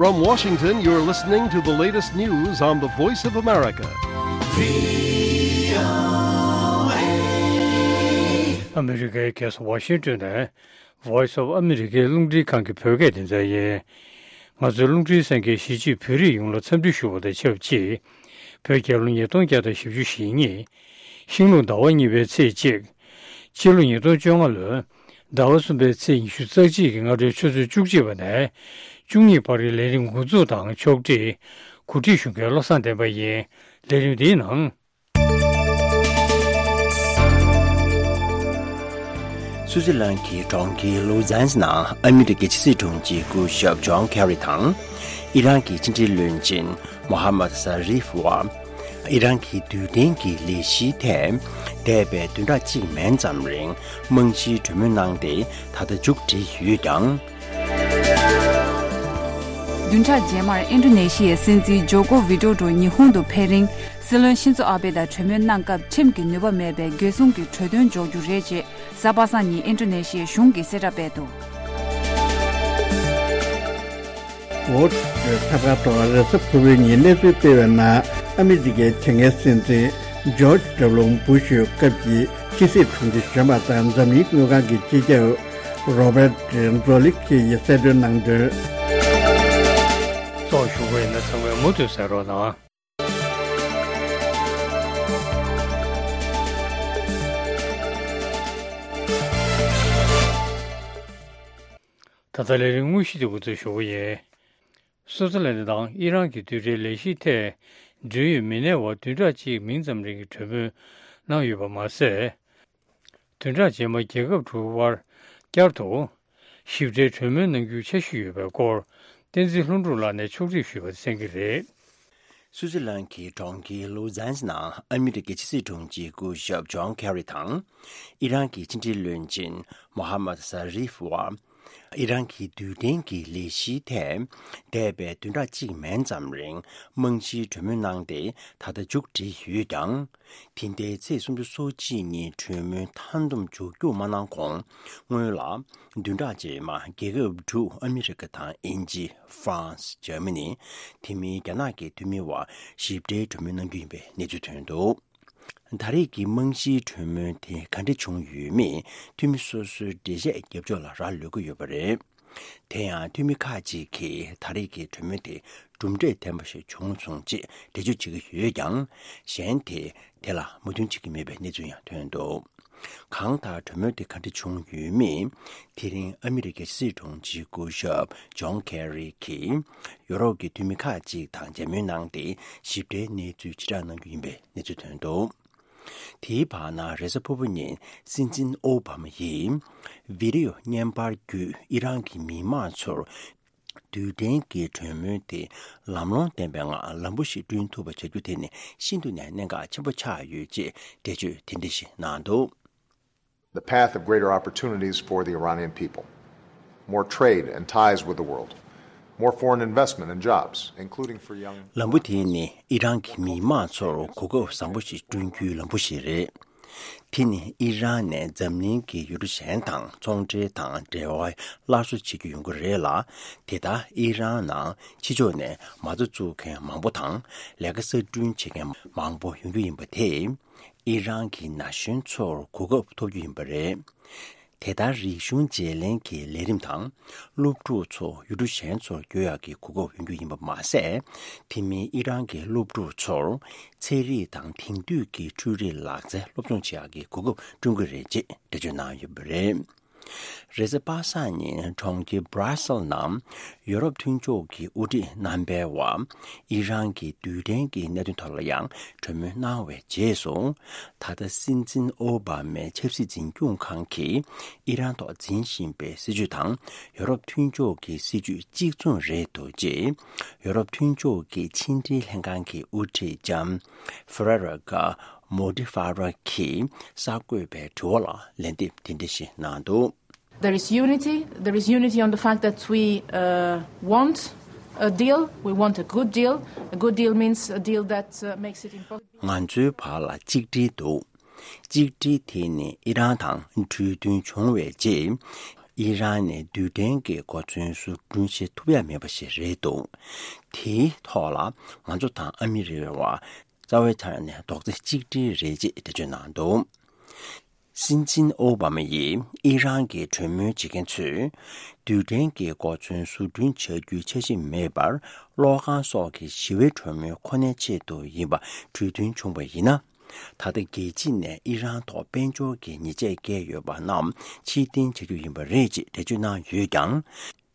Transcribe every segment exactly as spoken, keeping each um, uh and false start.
From Washington, you're listening to the latest news on the Voice of America. ཨ་མི་རི་ཀའི་རྒྱལ་ས་ཝ་ཤིང་ཏོན་ནས་Voice of America རླུང་འཕྲིན་ཁང་གི་བོད་སྐད་སྡེ་ཚན་ཡིན། ང་ཚོའི་རླུང་འཕྲིན་གསན་མཁན་གཞིས་བྱེས་བོད་རིགས་ཡོངས་ལ་འཚམས་འདྲི་ཞུ་བ་དང་ཆབས་ཅིག་བོད་རྒྱལ་ལོ་ཉིས་སྟོང་བརྒྱ་དང་བཞི་བཅུ་ཞེ་གཉིས། ཤིང་ལུག་ཟླ་བ་གཉིས་པའི་ཚེས་གཅིག་སྤྱི་ལོ་ཉིས་སྟོང་བཅོ་ལྔ་ལོའི་ཟླ་བ་གསུམ་པའི་ཚེས་ཉི་ཤུ་རྩ་གཅིག་གི་སྔ་དྲོའི་ཆུ་ཚོད་བཅུ་གཅིག་པ་ནས་བཅུ་གཉིས་བར་གྱི་ལས་རིམ་འགོ་འཛུགས་དང་ཕྱོགས་སྒྲིག་གོ་སྒྲིག་ཞུ་མཁན་བློ་བཟང་བསྟན་པ་ཡིན། ལས་རིམ་འདིའི་ནང་། སུའུ་ཙི་ལན་གྱི་གྲོང་ཁྱེར་ལུའུ་ཛན་ནང་ཨ་མི་རི་ཀའི་ཕྱི་སྲིད་དྲུང་ཆེ་སྐུ་ཞབས་ཇོན་ཁེ་རི་དང་། ཨི་རན་གྱི་ཕྱི་འབྲེལ་བློན་ཆེན་མོ་ཧ་མད་ཟ་རིཕ་བར། ཨི་རན་གྱི་རྡུལ་ཕྲན་གྱི་ལས་གཞིའི་ཐད། འདས་པའི་བདུན་ཕྲག་གཅིག་མན་ཙམ་རིང་རྨང་གཞིའི་གྲོས་མོལ་གནང་སྟེ་ད་ལྟ་མཇུག་བསྒྲིལ་ཡོད་ཀྱང་། བདུན་ཕྲག་རྗེས་མར་ཨིན་ཌོ་ནེ་ཤི་ཡའི་སྲིད་འཛིན་ཇོ་ཀོ་ཝི་ཌོ་ཌོ་ཉི་ཧོང་དུ་ཕེབས་རིང་། སྲིད་བློན་ཤིན་ཛོ་ཨ་བྷེ་དང་གྲོས་མོལ་གནང་སྐབས་ཁྲིམས་ཀྱི་ནུས་པ་མེད་པའི་རྒྱལ་སྲུང་གི་གྲོས་དོན་འཇོག་རྒྱུ་རེད་ཅེས་གཟའ་པ་སངས་ཉིན་ཨིན་ཌོ་ནེ་ཤི་ཡའི་གཞུང་གིས་གསལ་བསྒྲགས་སྤེལ་འདུག། ཝོལ་སི་ཊི་སྒྲོན་འཐབ་གར་ཐོག་རེས་གཟའ་ཕུར་བུའི་ཉིན་གནས་ཚུལ་སྤེལ་བའི་ནང་ཨ་མི་རི་ཀའི་དེ་སྔའི་སྲིད་འཛིན་ཇོརྗ་ཌབ་ལུ་བུ་ཤི་སྐབས་ཀྱི་ཕྱི་སྲིད་དྲུང་ཆེ་གཞོན་པ་དང་འཛམ་གླིང་དངུལ་ཁང་གི་སྤྱི་ཁྱབ་རོ་བེར་ཛོ་ལི་ཁི་ཡིས་གསལ་སྟོན་གནང་དོན། གཙོ་བོ་ཞུ་བ་ཡིན་ན་ཚང་མས་མུ་མཐུད་གསན་རོགས་གནང་། ད་ལྟ་ལས་རིམ་དངོས་གཞི་དེ་འགོ་འཛུགས་ཞུ་བ་ཡིན། སུའུ་ཙི་ལན་དང་ཨི་རན་གྱི་རྡུལ་ཕྲན་ལས་གཞིའི་ཐད་འབྲེལ་ཡོད་མི་སྣའི་བར་བདུན་ཕྲག་གཅིག་མིན་ཙམ་རིང་གི་གྲོས་མོལ་གནང་ཡོད་པ་མ་ཟད། བདུན་ཕྲག་རྗེས་མ་རྒྱལ་ཁབ་དྲུག་དབར་བསྐྱར་དུ་ཞིབ་ཕྲའི་གྲོས་མོལ་གནང་རྒྱུའི་འཆར་གཞི་ཡོད་པའི་སྐོར་བསྟན་འཛིན་ལྷུན་གྲུབ་ལགས་ནས་ཕྱོགས་སྒྲིག་ཞུས་པ་གསན་གྱི་རེད། སུའུ་ཙི་ལན་གྱི་གྲོང་ཁྱེར་ལུའུ་ཛན་ནང་ཨ་མི་རི་ཀའི་ཕྱི་སྲིད་དྲུང་ཆེ་སྐུ་ཞབས་ཇོན་ཁེ་རི་དང་། ཨི་རན་གྱི་ཕྱི་འབྲེལ་བློན་ཆེན་མོ་ཧ་མད་ཟ་རིཕ་བར། ཨི་རན་གྱི་རྡུལ་ཕྲན་གྱི་ལས་གཞིའི་ཐད། འདས་པའི་བདུན་ཕྲག་གཅིག་མན་ཙམ་རིང་རྨང་གཞིའི་གྲོས་མོལ་གནང་སྟེ་ད་ལྟ་མཇུག་བསྒྲིལ་ཡོད་ཀྱང་། དེ་ཟླའི་ཚེས་སུམ་ཅུ་སོ་གཅིག་ཉིན་གྲོས་མོལ་མཐའ་འདོམས་མཇུག་སྐྱོང་མ་གནང་གོང་། སྔོན་ལ་བདུན་ཕྲག་རྗེས་མ་རྒྱལ་ཁབ་དྲུག་ཨ་མི་རི་ཀ་དང་དབྱིན་ཇི། ཧྥ་རན་སི། འཇར་མ་ནི། དེ་མིན་རྒྱ་ནག་གི་འཐུས་མི་བར་ཞིབ་ཕྲའི་གྲོས་མོལ་གནང་རྒྱུ་ཡིན་པའི་གནས་ཚུལ་ཐོན་འདུག། ད་རེས་ཀྱི་རྨང་གཞིའི་གྲོས་མོལ་དེ་ག་འདྲ་བྱུང་ཡོད་མེད་འཐུས་མི་སོ་སོའི་འགྲེལ་བཤད་རྒྱབ་ཕྱོགས་ལ་རག་ལུས་ཀྱི་ཡོད་པ་རེད། དེ་ཡང་འཐུས་མི་ཁག་ཅིག་གིས་ད་རེས་ཀྱི་གྲོས་མོལ་དེ་གྲུབ་འབྲས་ལྡན་པ་ཞིག་བྱུང་སོང་ཅེས་འགྲེལ་བརྗོད་བྱེད་ཀྱི་ཡོད་ཀྱང་། གཞན་དེས་དེ་ལ་མོས་མཐུན་བྱེད་ཀྱི་མེད་པའི་གནས་ཚུལ་ཡང་ཐོན་འདུག། གང་ལྟར་གྲོས་མོལ་དེ་ག་འདྲ་བྱུང་ཡོད་མེད། དེ་རིང་ཨ་མི་རི་ཀའི་ཕྱི་སྲིད་དྲུང་ཆེ་སྐུ་ཞབས་ཇོན་ཁེ་རི་གིས་ཡོ་རོབ་ཀྱི་འཐུས་མི་ཁག་ཅིག་དང་མཇལ་མོལ་གནང་སྟེ་ཞིབ་ཕྲའི་གནས་ཚུལ་ཕྱིར་བསྒྲགས་གནང་རྒྱུ་ཡིན་པའི་གནས་ཚུལ་ཐོན་འདུག། དེའི་བར་ན་རེས་གཟའ་ཕུར་བུ་ཉིན་སྲིད་འཛིན་ཨོ་བྷ་མ་ཡིས་བི་ཌི་ཡོ་བརྙན་པར་བརྒྱུད་ཨི་རན་གྱི་མི་མང་ཚོར་རྡུལ་ཕྲན་གྱི་གྲོས་མོལ་དེ་ལམ་ལྷོང་ལྡན་པའི་ངང་ལམ་བུ་ཞིག་བསྐྲུན་ཐུབ་པ་བྱ་རྒྱུ་དེ་ནི་ཤིན་ཏུ་ནས་གནད་འགག་ཆེན་པོ་ཆགས་ཡོད་ཅེས་འགྲེལ་བརྗོད་དེ་འདྲ་ཞིག་གནང་འདུག། The path of greater opportunities for the Iranian people. More trade and ties with the world. More foreign investment and jobs, including for young. ལམ་བུ་དེ་ནི་ཨི་རན་གྱི་མི་མང་ཚོར་གོ་སྐབས་བཟང་པོ་ཞིག་བསྐྲུན་རྒྱུའི་ལམ་བུ་ཞིག་རེད། དེ་ནི་ཨི་རན་ནས་འཛམ་གླིང་གི་ཡུལ་གྲུ་གཞན་དང་ཚོང་འབྲེལ་དང་འབྲེལ་བ་སླར་གསོ་བྱེད་རྒྱུ་ཡོང་གི་རེད་ལ། དེ་ལྟར་ཨི་རན་ནང་ཕྱི་ཕྱོགས་ནས་མ་རྩ་བཙུགས་མཁན་མང་པོ་དང་ལས་ཀ་གསར་སྐྲུན་བྱེད་མཁན་མང་པོ་ཡོང་རྒྱུ་ཡིན་པ་དེས། ཨི་རན་གྱི་ན་གཞོན་ཚོར་གོ་སྐབས་ཐོབ་རྒྱུ་ཡིན་པ་རེད། དེ་ལྟར་རིག་གཞུང་བརྗེ་ལེན་གྱི་ལས་རིམ་དང་། སློབ་ཕྲུག་ཚོ་ཡུལ་གྲུ་གཞན་ཚོར་བསྐྱོད་ཡག་གི་གོ་སྐབས་ཡོང་རྒྱུ་ཡིན་པ་མ་ཟད། དེ་མིན་ཨི་རན་གྱི་སློབ་ཕྲུག་ཚོར་ཚན་རིག་དང་དེང་དུས་ཀྱི་འཕྲུལ་རིག་ལག་རྩལ་སློབ་སྦྱོང་བྱེད་ཡག་གི་གོ་སྐབས་བསྐྲུན་གྱི་རེད་ཅེས་འགྲེལ་བརྗོད་གནང་ཡོད་པ་རེད། རེས་གཟའ་པ་སངས་ཉིན་གྲོང་ཁྱེར་Brussels ནང་ཡོ་རོབ་མཐུན་ཕྱོགས་ཀྱི་དབུ་ཁྲིད་རྣམ་པས་བ། ཨི་རན་གྱི་རྡུལ་ཕྲན་གྱི་གནད་དོན་ཐོག་ལ་ཡང་གྲོས་མོལ་གནང་བའི་རྗེས་སུ། ད་ལྟ་སྲིད་འཛིན་ཨོ་བྷ་མའི་ཆབ་སྲིད་འཛིན་སྐྱོང་ཁང་གིས་ཨི་རན་ཐོག་འཛིན་བཞིན་པའི་སྲིད་བྱུས་དང་ཡོ་རོབ་མཐུན་ཕྱོགས་ཀྱི་སྲིད་བྱུས་གཅིག་མཚུངས་རེད་འདུག་ཅེས་ཡོ་རོབ་མཐུན་ཕྱོགས་ཀྱི་ཕྱི་འབྲེལ་ལྷན་ཁང་གི་དབུ་ཁྲིད་ལྕམ་Federica Mogherini གིས་གསར་འགོད་པའི་དྲི་བ་ལ་ལན་འདེབས་དེ་འདྲ་ཞིག་གནང་འདུག། There is unity. There is unity on the fact that we uh, want a deal. We want a good deal. A good deal means a deal that uh, makes it impossible. ང་ཚོའི་བར་ལ་གཅིག་སྒྲིལ་འདུག། གཅིག་སྒྲིལ་དེ་ནི་ཨི་རན་དང་གྲོས་མཐུན་བྱུང་བའི་རྗེས། ཨི་རན་ནས་རྡུལ་ཕྲན་གྱི་གོ་མཚོན་བཟོ་སྐྲུན་བྱེད་ཐུབ་ཡ་མེད་པ་ཞིག་རེད་འདུག་དེའི་ཐོག་ལ་ང་ཚོ་དང་ཨ་མི་རི་ཀའི་བར་རྩ་བའི་ཆ་ནས་རྡོག་རྩ་གཅིག་སྒྲིལ་རེད་ཅེས་འགྲེལ་བརྗོད་གནང་འདུག་སྲིད་འཛིན་ཨོ་བྷ་མ་ཡིས་ཨི་རན་གྱི་གྲོས་མོལ་བྱེད་མཁན་ཚོས་རྡུལ་ཕྲན་གྱི་གོ་མཚོན་བཟོ་སྐྲུན་བྱ་རྒྱུའི་འཆར་གཞི་མེད་པར་གློག་ཁང་སོགས་ཀྱི་ཞི་བའི་གྲོས་མོལ་ཁོ་ནའི་ཆེད་དུ་ཡིན་པ་གྲོས་མཐུན་བྱུང་བ་ཡིན་ན། ད་ལྟ་རྒྱལ་སྤྱི་ནས་ཨི་རན་ཐོག་དཔལ་འབྱོར་གྱི་ཉེས་ཆད་བཀལ་ཡོད་པ་རྣམས་ཕྱིར་འཐེན་བྱ་རྒྱུ་ཡིན་པ་རེད་ཅེས་འགྲེལ་བརྗོད་གནང་ཡོད་ཀྱང་།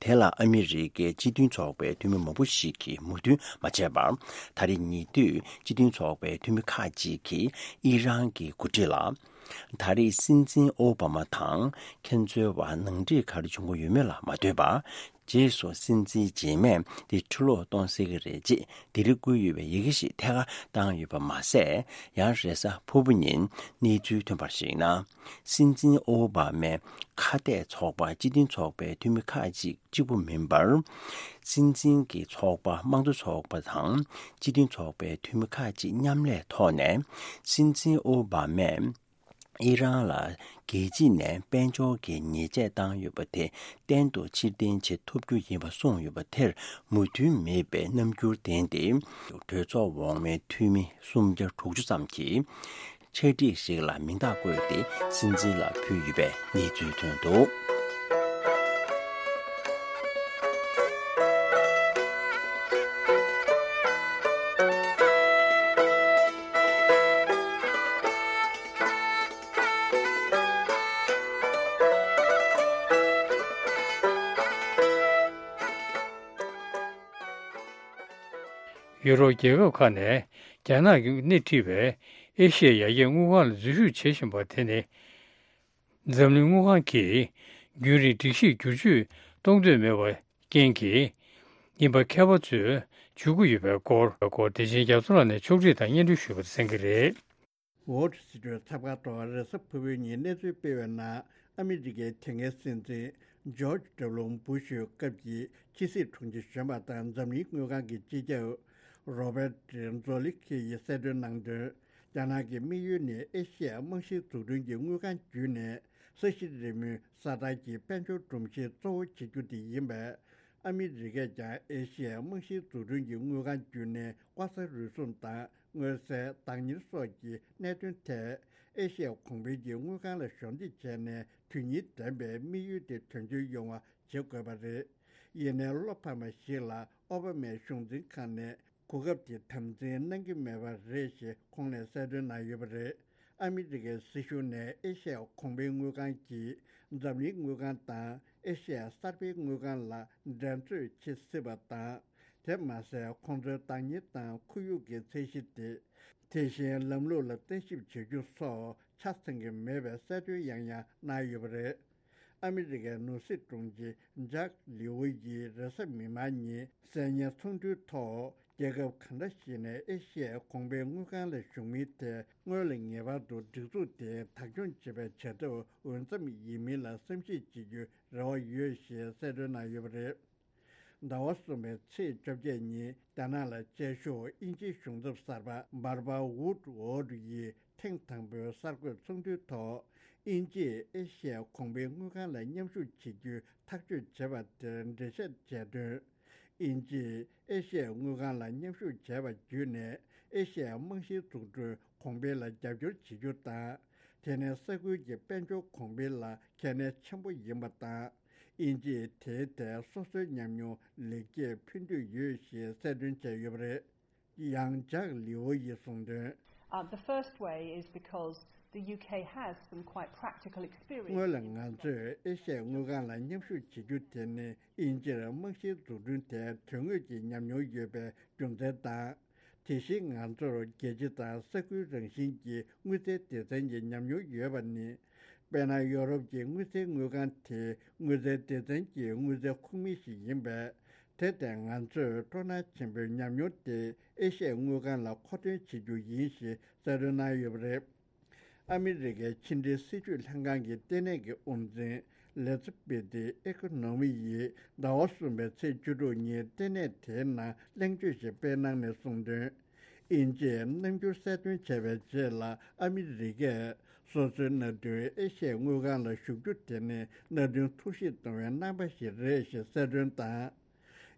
དེ་ལ་ཨ་མི་རི་ཀའི་སྤྱི་མཐུན་ཚོགས་པའི་འཐུས་མི་མང་པོ་ཞིག་གིས་མོས་མཐུན་མ་བྱས་པར། ད་རེས་ཉེ་དུས་སྤྱི་མཐུན་ཚོགས་པའི་འཐུས་མི་ཁག་ཅིག་གིས་ཨི་རན་གྱི་འགོ་ཁྲིད་ལ། ད་རེས་སྲིད་འཛིན་ཨོ་བྷ་མ་དང་ཁྱེད་ཚོའི་བར་ནང་འགྲིག་ག་རེ་བྱུང་གི་ཡོད་མེད་ལ་མ་ལྟོས་པར། རྗེས་སུ་སྲིད་འཛིན་རྗེས་མས་དེ་ཕྱིར་ལོག་གཏོང་སྲིད་ཀྱི་རེད་ཅེས་འདི་རིགས་བསྐུར་ཡོད་པའི་ཡི་གེ་ཞིག་ཐད་ཀར་བཏང་ཡོད་པ་མ་ཟད། ཡང་རེས་གཟའ་ཕུར་བུ་ཉིན་གནས་ཚུལ་ཐོན་པར་གཞིགས་ན། སྲིད་འཛིན་ཨོ་བྷ་མས་ཁ་གཏད་ཚོགས་པ་སྤྱི་མཐུན་ཚོགས་པའི་འཐུས་མི་ཁག་ཅིག་གཅིག་པུ་མིན་པར། སྲིད་འཛིན་གྱི་ཚོགས་པ་དམངས་གཙོ་ཚོགས་པ་དང་སྤྱི་མཐུན་ཚོགས་པའི་འཐུས་མི་ཁག་ཅིག་མཉམ་ལས་ཐོག་ནས། སྲིད་འཛིན་ཨོ་བྷ་མས། ཨི་རན་ལ་རྒྱལ་སྤྱི་ནས་དཔལ་འབྱོར་གྱི་ཉེས་ཆད་བཏང་ཡོད་པ་དེ་གཏན་དུ་ཕྱིར་འཐེན་བྱེད་ཐུབ་རྒྱུ་ཡིན་པ་གསུངས་ཡོད་པ་དེར་མོས་མཐུན་མེད་པའི་རྣམ་འགྱུར་ལྡན་ཏེ། གྲོས་ཚོགས་འོག་མའི་འཐུས་མི་སུམ་བརྒྱ་དྲུག་ཅུ་ཙམ་གྱིས་ཕྱག་བྲིས་ཤིག་ལ་མིང་རྟགས་བཀོད་དེ་སྲིད་འཛིན་ལ་ཕུལ་ཡོད་པའི་གནས་ཚུལ་ཐོན་འདུག་ཡུ་རོབ་རྒྱལ་ཁབ་ཁག་ནས་རྒྱ་ནག་གིས་སྣེ་ཁྲིད་པའི་ཨེ་ཤི་ཡའི་ཡར་རྒྱས་དངུལ་ཁང་ལ་འཛུལ་ཞུགས་བྱེད་བཞིན་པ་དེ་ནི། འཛམ་གླིང་དངུལ་ཁང་གིས་རྒྱུན་རིང་སྒྲིག་གཞིར་བསྒྱུར་བཅོས་གཏོང་འདོད་མེད་པའི་རྐྱེན་གྱིས་ཡིན་པ་མཁས་པ་ཚོས་བརྗོད་ཀྱི་ཡོད་པའི་སྐོར། སྐོར་དེ་བཞིན་རྒྱ་མཚོ་ལགས་ནས་ཕྱོགས་སྒྲིག་དང་སྙན་སྒྲོན་ཞུས་པ་གསན་གྱི་རེད། Wall Street་ཚགས་པར་ཐོག་རེས་གཟའ་ཕུར་བུའི་ཉིན་གནས་ཚུལ་སྤེལ་བའི་ནང་། ཨ་མི་རི་ཀའི་དེ་སྔའི་སྲིད་འཛིན་George W Bush་སྐབས་ཀྱི་ཕྱི་སྲིད་དྲུང་ཆེ་གཞོན་པ་དང་འཛམ་གླིང་དངུལ་ཁང་གི་སྤྱི་ཁྱབ་Robert Zoellick་ཡིས་གསལ་སྟོན་གནང་དོན། རྒྱ་ནག་གི་དམིགས་ཡུལ་ནི་ཨེ་ཤི་ཡའི་རྨང་གཞིའི་འཛུགས་སྐྲུན་གྱི་དངུལ་ཁང་བརྒྱུད་ནས་ས་གཞི་རི་མོའི་ས་ཐག་གི་དཔལ་འབྱོར་སྒྲོམ་གཞི་གཙོ་བོ་བྱེད་རྒྱུ་དེ་ཡིན་པས། ཨ་མི་རི་ཀས་ཀྱང་ཨེ་ཤི་ཡའི་རྨང་གཞིའི་འཛུགས་སྐྲུན་གྱི་དངུལ་ཁང་བརྒྱུད་ནས་ལྐོག་ཟ་རུལ་སུངས་དང་མངོན་གསལ་བདག་གཉེར་སོགས་ཀྱི་གནད་དོན་ཐད་ཨེ་ཤི་ཡའི་གོང་འཕེལ་གྱི་དངུལ་ཁང་ལ་གཞོགས་འདེགས་བྱས་ནས་དོན་སྙིང་ལྡན་པའི་དམིགས་ཡུལ་དེ་དོན་འཁྱོལ་ཡོང་བ་བྱེད་དགོས་པ་རེད། ཡིན་ནའི་བློ་ཕམ་པ་ཞིག་ལ་ཨོ་བྷ་མའི་གཞུང་འཛིན་ཁང་ནས་གོ་སྐབས་དེ་དམ་འཛིན་གནང་གི་མེད་པ་རེད་ཞེས་ཁོང་ནས་གསལ་སྟོན་གནང་ཡོད་པ་རེད། ཨ་མི་རི་ཀའི་སྲིད་གཞུང་ནས་ཨེ་ཤ་ཡའི་གོང་འཕེལ་དངུལ་ཁང་གིས་འཛམ་གླིང་དངུལ་ཁང་དང་ཨེ་ཤ་ཡའི་གསར་སྤེལ་དངུལ་ཁང་ལ་འགྲན་རྩོད་བྱེད་སྲིད་པ་དང་། དེ་མ་ཟད་ཁོང་ཚོའི་བདག་གཉེར་དང་ཁོར་ཡུག་གི་ཚད་གཞི་དེ། དེ་བཞིན་ལམ་ལུགས་ལ་བརྟན་ཞིབ་བྱེད་རྒྱུ་སོགས་ཆ་ཚང་གི་མེད་པའི་གསལ་སྟོན་ཡང་ཡང་གནང་ཡོད་པ་རེད། ཨ་མི་རི་ཀའི་ནོར་སྲིད་དྲུང་ཆེ་ཇག་ལི་ཝུ་ཡིས་རེས་གཟའ་མིག་དམར་ཉིན་གསར་ཉན་ཚོགས་འདུའི་ཐོག་རྒྱལ་ཁབ་གང་འདྲ་ཞིག་ནས་ཨེ་ཤ་ཡའི་གོང་འཕེལ་དངུལ་ཁང་ལ་ཞུགས་མིན་དེ་སྔོན་ལ་ངེས་པར་དུ་སྒྲིག་འཛུགས་དེས་བདག་སྐྱོང་བྱེད་པའི་བྱ་ཐབས་འོས་འཚམ་ཡིན་མིན་ལ་བསམ་གཞིག་བྱེད་རྒྱུའི་རེ་བ་ཡོད་ཞེས་གསལ་སྟོན་གནང་ཡོད་པ་རེད། ཟླ་བ་གསུམ་པའི་ཚེས་བཅོ་བརྒྱད་ཉིན་རྒྱ་ནག་ལ་བཅའ་བཞུགས་དབྱིན་ཇིའི་གཞུང་ཚབ་གསར་པ་Barbara Woodward་ཡིས་ཐེངས་དང་པོའི་གསར་འགོད་ཚོགས་འདུའི་ཐོག་དབྱིན་ཇིས་ཨེ་ཤ་ཡའི་གོང་འཕེལ་དངུལ་ཁང་ལ་མཉམ་ཞུགས་བྱེད་རྒྱུའི་ཐག་གཅོད་བྱས་པ་དེར་འགྲེལ་བཤད་བྱས་དོན། དབྱིན་ཇིས་ཨེ་ཤ་ཡའི་དངུལ་ཁང་ལ་མཉམ་ཞུགས་བྱས་པ་བརྒྱུད་ནས་ཨེ་ཤ་ཡའི་རྨང་གཞིའི་འཛུགས་སྐྲུན་གོང་འཕེལ་ལ་རྒྱབ་སྐྱོར་བྱེད་རྒྱུ་དང་། དེ་ནི་ས་ཁུལ་གྱི་དཔལ་འབྱོར་གོང་འཕེལ་ལ་གལ་གནད་ཆེན་པོ་ཡིན་པ་དང་། དབྱིན་ཇིས་དེའི་ཐད་སོ་སོའི་ཉམས་མྱོང་ལེགས་སྐྱེས་ཕུལ་འདོད་ཡོད་ཞེས་གསལ་སྟོན་བྱས་ཡོད་པ་རེད། ཡང་ཇག་ལི་ཝུ་ཡིས་གསུངས་དོན། Uh, the first way is because the U K has some quite practical experience. སྔོན་ལ་ང་ཚོས་ཨེ་ཤ་ཡའི་དངུལ་ཁང་ལ་མཉམ་ཞུགས་བྱེད་རྒྱུ་དེ་ནི་དབྱིན་ཇིར་རྨང་གཞིའི་འཛུགས་སྐྲུན་དེ་དོན་དངོས་ཀྱི་ཉམས་མྱོང་ཡོད་པའི་རྒྱུ་མཚན་དང་། དེ་བཞིན་ང་ཚོར་རྒྱལ་སྤྱི་དང་ས་ཁུལ་རང་བཞིན་གྱི་དངུལ་རྩའི་སྡེ་ཚན་གྱི་ཉམས་མྱོང་ཡོད་པ་ནི། དཔེར་ན་ཡོ་རོབ་ཀྱི་དངུལ་རྩའི་དངུལ་ཁང་དེ་དངུལ་རྩའི་སྡེ་ཚན་གྱི་དངུལ་རྩའི་ཁོངས་མི་ཞིག་ཡིན་པས། དེ་ལྟར་ང་ཚོས་སྤྲོ་སྣང་ཆེན་པོས་ཉམས་མྱོང་དེ་ཨེ་ཤ་ཡའི་དངུལ་ཁང་ལ་མཁོ་འདོན་བྱེད་རྒྱུ་ཡིན་ཞེས་གསལ་སྟོན་གནང་ཡོད་པ་རེད། ཨ་མི་རི་ཀའི་ཕྱི་འབྲེལ་སྲིད་ཇུས་ལྷན་ཁང་གི་ལྟེ་གནས་ཀྱི་དབུ་འཛིན་ལེ་ཛི་པེ་ཏི་ཨེ་ཁོ་ནོ་མི་ཡིས་ཟླ་བ་གསུམ་པའི་ཚེས་བཅུ་དྲུག་ཉིན་ལྟེ་གནས་དེའི་ནང་གླེང་བརྗོད་ཞིག་སྤེལ་གནང་ནས་གསུངས་དོན། དབྱིན་ཇིས་རྣམ་འགྱུར་གསལ་སྟོན་བྱས་པའི་རྗེས་ལ། ཨ་མི་རི་ཀས་སོ་སོའི་མནའ་མཐུན་ཨེ་ཤི་ཡའི་དངུལ་ཁང་ལ་ཞུགས་རྒྱུ་དེ་ནི་མནའ་མཐུན་ཐུགས་ཞིབ་གཏོང་བའི་རྣམ་པ་ཞིག་རེད་ཞེས་གསལ་སྟོན་དང་།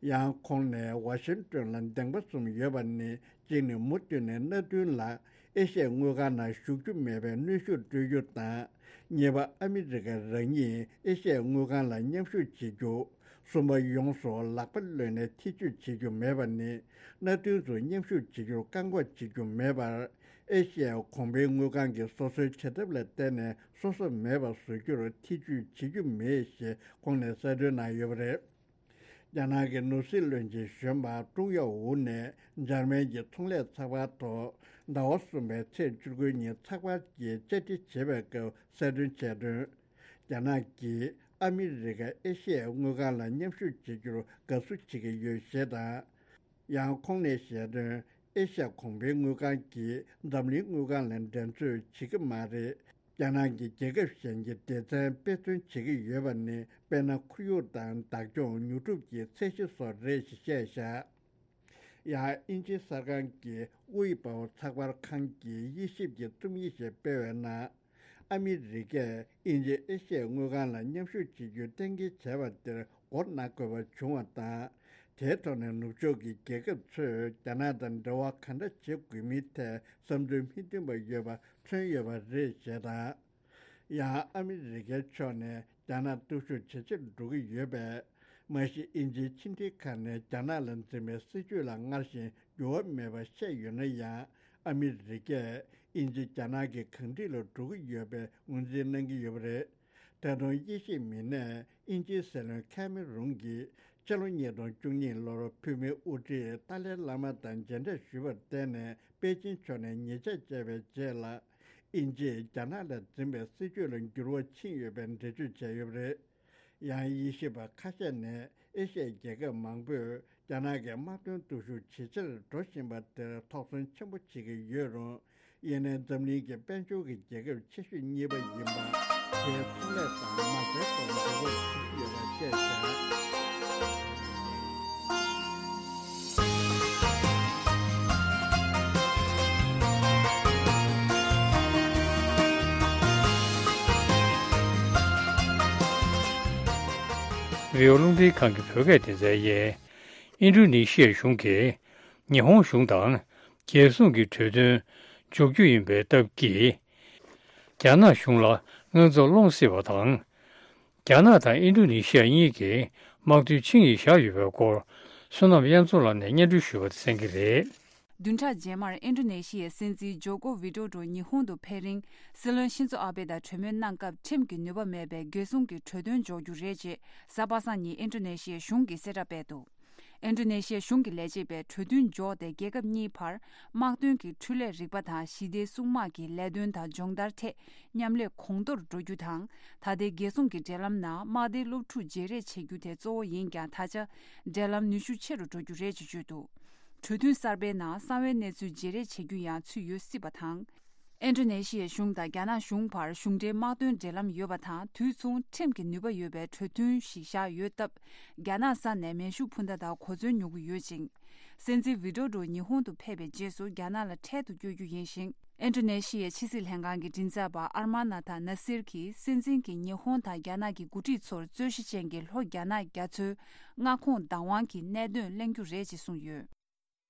ཡང་ཁོང་ནས་ཝ་ཤིང་ཏོན་ལ་གདེང་པ་གསུམ་ཡོད་པ་ནི། གཅིག་ནི་མུ་མཐུད་ནས་མནའ་མཐུན་ལ་ཨེ་ཤི་ཡའི་དངུལ་ཁང་ནང་ཞུགས་རྒྱུ་མེད་པའི་གནོན་ཤུགས་སྤྲོད་རྒྱུ་དང་། གཉིས་པ། ཨ་མི་རི་ཀ་རང་ཉིད་ཨེ་ཤི་ཡའི་དངུལ་ཁང་ལ་མཉམ་ཞུགས་བྱེད་རྒྱུ། གསུམ་པ། ཡོངས་སུ་ལག་པ་གློད་ནས་ཐེ་ཇུས་བྱེད་རྒྱུ་མེད་པ་ནི། མནའ་མཐུན་ཚོ་མཉམ་ཞུགས་བྱེད་རྒྱུར་བཀག་འགོག་བྱེད་རྒྱུ་མེད་པར། ཨེ་ཤི་ཡའི་གོང་འཕེལ་དངུལ་ཁང་གིས་སོ་སོའི་བྱ་ཐབས་ལ་བརྟེན་ནས་སོ་སོ་མེད་པར་བཟོ་རྒྱུར་ཐེ་ཇུས་བྱེད་རྒྱུ་མེད་ཞེས་ཁོང་ནས་གསལ་སྟོན་གནང་ཡོད་པ་རེད། རྒྱ་ནག་གི་ནོར་སྲིད་བློན་ཆེན་གཞོན་པ་ཀྲུང་ཡའོ་ཝུ་ནས་འཇར་མན་གྱི་ཚོང་ལས་ཚགས་པར་ཐོག་ཟླ་བ་གསུམ་པའི་ཚེས་བཅུ་དགུ་ཉིན་ཚགས་པར་གྱིས་བཅར་འདྲི་བྱེད་པའི་སྐབས་གསལ་སྟོན་བྱས་དོན། རྒྱ་ནག་གིས་ཨ་མི་རི་ཀ་ཨེ་ཤི་ཡའི་དངུལ་ཁང་ལ་མཉམ་ཞུགས་བྱེད་རྒྱུར་དགའ་བསུ་བྱེད་ཀྱི་ཡོད་ཞེས་དང་། ཡང་ཁོང་ནས་བཤད་དོན། ཨེ་ཤ་ཡ་གོང་འཕེལ་དངུལ་ཁང་གིས་འཛམ་གླིང་དངུལ་ཁང་ལ་འགྲན་རྩོད་བྱེད་ཀྱི་མ་རེད། རྒྱ་ནག་གིས་རྒྱལ་ཁབ་གཞན་གྱི་སྡེ་ཚན་དཔེ་མཚོན་བྱེད་ཀྱི་ཡོད་པ་ནི། དཔེར་ན། ཁོར་ཡུག་དང་བདག་སྐྱོང་། ཉོ་སྒྲུབ་ཀྱི་ཚད་གཞི་སོགས་རེད་ཞེས་བཤད་བཞག་ཡང་དབྱིན་ཇིའི་གསར་ཁང་གི་དབུས་པའོ་ཚགས་པར་ཁང་གིས་དབྱེ་ཞིབ་ཀྱི་རྩོམ་ཡིག་ཞིག་སྤེལ་བའི་ནང་། ཨ་མི་རི་ཀས་དབྱིན་ཇི་ཨེ་ཤ་ཡའི་དངུལ་ཁང་ལ་མཉམ་ཞུགས་བྱེད་རྒྱུའི་གཏན་འཁེལ་བྱས་པ་དེར་མགོ་ན་དགོས་པ་བྱུང་བ་དང་། དེའི་ཐོག་ནས་ནུབ་ཕྱོགས་ཀྱི་རྒྱལ་ཁབ་ཚོས་རྒྱ་ནག་དང་འབྲེལ་བ་གང་འདྲ་བྱེད་དགོས་མིན་ཐད་བསམ་ཚུལ་མི་མཐུན་པ་ཡོད་པ་མཚོན་ཡོད་པ་རེད་ཅེས་དང་། ཡང་ཨ་མི་རི་ཀའི་ཕྱོགས་ནས་རྒྱ་ནག་སྟོབས་ཤུགས་ཇེ་ཆེར་འགྲོ་གི་ཡོད་པས། མ་གཞི་དབྱིན་ཇིའི་ཕྱི་འབྲེལ་ཁང་ནས་རྒྱ་ནག་ལ་འཛིན་པའི་སྲིད་ཇུས་ལ་སྔར་བཞིན་འགྱུར་བ་མེད་པ་བཤད་ཡོད་ན་ཡང་། ཨ་མི་རི་ཀས་དབྱིན་ཇི་རྒྱ་ནག་གི་གང་འགྲིག་ལ་འགྲོ་གི་ཡོད་པའི་ངོས་འཛིན་གནང་གི་ཡོད་པ་རེད། ད་དུང་དབྱེ་ཞིབ་མི་སྣས་དབྱིན་ཇིའི་སྲིད་བློན་ཁེ་མེ་རུན་གྱིས་ཕྱི་ལོ་ཉིས་སྟོང་བཅུ་གཉིས་ལོར་བོད་མིའི་དབུ་ཁྲིད་ཏཱ་ལའི་བླ་མ་དང་མཇལ་འཕྲད་ཞུས་པར་བརྟེན་ནས་པེ་ཅིན་ཕྱོགས་ནས་ཉེས་ཆད་བཅད་པའི་རྗེས་ལ། དབྱིན་ཇིས་རྒྱ་ནག་ལ་འཛིན་པའི་སྲིད་ཇུས་ལ་འགྱུར་བ་ཕྱིན་ཡོད་པའི་འགྲེལ་བརྗོད་བྱས་ཡོད་པ་རེད། ཡང་དབྱེ་ཞིབ་པ་ཁ་ཤས་ནས་ཨེ་ཤ་ཡའི་རྒྱལ་ཁབ་མང་པོས་རྒྱ་ནག་གི་དམག་དོན་སྟོབས་ཤུགས་ཇེ་ཆེར་འགྲོ་བཞིན་པ་དེར་དོགས་ཟོན་ཆེན་པོ་བྱེད་ཀྱི་ཡོད་རུང་། ཡིན་ནའི་འཛམ་གླིང་གི་དཔལ་འབྱོར་གྱི་རྒྱལ་ཁབ་ཆེ་ཤོས་གཉིས་པ་ཡིན་པ། དེའི་ཚོང་ལས་དང་མ་རྩའི་ཐོག་འགྱུར་བ་ཕྱིན་ཡོད་པ་བཅས་བྱས། རི་བོ་རླུང་འཕྲིན་ཁང་གི་བོད་སྐད་སྡེ་ཚན་ཡིན། ཨིན་ཌོ་ནེ་ཤི་ཡའི་གཞུང་གིས་ཉི་ཧོང་གཞུང་དང་རྒྱལ་སྲུང་གི་གྲོས་མཐུན་འཇོག་རྒྱུ་ཡིན་པའི་སྟབས་ཀྱིས། རྒྱ་ནག་གཞུང་ལ་དངངས་འཚབ་སློང་སྲིད་པ་དང་། རྒྱ་ནག་དང་ཨིན་ཌོ་ནེ་ཤི་ཡ་གཉིས་ཀྱིས་དམག་དོན་ཆིངས་ཡིག་བཞག་ཡོད་པའི་སྐོར། བསོད་ནམས་དབྱངས་མཚོ་ལགས་ནས་སྙན་སྒྲོན་ཞུས་པ་དེ་གསན་གྱི་རེད། བདུན་ཕྲག་རྗེས་མར་ཨིན་ཌོ་ནེ་ཤི་ཡའི་སྲིད་འཛིན་ཇོ་ཀོ་ཝི་ཌོ་ཌོ་ཉི་ཧོང་དུ་ཕེབས་རིང་། སྲིད་བློན་ཤིན་ཛོ་ཨ་བྷེ་དང་གྲོས་མོལ་གནང་སྐབས་ཁྲིམས་ཀྱི་ནུས་པ་མེད་པའི་རྒྱལ་སྲུང་གི་གྲོས་མཐུན་འཇོག་རྒྱུ་རེད་ཅེས་གཟའ་པ་སངས་ཉིན་ཨིན་ཌོ་ནེ་ཤི་ཡའི་གཞུང་གིས་གསལ་བསྒྲགས་སྤེལ་འདུག་ཨིན་ཌོ་ནེ་ཤི་ཡའི་གཞུང་གི་ལས་བྱེད་པས་གྲོས་མཐུན་འཇོག་སྟེ་རྒྱལ་ཁབ་གཉིས་བར་དམག་དོན་གྱི་འཕྲུལ་ལས་རིག་པ་དང་ཞི་བདེའི་སྲུང་དམག་གི་ལས་དོན་དང་སྦྱོང་བརྡར་ཐད་མཉམ་ལས་གོང་མཐོར་འགྲོ་རྒྱུ་དང་། ད་ལྟའི་རྒྱལ་སྲུང་གི་འབྲེལ་ལམ་ནང་དམག་སྡེའི་སློབ་ཕྲུག་བརྗེ་རེས་བྱེད་རྒྱུ་དེ་གཙོ་བོ་ཡིན་ཀྱང་། ད་ཆ་འབྲེལ་ལམ་ནུས་ཤུགས་ཆེ་རུ་འགྲོ་རྒྱུ་རེད་ཅེས་བརྗོད་འདུག་གྲོས་མཐུན་གསར་པའི་ནང་གསང་བའི་གནས་ཚུལ་བརྗེ་རེས་བྱེད་རྒྱུ་ཡང་ཚུད་ཡོད་སྲིད་པ་དང་། ཨིན་ཌོ་ནེ་ཤི་ཡའི་གཞུང་དང་རྒྱ་ནག་གཞུང་བར་གཞུང་འབྲེལ་དམག་དོན་འབྲེལ་ལམ་ཡོད་པ་དང་། དུས་མཚུངས་ཁྲིམས་ཀྱི་ནུས་པ་ཡོད་པའི་གྲོས་མཐུན་ཞིག་བཞག་ཡོད་སྟབས། རྒྱ་ནག་ས་ནས་མེ་ཤུགས་འཕུར་མདའ་དང་གོ་མཚོན་ཉོ་གི་ཡོད་ཅིང་། སྲིད་འཛིན་ཝི་ཌོ་ཌོ་ཉི་ཧོང་དུ་ཕེབས་པའི་རྗེས་སུ་རྒྱ་ནག་ལ་འཕྲལ་དུ་བསྐྱོད་རྒྱུ་ཡིན་ཞིང་། ཨིན་ཌོ་ནེ་ཤི་ཡའི་ཕྱི་སྲིད་ལྷན་ཁང་གི་མགྲིན་ཚབ་པ་ཨར་མ་ན་ཐ་ན་སིར་གྱིས་སྲིད་འཛིན་གྱིས་ཉི་ཧོང་དང་རྒྱ་ནག་གི་འགོ་ཁྲིད་ཚོར་རྩོད་གཞི་ཅན་གྱི་ལྷོ་རྒྱ་ནག་རྒྱ་མཚོའི་མངའ་ཁོངས་བདག་དབང་གི་གནད་དོན་གླེང་རྒྱུ་རེད་ཅེས་གསུངས་ཡོད།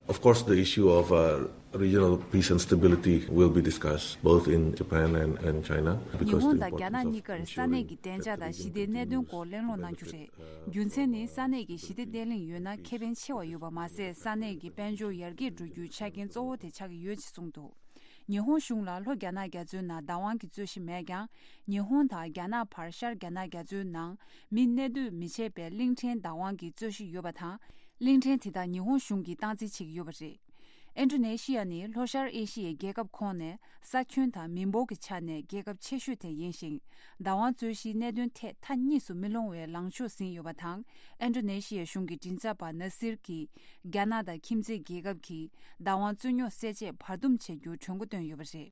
Of course, the issue of uh, regional peace and stability will be discussed both in Japan and, and China. 日本 དང་རྒྱ་ནག་གཉིས་ཀར་ས་གནས་ཀྱི་བདེ་འཇགས་དང་ཞི་བདེའི་གནད་དོན་སྐོར་གླེང་སློང་གནང་རྒྱུ་རེད། རྒྱུ་མཚན་ནི་ས་གནས་ཀྱི་ཞི་བདེ་བརྟན་ལྷིང་ཡོད་ན་ཁེ་ཕན་ཆེ་བ་ཡོད་པ་མ་ཟད། ས་གནས་ཀྱི་དཔལ་འབྱོར་ཡར་རྒྱས་འགྲོ་རྒྱུའི་ཆ་རྐྱེན་གཙོ་བོ་དེ་ཆགས་ཀྱི་ཡོད་ཅེས་གསུངས་འདུག་ཉི་ཧོང་གཞུང་ལ་ལྷོ་རྒྱ་ནག་རྒྱ་མཚོའི་ནང་བདག་དབང་གི་རྩོད་གཞི་མེད་ཀྱང་། ཉི་ཧོང་དང་རྒྱ་ནག་བར་ཤར་རྒྱ་ནག་རྒྱ་མཚོའི་ནང་མི་གནས་སྡོད་མི་བྱེད་པའི་གླིང་ཕྲན་བདག་དབང་གི་རྩོད་གཞི་ཡོད་པ་དང་། གླིང་ཕྲན་དེ་དག་ཉི་ཧོང་གཞུང་གིས་སྟངས་འཛིན་བྱེད་ཀྱི་ཡོད་པ་རེད། ཨིན་ཌོ་ནེ་ཤི་ཡ་ནི་ལྷོ་ཤར་ཨེ་ཤི་ཡའི་རྒྱལ་ཁབ་ཁོངས་ནས་ས་ཁྱོན་དང་མི་འབོར་གྱི་ཆ་ནས་རྒྱལ་ཁབ་ཆེ་ཤོས་དེ་ཡིན་ཞིང་། བདག་དབང་རྩོད་གཞིའི་གནད་དོན་ཐད་མཐའ་གཉིས་སུ་མི་ལྷུང་བའི་ལངས་ཕྱོགས་ཟིན་ཡོད་པ་དང་། ཨིན་ཌོ་ནེ་ཤི་ཡའི་གཞུང་གི་མགྲིན་ཚབ་པ་ན་སིར་གྱིས། རྒྱ་ནག་དང་ཁྱིམ་མཚེས་རྒྱལ་ཁབ་ཀྱིས་བདག་དབང་རྩོད་རྙོག་སེལ་ཆེད་བར་འདུམ་བྱེད་རྒྱུར་གྲོས་འགོ་བཏོན་ཡོད་པ་རེད།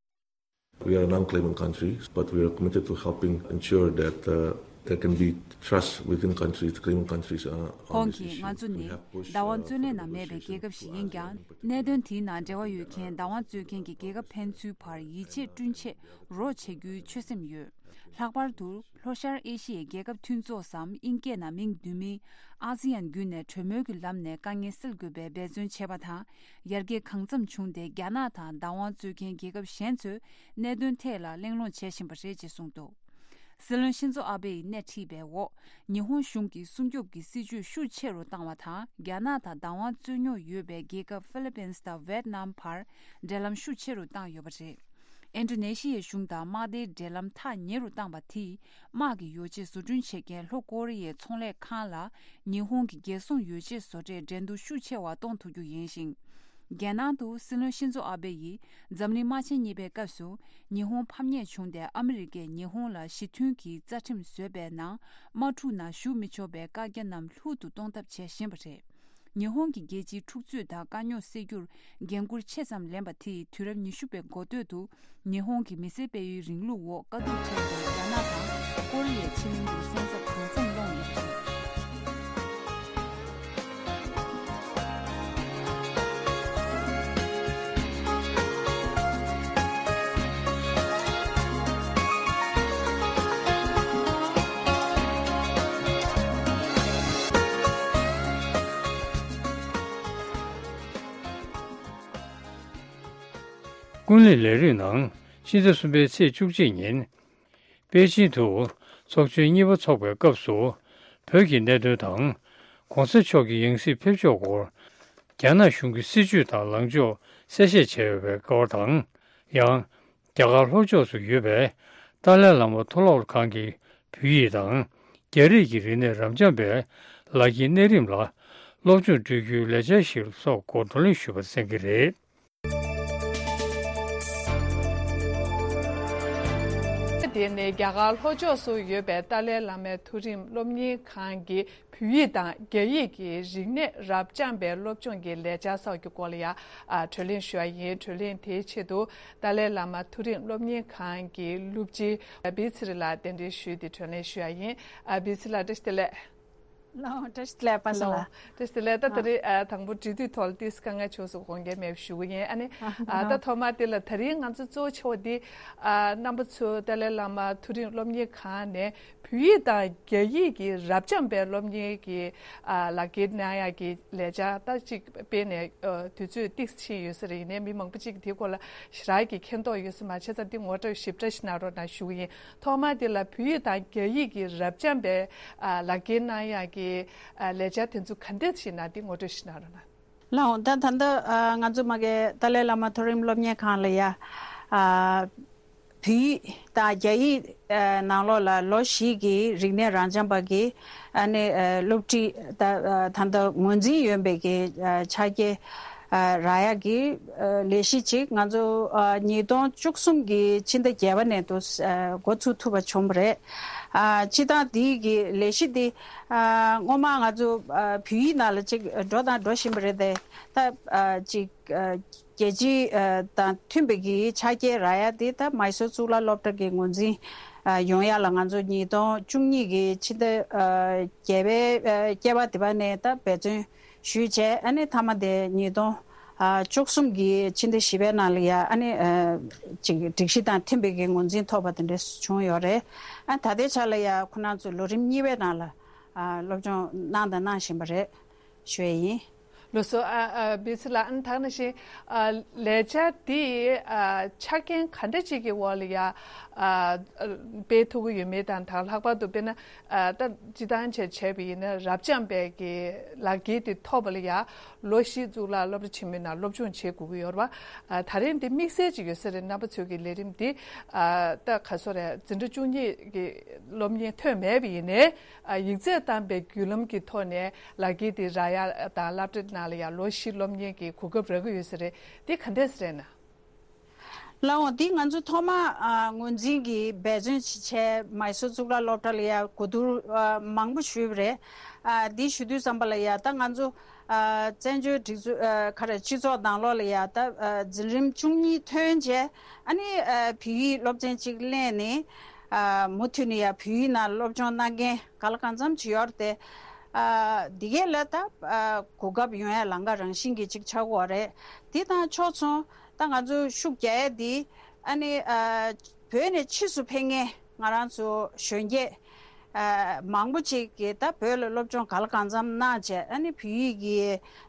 We are a non-claimant country, but we are committed to helping ensure that uh, There can be trust within countries, Karen countries. Uh, on ཁོང་this གིས་issue. ང་ཚོ་We ནི་have pushed, བདག་དབང་uh, རྩོད་ལེན་ནང་མེད་པའི་རྒྱལ་ཁབ་ཞིག་ཡིན་ཀྱང་། གནད་དོན་དེའི་ནང་འབྲེལ་བ་ཡོད་མཁན་བདག་དབང་རྩོད་མཁན་གྱི་རྒྱལ་ཁབ་ཕན་ཚུན་བར་ཡིད་ཆེས་བསྐྲུན་ཆེད་རོགས་བྱེད་རྒྱུའི་ཆོད་སེམས་ཡོད། ལྷག་པར་དུ་ལྷོ་ཤར་ཨེ་ཤི་ཡའི་རྒྱལ་ཁབ་མཐུན་ཚོགས་སམ་ཨིན་སྐད་ནང་མིང་བསྡུས་མིན། ཨ་སི་ཡན་བརྒྱུད་ནས་གྲོས་མོལ་གྱི་ལམ་ནས་དཀའ་ངལ་སེལ་དགོས་པའི་འབད་བརྩོན་བྱས་པ་དང་། ཡར་རྒྱས་གང་འཚམ་བྱུང་སྟེ་རྒྱ་ནག་དང་བདག་དབང་རྩོད་མཁན་རྒྱལ་ཁབ་གཞན་ཚོས་གནད་དོན་ཐད་ལ་གླེང་སློང་བྱེད་བཞིན་པ་རེད་ཅེས་གསུངས་འདུག། སྲིད་བློན་ཤིན་ཛོ་ཨ་བེ་ཡིས་སྣེ་ཁྲིད་པའི་འོག་ཉི་ཧོང་གཞུང་གིས་སྲུང་སྐྱོབ་ཀྱི་སྲིད་ཇུས་ཤུགས་ཆེ་རུ་བཏང་བ་དང་། རྒྱ་ནག་དང་བདག་དབང་རྩོད་རྙོག་ཡོད་པའི་རྒྱལ་ཁབ་ཧྥི་ལི་པིན་དང་ཝེད་ནམ་བར་འབྲེལ་ལམ་ཤུགས་ཆེ་རུ་བཏང་ཡོད་པ་རེད། ཨིན་ཌོ་ནེ་ཤི་ཡའི་གཞུང་དང་དམག་སྡེའི་འབྲེལ་ལམ་ཐག་ཉེ་རུ་བཏང་བ་དེས། དམག་གི་ཡོ་བྱད་བཟོ་སྐྲུན་བྱེད་མཁན་ལྷོ་ཀོ་རི་ཡའི་ཚོང་ལས་ཁང་ལ་ཉི་ཧོང་གི་རྒྱལ་སྲུང་ཡོ་བྱད་བཟོ་གྲྭས་འགྲན་བསྡུར་ཤུགས་ཆེ་བ་གཏོང་ཐུབ་རྒྱུ་ཡིན་ཞིང་། རྒྱལ་ནང་དུ་སྲིད་བློན་ཤིན་ཛོ་ཨ་བེ་ཡིས་འཛམ་གླིང་དམག་ཆེན་གཉིས་པའི་སྐབས་སུ་ཉི་ཧོང་ཕམ་ཉེས་བྱུང་སྟེ། ཨ་མི་རི་ཀས་ཉི་ཧོང་ལ་ཞི་མཐུན་གྱི་རྩ་ཁྲིམས་བཟོས་པའི་ནང་། དམག་འཁྲུག་ནང་ཞུགས་མི་ཆོག་པའི་བཀག་རྒྱ་རྣམས་ལྷུག་ཏུ་གཏོང་ཐབས་བྱེད་བཞིན་པ་རེད། ཉི་ཧོང་གི་རྒྱལ་སྤྱིའི་འཁྲུག་རྩོད་དང་དཀའ་རྙོག་སེལ་རྒྱུར་འགན་འཁུར་ཆེ་ཙམ་ལེན་པ་དེས། དུས་རབས་ཉི་ཤུ་པའི་འགོ་སྟོད་དུ་ཉི་ཧོང་གི་མི་སེར་སྤེལ་ཡུལ་རིང་ལུགས་འོག་དཀའ་སྡུག་འཕྲད་པའི་རྒྱ་ནག་དང་ཀོ་རི་ཡའི་ཕྱེད་གླིང་དུ་སོན་རྩ་གང་འཚམ་སློང་ཡོད་པ་རེད། ཀུན་གླེང་ལས་རིམ་ནང་ཕྱི་ཟླ་གསུམ་པའི་ཚེས་བཅུ་གཅིག་ཉིན། པེ་ཅིན་དུ་ཚོགས་ཆེན་གཉིས་པ་འཚོགས་པའི་སྐབས་སུ། བོད་ཀྱི་གནད་དོན་དང་། གོང་ས་མཆོག་གི་ཡང་སྲིད་ཕེབས་ཕྱོགས་སྐོར། རྒྱ་ནག་གཞུང་གི་སྲིད་བྱུས་དང་ལངས་ཕྱོགས་གསལ་བཤད་བྱས་ཡོད་པའི་སྐོར་དང་། ཡང་། རྒྱ་གར་ལྷོ་ཕྱོགས་སུ་ཡོད་པའི་ཏཱ་ལའི་བླ་མ་མཐོ་སློབ་ཁང་གི་བོད་ཡིག་དང་། རྒྱ་རིགས་ཀྱི་རིག་གནས་རབ་འབྱམས་པའི་ལག་འཁྱེར་གནས་རིམ་ལ་སློབ་སྦྱོང་སྤྲོད་རྒྱུའི་ལས་འཆར་ཞིག་སོགས་སྐོར་བགྲོ་གླེང་ཞུས་པ་གསན་གྱི་རེད། དེ་ནི་རྒྱ་གར་ལྷོ་ཕྱོགས་སུ་ཡོད་པའི་ཏཱ་ལའི་བླ་མའི་མཐོ་རིམ་སློབ་གཉེར་ཁང་གི་བོད་ཡིག་དང་རྒྱ་ཡིག་གི་རིག་གནས་རབ་འབྱམས་པའི་སློབ་སྦྱོང་གི་ལས་འཆར་སོགས་ཀྱི་སྐོར་ལ་ཡང་བགྲོ་གླེང་ཞུ་བ་ཡིན། བགྲོ་གླེང་དེའི་ཆེད་དུ་ཏཱ་ལའི་བླ་མ་མཐོ་རིམ་སློབ་གཉེར་ཁང་གི་སློབ་སྤྱི་བི་ཚེ་རིང་ལགས་གདན་འདྲེན་ཞུས་ཏེ་བགྲོ་གླེང་ཞུ་བ་ཡིན། བི་ཚེ་ལགས་བཀྲ་ཤིས་བདེ་ལེགས། ལགས་འོང་། བཀྲ་ཤིས་བདེ་ལེགས་པ་སངས་ལགས། བཀྲ་ཤིས་བདེ་ལེགས། ད་ད་རེས་ཨ་དང་པོ་འབྲེལ་མཐུད་ཐོག་ལ་ཏིས་དཀའ་ངལ་བྱུང་སོང་། དགོངས་འགལ་མེད་པ་ཞུ་གི་ཡིན། ཨ་ནི་ཨ་ད་ཐོག་མ་དེ་ལ་ད་རིང་ང་ཚོ་གཙོ་ཆེ་བ་འདི་ཨ་རྣམ་པ་ཚོ་ཏཱ་ལའི་བླ་མ་མཐོ་རིམ་སློབ་གཉེར་ཁང་ནས་བོད་ཡིག་དང་རྒྱ་ཡིག་གི་རབ་འབྱམས་པའི་སློབ་གཉེར་གྱི་ཨ་ལག་འཁྱེར་གནང་ཡག་གི་ལས་འཆར་ད་ཅིག་སྤེལ་ནས་ཨ་དུས་ཚོད་ཏིས་ཕྱིན་ཡོད་ས་རེད། ཡིན་ནའི་མི་མང་པོ་ཅིག་གིས་དེའི་སྐོར་ལ་ཞེ་དྲག་གི་མཁྱེན་རྟོགས་ཡོད་ས་མ་བྱས་ཙང་འདི་ངོ་སྤྲོད་ཞིབ་ཕྲ་ཞིག་གནང་རོགས་གནང་ཞུ་གི་ཡིན། ཐོག་མ་དེ་ལ་བོད་ཡིག་དང་རྒྱ་ཡིག་གི་རབ་འབྱམས་པའི་ཨ་ལག་འཁྱེར་གནང་ཡག་གི་ཨ་ལས་འཆར་དེ་ཚོ་ག་འདྲ་ཞིག་ན་དེ་ངོ་སྤྲོད་ཞིག་གནང་རོགས་གནང་། ལགས་འོང་། ད་ད་ལྟ་ཨ་ང་ཚོ་མ་གི་ཏཱ་ལའི་བླ་མ་མཐོ་རིམ་སློབ་གཉེར་ཁང་ལ་ཡ་ཨ་བོད་ཡིག་དང་རྒྱ་ཡིག་ཨ་ནང་ལོགས་ལ་ལོ་བཞི་གི་རིག་གནས་རབ་འབྱམས་པ་གི་ཨ་ནི་ཨ་སློབ་ཁྲིད་ད་ཨ་ད་ལྟ་ངོས་འཛིན་ཡོད་པའི་གི་ཨ་ཕྱག་འཁྱེར་ཨ་རག་ཡག་གི་ཨ་ལས་གཞི་ཅིག་ང་ཚོ་ཨ་ཉིས་སྟོང་བཅུ་གསུམ་གི་ཕྱི་ཟླ་བརྒྱད་པ་ནས་དུ་ཨ་འགོ་ཚུགས་ཐུབ་པ་བྱུང་བ་རེད། ཨ་སྤྱིར་བཏང་འདི་གི་ལས་གཞི་འདི་ཨ་སྔོན་མ་ང་ཚོ་ཨ་བོད་ཡིག་ནང་ལ་ཅིག་འགྲོ་དང་འགྲོ་བཞིན་པ་རེད་དེ། ད་ཨ་ཅིག་ཨ་རྒྱལ་སྤྱི་ཨ་དང་མཐུན་པའི་གི་ཕྱག་འཁྱེར་རག་ཡག་འདི་ད་མའི་སོར་གཙུག་ལག་སློབ་གྲྭ་གི་ངོས་འཛིན་ཨ་ཡོང་ཡག་ལ་ང་ཚོ་ཉིས་སྟོང་བཅུ་གཉིས་གི་ཕྱི་ཟླ་ཨ་བརྒྱད་པའི་ཨ་བརྒྱད་པ་དེ་པ་ནས་ད་འབད་བརྩོན་ཞུས་བྱས། ཨ་ནི་མཐའ་མ་དེ་ཉིས་སྟོང་ཨ་བཅུ་གསུམ་གི་ཕྱི་ཟླ་བཞི་པའི་ནང་ལ་ཡ་ཨ་ནི་ཨ་ཅིག་སྒྲིག་གཞི་དང་མཐུན་པའི་གི་ངོས་འཛིན་ཐོབ་པ་དེ་འདྲ་བྱུང་ཡོད་རེད། ཨ་ད་ལྟའི་ཆ་ལ་ཡ་ཁོ་རང་ཚོ་ལོ་རིམ་གཉིས་པའི་ནང་ལ་ཨ་སློབ་སྦྱོང་གནང་དང་གནང་བཞིན་པ་རེད་ཞུ་ཡས་ཡིན། ལགས་སོ། ཨ་ཨ་བི་ཚེ་ལགས། ཨ་ནི་ད་ག་ནང་བཞིན་ཨ་ལས་འཆར་འདི་ཨ་ཆ་རྐྱེན་ག་འདྲ་ཅིག་གི་འོག་ལ་ཡ་ཨ་སྤེལ་ཐུབ་ཀྱི་ཡོད་མེད་དང་། ད་ལྷག་པར་དུ་དཔེར་ན་ཨ་ད་སྤྱིར་བཏང་བྱས་བྱས་པ་ཡིན་ན་རབ་འབྱམས་པའི་གི་ལག་འཁྱེར་དེ་ཐོབ་པ་ལ་ཡ་ལོ་བཞི་གཙུག་ལག་སློབ་གྲྭ་ཆེན་མོའི་ནང་སློབ་སྦྱོང་བྱེད་དགོས་ཀྱི་ཡོད་རེད་པ། ཨ་ད་རིང་འདི་དམིགས་བསལ་ཅིག་ཡོད་ས་རེད། རྣམ་པ་ཚོའི་གི་ལས་རིམ་འདི་ཨ་ད་ག་སོ་རེད། འཛིན་གྲྭ་བཅུ་གཉིས་ཀྱི་སློབ་གཉེར་ཐོན་མེད་པ་ཡིན་ནའི་ཨ་ཡིག་ཚད་བཏང་པའི་བརྒྱུད་ལམ་གྱི་ཐོག་ནས་ལག་འཁྱེར་དེ་རག་ཡག་དང་། སློབ་གྲྭ་ནང་ལ་ཡང་ལོ་བཞི་སློབ་གཉེར་གྱི་གོ་སྐབས་རག་གི་ཡོད་ས་རེད། འདི་ག་འདྲས་རེད་ན། ལགས་འོང་། འདི་ང་ཚོ་ཐོག་མ་ཨ་ངོས་འཛིན་གྱི་འབད་བརྩོན་ཅིག་བྱས། མའི་སོར་གཙུག་ལག་སློབ་གྲྭ་ལ་ཡང་གོ་བསྡུར་ཨ་མང་པོ་ཞུས་པ་རེད། ཨ་འདི་ཞུ་དུས་ཙམ་པ་ལ་ཡང་ད་ང་ཚོ་ཨ་བཙན་བྱོལ་སྒྲིག་འཛུགས་ཨ་ག་རེ་སྤྱི་ཚོགས་ནང་ལོགས་ལ་ཡང་ད་ཨ་འཛིན་རིམ་བཅུ་གཉིས་ཐོན་རྗེས་ཨ་ནི་ཨ་བོད་ཡིག་སློབ་ཚན་གཅིག་གླས་ནས། ཨ་མུ་མཐུད་ནས་ཡ་བོད་ཡིག་ནང་སློབ་སྦྱོང་གནང་མཁན་ག་ལ་གང་འཚམ་ཅིག་ཡོད་རེད་དེ། ཨ་འདི་གས་ལ་ད་ཨ་གོ་སྐབས་ཡོང་ཡ་ལམ་ཁ་རང་བཞིན་གྱིས་ཅིག་ཆགས་ཀྱི་ཡོད་རེད། འདི་དང་ཕྱོགས་མཚུངས་ད་ང་ཚོ་ཤུགས་རྒྱག་ཡ་འདི་ཨ་ནི་ཨ་བོད་ནས་ཕྱིས་སུ་ཕེབས་མཁན་ང་རང་ཚོ་གཞོན་སྐྱེས་ཨ་མང་པོ་ཅིག་གིས་ད་བོད་ལ་སློབ་སྦྱོང་ག་ལ་གང་འཚམ་གནང་བྱས་ཨ་ནི་བོད་ཡིག་གི་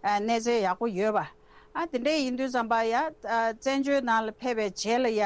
ཨ་གནས་ཚད་ཡག་པོ་ཡོད་པ། ཨ་དེ་འདྲ་ཡིན་དུས་ཙམ་པ་ཡ་ཨ་བཙན་བྱོལ་ནང་ལ་ཕེབས་པའི་རྗེས་ལ་ཡ་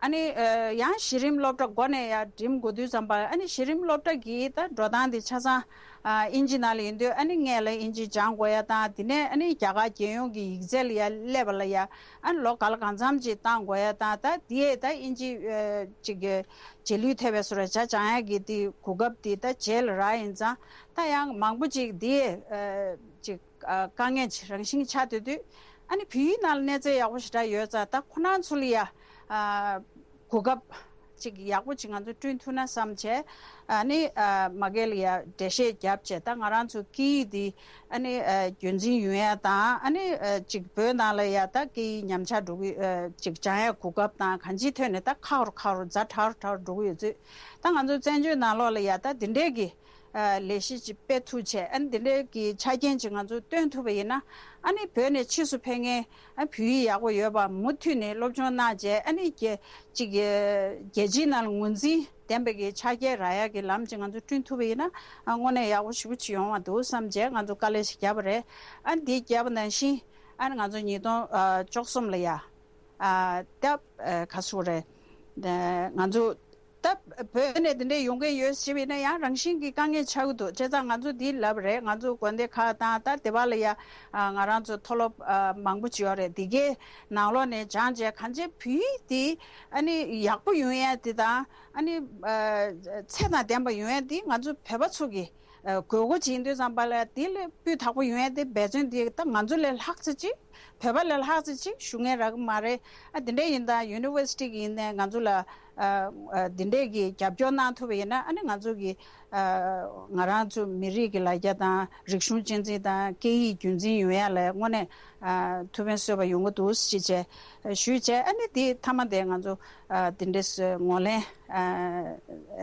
ཨ་ནི་ཨ་ཡང་གཞི་རིམ་སློབ་གྲྭ་འགོ་ནས་ཡ་འགྲིམ་དགོས་དུས་ཙམ་པ་ཨ་ནི་གཞི་རིམ་སློབ་གྲྭ་གི་ད་འགྲོ་སྟངས་དེ་ཆ་ཚང་ཨ་ཨིན་ཇི་ནང་ལ་ཡིན་དུས་ཨ་ནི་སྔོན་ལ་ཨིན་ཇི་སྦྱང་དགོས་ཡ་དང་དེ་ནས་ཨ་ནི་རྒྱ་གར་རྒྱལ་ཡོངས་ཀྱི་ཡིག་ཚད་ལ་ཡ་སླེབས་པ་ལ་ཡ་ཨ་ནི་ལོ་ག་ལ་གང་འཚམ་ཅིག་བཏང་དགོས་ཡ་དང་ད་དེ་ད་ཨིན་ཇི་ཨ་ཅིག་གི་རྗེས་ལུས་ཐེབས་པའི་བཟོ་འདྲ་བྱ་སྦྱང་ཡ་གི་དེ་གོ་སྐབས་དེ་ད་རྗེས་ལ་རག་ཡིན་ཙང་ད་ཡང་མང་པོ་ཅིག་དེ་ཨ་ཅིག་ཨ་དཀའ་ངལ་ཅིག་རང་བཞིན་ཆགས་སྡོད་དུས་ཨ་ནི་བོད་ཡིག་ནང་ལ་གནས་ཚད་ཡག་པོ་ཞེ་དྲག་ཡོད་ཙང་ད་ཁོ་རང་ཚོ་ལ་ཡ་ཨ་གོ་སྐབས་ཅིག་ཡག་པོ་ཅིག་ང་ཚོ་བསྐྲུན་ཐུབ་ན་བསམ་བྱས་ཨ་ནི་ཨ་མ་གི་ལ་ཡ་འགྲེལ་བཤད་བརྒྱབ་བྱས་ད་ང་རང་ཚོ་སྐད་ཡིག་འདི་ཨ་ནི་ཨ་རྒྱུན་འཛིན་ཡོང་ཡ་དང་ཨ་ནི་ཨ་ཅིག་བོད་ནང་ལ་ཡ་ད་སྐད་ཡིག་ཉམས་ཆག་འགྲོ་གི་ཨ་ཅིག་སྦྱང་ཡ་གོ་སྐབས་དང་གང་ཅིའི་ཐོག་ནས་ད་ཁག་རུ་ཁག་རུ་ཛ་དྲག་རུ་དྲག་རུ་འགྲོ་གི་ཡོད་ཚུལ་ད་ང་ཚོ་བཙན་བྱོལ་ནང་ལོགས་ལ་ཡ་ད་འདི་འདྲའི་གི་ཨ་ལས་གཞི་ཅིག་སྤེལ་ཐུབ་བྱས་ཨ་ནི་འདི་འདྲའི་གི་ཆ་རྐྱེན་ཅིག་ང་ཚོ་སྟོན་ཐུབ་པ་ཡིན་ན་ཨ་ནི་བོད་ནས་ཕྱིས་སུ་ཕེབས་མཁན་ཨ་བོད་ཡིག་ཡག་པོ་ཡོད་པ་མུ་མཐུད་ནས་སློབ་སྦྱོང་གནང་བྱས་ཨ་ནི་རྒྱ་ཅིག་རྒྱལ་སྤྱིའི་ནང་ལ་ངོས་འཛིན་ལྡན་པའི་གི་ཆ་རྐྱེན་རག་ཡག་གི་ལམ་ཅིག་ང་ཚོ་བསྐྲུན་ཐུབ་པ་ཡིན་ན་ཨ་དངོས་གནས་ཡག་པོ་ཞེ་པོ་ཅིག་ཡོང་བ་འདུག་བསམ་བྱས་ང་ཚོ་དཀའ་ལས་ཤིག་བརྒྱབ་པ་རེད། ཨ་ནི་འདི་བརྒྱབ་པ་ནང་བཞིན་ཨ་ནི་ང་ཚོ་ཉིས་སྟོང་ཨ་བཅུ་གསུམ་ལ་ཡ། ཨ་ད་ཨ་ག་ཟེར་དགོས་རེད། ང་ཚོ་ད་བོད་ནས་དེ་འདྲས་ཡོང་མཁན་ཡོད་ཞེས་པ་ཡིན་ན་ཡང་རང་བཞིན་གྱི་དཀའ་ངལ་ཆགས་ཀྱི་འདུག་བྱས་ཙང་ང་ཚོ་འདི་ལབ་རེད། ང་ཚོ་དགོན་སྡེ་ཁག་དང་ད་དེ་བ་ལ་ཡ་ཨ་ང་རང་ཚོ་མཐོ་སློབ་ཨ་མང་པོ་ཅིག་ཡོད་རེད། དེ་གའི་ནང་ལོགས་ནས་སྦྱངས་བྱས་གང་ཅི་བོད་ཡིག་དེ་ཨ་ནི་ཡག་པོ་ཡོང་ཡ་དེ་དང་ཨ་ནི་ཨ་ཚད་དང་ལྡན་པ་ཡོང་ཡ་དེ་ང་ཚོ་བོད་པ་ཚོ་གི་ཨ་དགོས་མཁོ་ཅིག་ཡིན་དུས་ཙམ་པ་ལ་དེ་ལས་སྤུས་དག་པོ་ཡོང་ཡ་དེ་འབད་བརྩོན་དེ་ད་ང་ཚོ་ལས་ལྷག་ཙམ་ཅིག་བོད་པ་ལས་ལྷག་ཙམ་ཅིག་ཞུ་མཁན་རག་གི་མ་རེད། ཨ་དེ་འདྲ་ཡིན་ད་ཡུ་ནི་ཝར་སི་ཊི་གི་ཡིན་ནའི་ང་ཚོ་ལ་ཨ་ཨ་དེ་འདྲས་ཀྱི་རྒྱབ་སྐྱོར་གནང་ཐུབ་པ་ཡིན་ན་ཨ་ནི་ང་ཚོ་གི་ཨ་ང་རང་ཚོ་མི་རིགས་ཀྱི་ལ་རྒྱ་དང་རིག་གཞུང་གཅེས་འཛིན་དང་སྐད་ཡིག་རྒྱུན་འཛིན་ཡོང་ཡ་ལ་དངོས་གནས་ཨ་ཐུགས་ཕན་གསོས་པ་ཡོང་གི་འདུག་ཅེས་བྱས་ཞུས་བྱས་ཨ་ནི་དེ་མཐའ་མ་དེ་ང་ཚོ་ཨ་དེ་འདྲས་ངོས་ལེན་ཨ་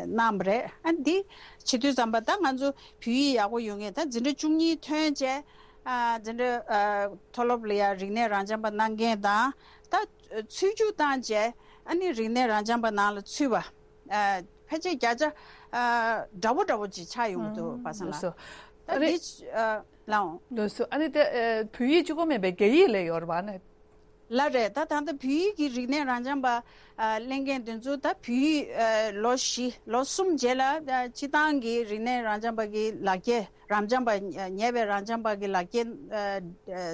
གནང་བ་རེད། ཨ་འདི་བྱེད་དུས་ཙམ་པ་ད་ང་ཚོ་བོད་ཡིག་ཡག་པོ་ཡོང་མཁན་ད་འཛིན་གྲྭ་བཅུ་གཉིས་ཐོན་བྱས། ཨ་འཛིན་གྲྭ་ཨ་མཐོ་སློབ་ལ་ཡང་རིག་གནས་རང་སྦྱངས་པ་གནང་མཁན་དང་ད་ཚུད་རྒྱུ་བཏང་བྱས་ཨ་ནི་རིག་གནས་རང་སྦྱངས་པ་ནང་ལ་ཚུད་པ་ཨ་ཕལ་ཆེར་བརྒྱ་ཆ་ཨ་འདྲ་པོ་འདྲ་པོ་ཅིག་ཆགས་ཡོང་གི་འདུག་པ་སང་ལ། ལགས་སོ། ད་རེད། འདི་ཨ་ལའོ། ལགས་སོ། ཨ་ནི་དེ་ཨ་བོད་ཡིག་གཅིག་པོ་མིན་པའི་རྒྱ་ཡིག་ལ་ཡོད་རེད་པ་ནི། ལགས་རེད། ད་ད་ལྟ་བོད་ཡིག་གི་རིག་གནས་རང་སྦྱངས་པ་ཨ་གླེང་མཁན་དེ་ཚོ་ད་བོད་ཡིག་ཨ་ལོ་བཞི་ལོ་གསུམ་རྗེས་ལ་ཨ་སྤྱི་བཏང་གི་རིག་གནས་རང་སྦྱངས་པ་གི་ལག་འཁྱེར་རང་སྦྱངས་པ་ཉེ་བའི་རང་སྦྱངས་པ་གི་ལག་འཁྱེར་ཨ་ཨ་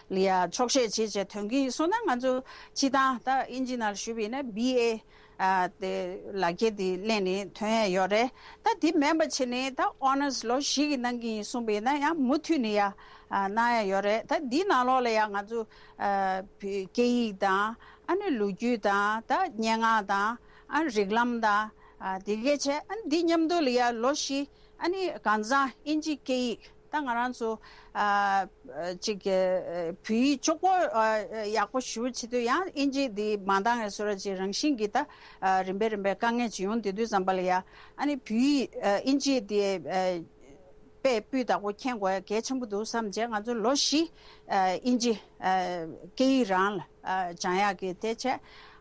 ལ་ཡ་ཆོག་ཤེས་བྱེད་བྱས་ཐོན་གྱི་ཡིན་སོང་ན་ང་ཚོ་སྤྱི་བཏང་ད་ཨིན་ཇི་ནང་ཞུས་པ་ཡིན་ན་བི་ཨེ་ཨ་དེ་ལག་འཁྱེར་དེ་ལེན་ནས་ཐོན་ཡ་ཡོད་རེད། ད་དེ་མིན་པ་བྱས་ནས་ད་ཨོ་ནར་སི་ལོ་བཞི་གི་གནང་གི་ཡིན་གསུངས་པ་ཡིན་ན་ཡང་མུ་མཐུད་ནས་ཡ་ཨ་གནང་ཡ་ཡོད་རེད། ད་འདི་ནང་ལོགས་ལ་ཡ་ང་ཚོ་ཨ་བོད་སྐད་ཡིག་དང་ཨ་ནི་ལོ་རྒྱུས་དང་ད་སྙན་ངག་དང་ཨ་རིགས་ལམ་དང་ཨ་དེ་གས་བྱས་ཨ་ནི་འདི་མཉམ་དུ་ལ་ཡ་ལོ་བཞི་ཨ་ནི་གང་ཟག་ཨིན་ཇི་སྐད་ཡིག་ད་ང་རང་ཚོ་ཨ་ཅིག་བོད་ཡིག་གཅིག་པོ་ཨ་ཡག་པོ་ཞུ་བྱེད་དུས་ཡང་ཨིན་ཇི་འདི་མ་འདང་བའི་བཟོ་འདྲ་ཅིག་རང་བཞིན་གྱིས་ད་ཨ་རིམ་པས་རིམ་པས་དཀའ་ངལ་ཅིག་ཡོང་བསྡད་དུས་ཙམ་པ་ལ་ཡ་ཨ་ནི་བོད་ཡིག་ཨ་ཨིན་ཇི་འདི་ཨ་དཔེ་སྤུས་དག་པོ་མཁྱེན་དགོས་ཡ་གལ་ཆེན་པོ་འདུག་བསམ་བྱས་ང་ཚོ་ལོ་བཞི་ཨ་ཨིན་ཇི་ཨ་སྐད་ཡིག་རང་ལ་ཨ་སྦྱང་ཡག་གི་དེ་བྱས་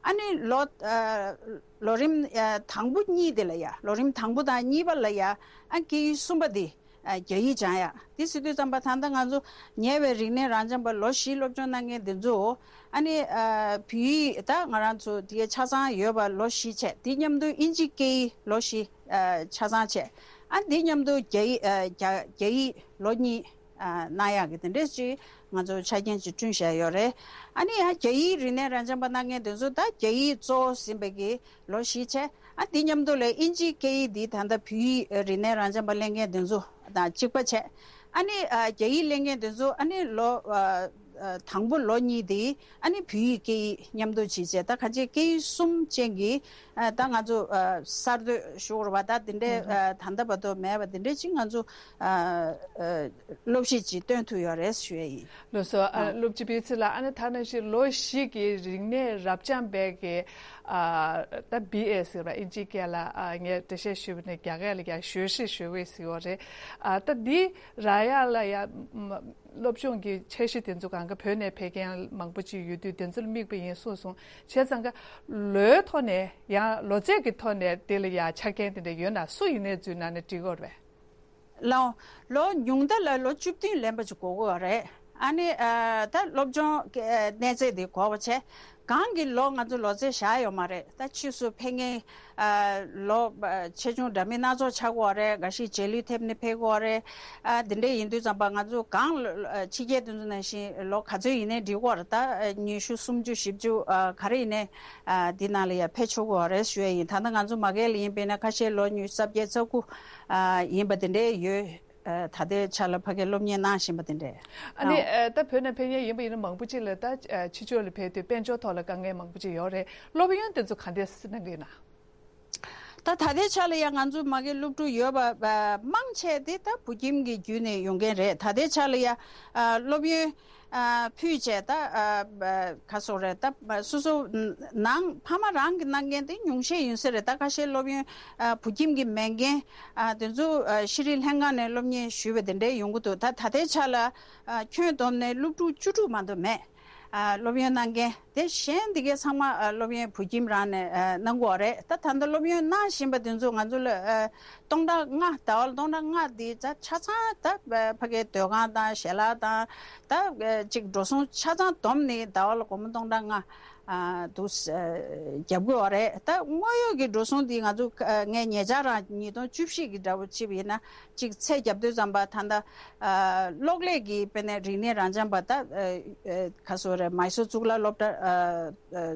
ཨ་ནི་ལོ་ཨ་ལོ་རིམ་ཨ་དང་པོ་གཉིས་དེ་ལ་ཡ་ལོ་རིམ་དང་པོ་དང་གཉིས་པ་ལ་ཡ་ཨ་སྐད་ཡིག་གསུམ་པ་དེ་ཨ་རྒྱ་ཡིག་སྦྱང་ཡག་དེ་ཟེར་དུས་ཙམ་པ་ད་ལྟ་ང་ཚོ་ཉེ་བའི་རིག་གནས་རང་སྦྱངས་པ་ལོ་བཞི་སློབ་སྦྱོང་གནང་མཁན་དེ་ཚོ་ཨ་ནི་ཨ་བོད་ཡིག་ད་ང་རང་ཚོ་དེ་ཆ་ཚང་ཡོད་པ་ལོ་བཞི་བྱས་དེ་མཉམ་དུ་ཨིན་ཇི་སྐད་ཡིག་ལོ་བཞི་ཨ་ཆ་ཚང་བྱས། ཨ་འདི་མཉམ་དུ་རྒྱ་ཡིག་ཨ་རྒྱ་རྒྱ་ཡིག་ལོ་གཉིས་ཨ་གནང་ཡག་གི་དེ་འདྲས་ཅིག་ང་ཚོ་ཆ་རྐྱེན་ཅིག་བསྐྲུན་བཞག་ཡོད་རེད། ཨ་ནི་ཡང་རྒྱ་ཡིག་རིག་གནས་རང་སྦྱངས་པ་གནང་མཁན་དེ་ཚོ་ད་རྒྱ་ཡིག་གཙོ་བོ་ཟིན་པའི་གི་ལོ་བཞི་བྱས། ཨ་འདི་མཉམ་དུ་ལ་ཨིན་ཇིའི་སྐད་ཡིག་འདི་ད་ལྟ་བོད་ཡིག་རིག་གནས་རང་སྦྱངས་པ་གླེང་མཁན་དེ་ཚོ་དང་གཅིག་པ་བྱས། ཨ་ནི་ཨ་རྒྱ་ཡིག་གླེང་མཁན་དེ་ཚོ་ཨ་ནི་ལོ་ཨ་ཨ་དང་པོ་ལོ་གཉིས་དེ་ཨ་ནི་བོད་ཡིག་སྐད་ཡིག་མཉམ་དུ་བྱས་བྱས་ད་ག་ཅིག་སྐད་ཡིག་གསུམ་ཅན་གྱི་ཨ་ད་ང་ཚོ་ཨ་གསར་གཏོད་ཞུ་དགོས་རེད་པ། ད་དེ་འདྲའི་ཨ་ད་ལྟ་བར་དུ་མེད་པ་དེ་འདྲའི་ཅིག་ང་ཚོ་ཨ་ཨ་སློབ་གཞི་ཅིག་བཏོན་ཐུབ་ཡོད་རེད་ཞུ་ཡ་ཡིན། ལགས་སོ། ཨ་ཨ་སློབ་སྤྱི་ཕུན་ཚོགས་ལགས། ཨ་ནི་ད་ནང་བཞིན་ལོ་བཞི་གི་རིག་གནས་རབ་སྦྱངས་པའི་གི་ ཨ་ད་བི་ཨེ་ཟེར་བ་ཨིན་ཇིའི་སྐད་ལ་ཨ་ངས་འགྲེལ་བཤད་ཞུས་པ་ནས་རྒྱ་སྐད་ལ་ཡང་学士学位ཟེར་བ་རེད། ཨ་ད་འདི་རག་ཡག་ལ་ཡང་སློབ་སྦྱོང་གི་འཆར་གཞི་དེ་ཚོ་གང་ག་བོད་ནས་ཕེབས་མཁན་མང་པོ་ཅིག་ཡོད་དུས་དེ་ཚོ་ལ་དམིགས་པ་ཡིན་གསུངས་སོང་། བྱས་ཙང་ག་ལོའི་ཐོག་ནས་ཡང་ལོ་ཚད་ཀྱི་ཐོག་ནས་དེ་ལ་ཡང་ཆ་རྐྱེན་དེ་འདྲ་ཡོད་ན་སུ་ཡིན་ནའི་འཛུལ་གནང་ན་འགྲིག་གི་རེད་པས། ལོ་ལོ་ཉུང་མཐའ་ལ་ལོ་བཅུ་བདུན་ལོན་པ་ཅིག་དགོས་ཀྱི་ཡོད་རེད། ཨ་ནི་ཨ་ད་སློབ་སྦྱོང་གི་ཨ་གནས་ཚད་དེ་དགོས་པ་བྱས། གང་གི་ལོ་ང་ཚོ་ལོ་ཚད་བཞག་ཡོད་མ་རེད། ད་ཕྱིས་སུ་ཕེབས་མཁན་ཨ་ལོ་ཨ་ཆེ་ཆུང་འདྲ་མིན་སྣ་ཚོགས་ཆགས་ཀྱི་ཡོད་རེད། འགའ་ཞིག་རྗེས་ལུས་ཐེབས་ནས་ཕེབས་ཀྱི་ཡོད་རེད། ཨ་དེ་འདྲ་ཡིན་དུས་ཙམ་པ་ང་ཚོ་གང་ལོ་ཨ་ཕྱི་རྒྱལ་དེ་ཚོ་ནང་བཞིན་ལོ་ག་ཚོད་ཡིན་ནའི་འགྲིག་གི་ཡོད་རེད། ད་ཨ་ཉི་ཤུ་སུམ་ཅུ་བཞི་བཅུ་ཨ་ག་རེ་ཡིན་ནའི་ཨ་འདི་ནང་ལ་ཡ་ཕེབས་ཆོག་གི་ཡོད་རེད་ཞུ་ཡ་ཡིན། ད་ལྟ་ང་ཚོ་མ་གི་ལ་ཡིན་པས་ན་ཁ་ཤས་ལོ་ཉི་ཤུ་རྩ་བརྒྱད་རྩ་དགུ་ཨ་ཡིན་པ་དེ་འདྲའི་ཡོད། ཨ་ད་ལྟའི་ཆ་ལ་ཕ་གིར་སློབ་གཉེར་གནང་བཞིན་པ་དེ་འདྲས། ཨ་ནི་ཨ་ད་བོད་ནས་ཕེབས་མཁན་ཡིན་པ་ཡིན་ན་མང་པོ་ཅིག་ལ་ད་ཨ་ཕྱི་ཕྱོགས་ལ་ཕེབས་དུས་དཔལ་འབྱོར་ཐོག་ལ་དཀའ་ངལ་མང་པོ་ཅིག་ཡོད་རེད། སློབ་ཡོན་དེ་ཚོ་ག་འདྲས་གནང་གི་ཡོད་ན། ད་ད་ལྟའི་ཆ་ལ་ཡང་ང་ཚོ་མ་གི་སློབ་ཕྲུག་ཡོད་པ་ཨ་མང་ཆེ་དེ་ད་བོད་ཁྱིམ་གྱི་བརྒྱུད་ནས་ཡོང་མཁན་རེད། ད་ལྟའི་ཆ་ལ་ཡང་ཨ་སློབ་ཡོན་ཨ་ཕུལ་བྱས་ད་ཨ་ཨ་ག་སོགས་རེད། ད་སོ་སོ་ནང་ཕ་མ་རང་གི་གནང་མཁན་དེ་ཉུང་ཤས་ཡིན་ས་རེད། ད་ཁ་ཤས་སློབ་ཡོན་ཨ་བོད་ཁྱིམ་གྱི་མེད་མཁན་ཨ་དེ་ཚོ་ཨ་ཤེས་རིག་ལྷན་ཁང་ནས་སློབ་གཉེར་ཞུས་པ་དེ་འདྲས་ཡོང་གི་འདུག་ད་ད་ལྟའི་ཆ་ལ་ཨ་ཁྱོན་བསྡོམས་ནས་སློབ་ཕྲུག་བཅུ་དྲུག་མ་གཏོགས་མེད། ཨ་སློབ་ཡོན་གནང་མཁན་དེ་གཞན་འདི་གའི་ཚང་མ་ཨ་སློབ་ཡོན་བོད་ཁྱིམ་རང་ནས་ཨ་གནང་གི་ཡོད་རེད། ད་ད་ལྟ་སློབ་ཡོན་གནང་བཞིན་པ་དེ་ཚོ་ང་ཚོ་ལ་ཨ་སྟོང་ཕྲག་ལྔ་ཟླ་བ་ལ་སྟོང་ཕྲག་ལྔ་འདི་ད་ཆ་ཚང་ད་ཕ་གིའི་སྡོད་ཁང་དང་ཞལ་ལག་དང་ད་ཅིག་འགྲོ་སོང་ཆ་ཚང་བསྡོམས་ནས་ཟླ་བ་ལ་སྒོར་མོ་སྟོང་ཕྲག་ལྔ་ཨ་འདུག་ཨ་རྒྱབ་ཀྱི་ཡོད་རེད། ད་དངོས་ཡོད་ཀྱི་འགྲོ་སོང་འདི་ང་ཚོ་ཨ་ངས་ཉེ་ཆར་རང་ཉིས་སྟོང་བཅུ་བཞི་གི་འདྲ་བོ་བྱས་པ་ཡིན་ན་ཅིག་ཚད་རྒྱབ་དུས་ཙམ་པ་ད་ལྟ་ཨ་གློག་ཀླད་ཀྱི་དཔེར་ན་རིག་གནས་རང་འཇགས་པ་ད་ཨ་ཨ་ག་སོ་རེད། མའི་སོར་གཙུག་ལག་སློབ་གྲྭ་ཨ་ཨ་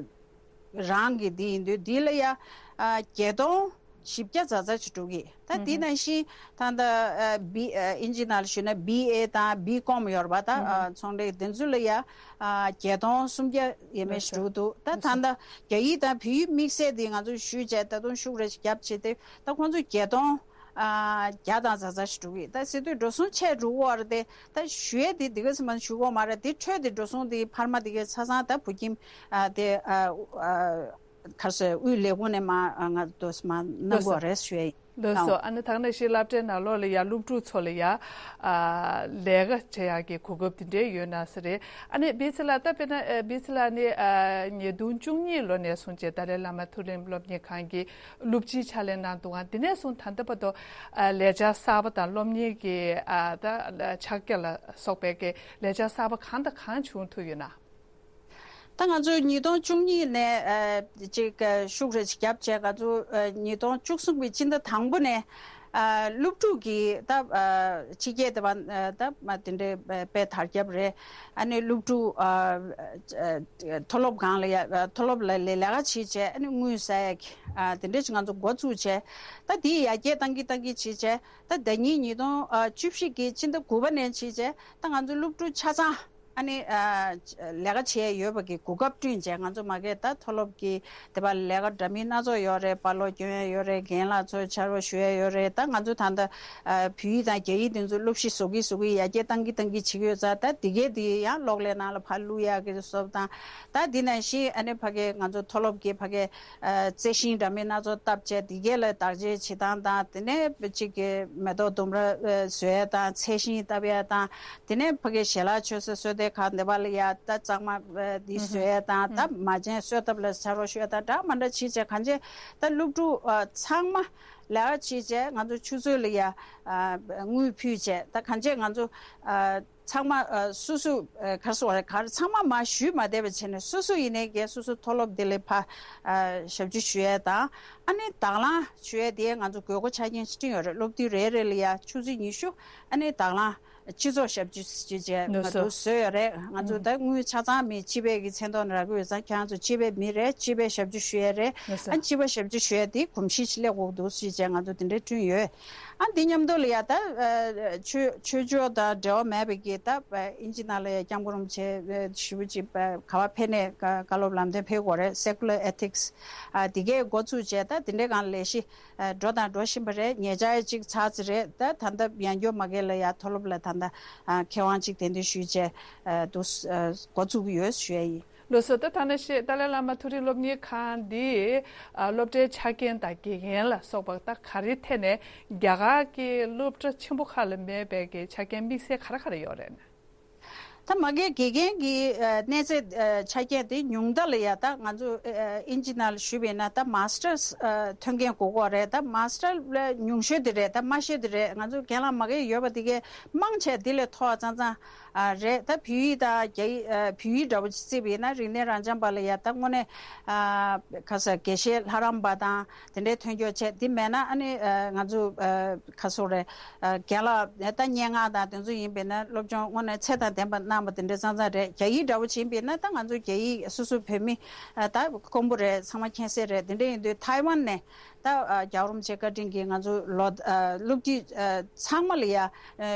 རང་གི་འདི་ཡིན་དུས་འདི་ལ་ཡ་ཨ་བརྒྱད་སྟོང་བཞི་བརྒྱ་ཙམ་ཙམ་ཞིག་འགྲོ་གི། ད་འདི་ནང་བཞིན་ད་ལྟ་ཨ་བི་ཨ་ཨིན་ཇི་ནང་ལ་ཞུས་ན་བི་ཨེ་དང་བི་ཀོམ་ཡོད་རེད་པ། ད་ཨ་ཚོང་ལས་འདི་ཚོ་ལ་ཡ་ཨ་བརྒྱད་སྟོང་སུམ་བརྒྱ་ཡས་མས་ཞིག་འགྲོ་གི་འདུག་ད་ད་ལྟ་རྒྱ་ཡིག་དང་བོད་ཡིག་དམིགས་བསལ་འདི་ང་ཚོ་ཞུས་བྱས་ད་དུང་ཤུགས་རེ་ཞིག་བརྒྱབ་བྱས་ཏེ་ད་ཁོང་ཚོ་བརྒྱད་སྟོང་ཨ་བརྒྱ་དང་ཙམ་ཙམ་ཞིག་འགྲོ་གི། ད་ཟེར་དུས་འགྲོ་སོང་ཆེ་འགྲོ་གི་ཡོད་རེད་དེ། ད་ཞུ་ཡས་དེ་འདི་ག་ཙམ་མ་ཞུ་གི་ཡོད་མ་རེད། དེ་འཕྲོས་དེ་འགྲོ་སོང་དེ་འཕར་མ་དེ་གའི་ཆ་ཚང་ད་བོད་ཁྱིམ་ཨ་དེ་ཨ་ཨ་ག་རེ་ཟེར་དབུས་ལས་ཁུངས་ནས་མ་ཨ་ང་དོ་མ་གནང་གི་ཡོད་རེད་ཞུ་ཡས་ཡིན། ལགས་སོ། ཨ་ནི་ད་ག་ནང་བཞིན་སློབ་གྲྭའི་ནང་ལོགས་ལ་ཡ་སློབ་ཕྲུག་ཚོ་ལ་ཡ་ཨ་ལས་ཀ་བྱེད་ཡག་གི་གོ་སྐབས་དེ་འདྲའི་ཡོད་ན་ས་རེད། ཨ་ནི་བི་ཚི་ལགས་ད་དཔེར་ན་ཨ་བི་ཚི་ལགས་ནི་ཨ་ཉིས་སྟོང་བཅུ་གཉིས་ལོ་ནས་བཟུང་བྱས་ཏཱ་ལའི་བླ་མ་མཐོ་རིམ་སློབ་གཉེར་ཁང་གི་སློབ་སྤྱིའི་ཕྱག་ལས་གནང་འདུག་ག་དེ་ནས་བཟུང་ད་ལྟ་བར་དུ་ཨ་ལས་འཆར་གསར་པ་དང་སློབ་གཉེར་གྱི་ཨ་ད་ཕྱག་རྒྱ་ལ་སོགས་པའི་གི་ལས་འཆར་གསར་པ་གང་དང་གང་བྱུང་ཐུབ་ཡོད་ན། ད་ང་ཚོ་ཉིས་སྟོང་བཅུ་གཉིས་ནས་ཨ་ཅིག་ཨ་ཤུགས་རེ་ཞིག་བརྒྱབ་བྱས་ང་ཚོ་ཨ་ཉིས་སྟོང་བཅུ་གསུམ་གྱི་སྤྱི་ཟླ་དང་པོ་ནས་ཨ་སློབ་ཕྲུག་གི་ད་ཨ་ཕྱི་རྒྱལ་དེ་བ་ཨ་ད་མ་དེ་འདྲའི་དཔེ་དར་ཁྱབ་རེད། ཨ་ནི་སློབ་ཕྲུག་ཨ་ཨ་མཐོ་སློབ་སྒང་ལ་ཡ་ཨ་མཐོ་སློབ་ལ་ལས་ལས་ཀ་བྱེད་བྱས་ཨ་ནི་དངུལ་ཟ་ཡ་གི་ཨ་དེ་འདྲ་ཞིག་ང་ཚོ་འགོ་བཙུགས་བྱས། ད་དེ་ཡར་རྒྱས་བཏང་གི་བཏང་གི་བྱེད་བྱས་ད་ཟླ་ཉིན་ཉིས་སྟོང་ཨ་བཅུ་བཞི་གི་སྤྱི་ཟླ་དགུ་པ་ནས་བྱེད་བྱས་ད་ང་ཚོ་སློབ་ཕྲུག་ཆ་ཚང་ཨ་ནི་ཨ་ལས་ཀ་བྱས་ཡོད་པ་གི་གོ་སྐབས་བསྐྲུན་བྱས། ང་ཚོ་མ་གིར་ད་མཐོ་སློབ་ཀྱི་དེ་བ་ལས་ཀ་འདྲ་མིན་སྣ་ཚོགས་ཡོད་རེད། པར་སློག་སྐྱོན་ཡ་ཡོད་རེད། རྒན་ལགས་ཚོ་ཕྱག་རོགས་ཞུ་ཡ་ཡོད་རེད། ད་ང་ཚོ་ད་ལྟ་ཨ་བོད་ཡིག་དང་རྒྱ་ཡིག་དེ་ཚོ་སློབ་གཞི་བཟོ་གི་བཟོ་གི་ཡར་རྒྱས་བཏང་གི་བཏང་གི་བྱེད་ཀྱི་ཡོད་ཙང་། ད་དེ་གས་དེ་ཡང་གློག་ཀླད་ནང་ལ་ཕར་བླུག་ཡ་གི་བཟོ་དང་། ད་དེ་ནང་བཞིན་ཨ་ནི་ཕ་གི་ང་ཚོ་མཐོ་སློབ་ཀྱི་ཕ་གི་ཨ་རྩི་ཤིང་འདྲ་མིན་སྣ་ཚོགས་བཏབ་བྱས་དེ་གས་ལ་བདག་གཅེས་བྱེད་སྟངས་དང་། དེ་ནས་གཅིག་གི་མེ་ཏོག་ལྡུམ་ར་ཨ་བཟོ་ཡ་དང་ཚལ་ཤིང་བཏབ་ཡ་དང་། དེ་ནས་ཕ་གི་ཞལ་ལག་མཆོད་ས་སོས་དལ་ཁང་དེ་བ་ལ་ཡ་ད་གཙང་མ་འདི་བཟོ་ཡ་དང་། ད་མ་བྱན་གསོལ་ཐབ་ལ་ཕྱག་རོགས་ཞུ་ཡ་དང་འདྲ་མ་འདྲ་བྱེད་བྱས་གང་བྱས་ད་སློབ་ཕྲུག་ཨ་ཚང་མ་ལས་ཀ་བྱེད་བྱས་ང་ཚོ་ཆུ་ཚོད་ལ་ཡ་ཨ་དངུལ་ཕུལ་བྱས་ད་གང་བྱས་ང་ཚོ་ཨ་ཚང་མ་ཨ་སོ་སོ་ཨ་ག་རེ་ཟེར་དགོས་རེད། ག་རེ་ཚང་མ་མར་ཞུས་མ་བསྡད་པ་བྱས་ནས་སོ་སོ་ཡིན་ནའི་གལ་སོ་སོ་མཐོ་སློབ་དེ་ལ་ཕར་ཨ་ཞབས་ཞུ་ཞུ་ཡ་དང་། ཨ་ནི་དང་བླངས་ཞུ་ཡ་དེ་ང་ཚོ་དགོས་མཁོ་ཆ་རྐྱེན་ཅིག་བསྐྲུན་ཡོད་རེད། སློབ་དུས་རེ་རེ་ལ་ཡ་ཆུ་ཚོད་ཉི་ཤུ་ཨ་ནི་དང་བླངས་སྤྱི་ཚོགས་ཞབས་ཕྱི་ཞུ་བྱས་ང་ཚོ་བཟོས་ཡོད་རེད། ང་ཚོ་ད་དངུལ་ཆ་ཚང་མི་སྤྱི་པའི་གི་མཚན་ཐོག་ནས་རག་གི་ཡོད་ཙང་ཁྱེད་རང་ཚོ་སྤྱི་པའི་མི་རེད། སྤྱི་པའི་ཞབས་ཕྱི་ཞུ་ཡ་རེད། ཨ་སྤྱི་པ་ཞབས་ཕྱི་ཞུ་ཡ་དེ་གོམས་གཤིས་ཤིག་སླེབས་དགོས་འདུག་ཞུས་བྱས་ང་ཚོ་དེ་འདྲའི་བསྐྲུན་ཡོད། ཨ་འདི་མཉམ་དུ་ལ་ཡ་ད་ཨ་ཆོས་ཆོས་ཕྱོགས་དང་འབྲེལ་བ་མེད་པའི་གི་ད་ཨ་ཨིན་ཇི་ནང་ལ་ཡ་སྐྱབས་མགོན་རིན་པོ་ཆེ་ཨ་ཞེ་པོ་ཅིག་ཨ་ག་བ་ཕེབས་ནས་བཀའ་བཀའ་སློབ་ལམ་སྟོན་ཕེབས་དགོས་རེད། Secular Ethics ཨ་དེ་གའི་འགོ་ཚུགས་བྱས་ད་དེ་འདྲའི་སྒང་ལ་ལས་གཞི་ཨ་འགྲོ་དང་འགྲོ་བཞིན་པ་རེད། ཉེ་ཆར་ཅིག་ཚར་ཚར་རེད། ད་ད་ལྟ་ཡང་སྐྱོ་མ་གས་ལ་ཡ་མཐོ་སློབ་ལ་ད་ལྟ་ཨ་མཁས་དབང་ཅིག་གདན་འདྲེན་ཞུས་བྱས་ཨ་འདུག་ཨ་འགོ་ཚུགས་ཀྱི་ཡོད་ཞུ་ཡ་ཡིན། ལགས་སོ། ད་ཐ་ན་ཤེས་ཏཱ་ལའི་བླ་མ་མཐོ་རིམ་སློབ་གཉེར་ཁང་འདི་ཨ་སློབ་གྲྭའི་ཆ་རྐྱེན་དང་དགེ་རྒན་ལ་སོགས་པ་ད་ག་རེ་ཐད་ནས་རྒྱ་གར་གྱི་སློབ་གྲྭ་ཆེན་པོ་ཁག་ལ་མེད་པའི་གི་ཆ་རྐྱེན་དམིགས་བསལ་ག་རེ་ག་རེ་ཡོད་རེད་ན། ད་མ་གིའི་དགེ་རྒན་གྱི་ཨ་གནས་ཚད་ཨ་ཆ་རྐྱེན་དེ་ཉུང་མཐའ་ལ་ཡ་ད་ང་ཚོ་ཨ་ཨིན་ཇི་ནང་ལ་ཞུས་པ་ཡིན་ན་ད་མཱ་སི་ཊར་ཨ་ཐོན་མཁན་དགོས་ཀྱི་ཡོད་རེད། ད་མཱ་སི་ཊར་ལ་ཉུང་ཤོས་དེ་རེད། ད་དམའ་ཤོས་དེ་རེད། ང་ཚོ་རྒན་ལགས་མ་གི་ཡོད་པ་དེ་གའི་མང་ཆེ་དེ་ལས་མཐོ་བ་ཙང་ཙང་ཨ་རེད། ད་བོད་ཡིག་དང་རྒྱ་ཡིག་ཨ་བོད་ཡིག་འདྲ་པོ་ཅིག་བརྩིས་པ་ཡིན་ན་རིག་གནས་རང་སྦྱངས་པ་ལ་ཡ་ད་དངོས་གནས་ཨ་ག་ས་དགེ་བཤེས་ལྷ་རམས་པ་དང་དེ་འདྲའི་ཐོན་སྐྱོད་བྱས། དེ་མེད་ན་ཨ་ནི་ཨ་ང་ཚོ་ཨ་ག་སོ་རེད། ཨ་རྒན་ལགས་ད་སྙན་ངག་དང་དེ་ཚོ་ཡིན་པས་ན་སློབ་སྦྱོང་དངོས་གནས་ཚད་དང་ལྡན་པ་གནང་བ་དེ་འདྲ་ཙང་ཙང་རེད། རྒྱ་ཡིག་འདྲ་པོ་ཅིག་ཡིན་པས་ན་ད་ང་ཚོ་རྒྱ་ཡིག་སོ་སོ་བོད་མི་ཨ་ད་དཀོན་པོ་རེད། ཚང་མ་མཁྱེན་གསལ་རེད། དེ་འདྲ་ཡིན་དུས་ཐའེ་ཝན་ནས་ད་ཨ་རྒྱལ་བ་རིན་པོ་ཆེ་བཀའ་དྲིན་གྱིས་ང་ཚོ་ལོ་ཨ་སློབ་ཁྲིད་ཨ་ཚང་མ་ལ་ཡ་ཨ་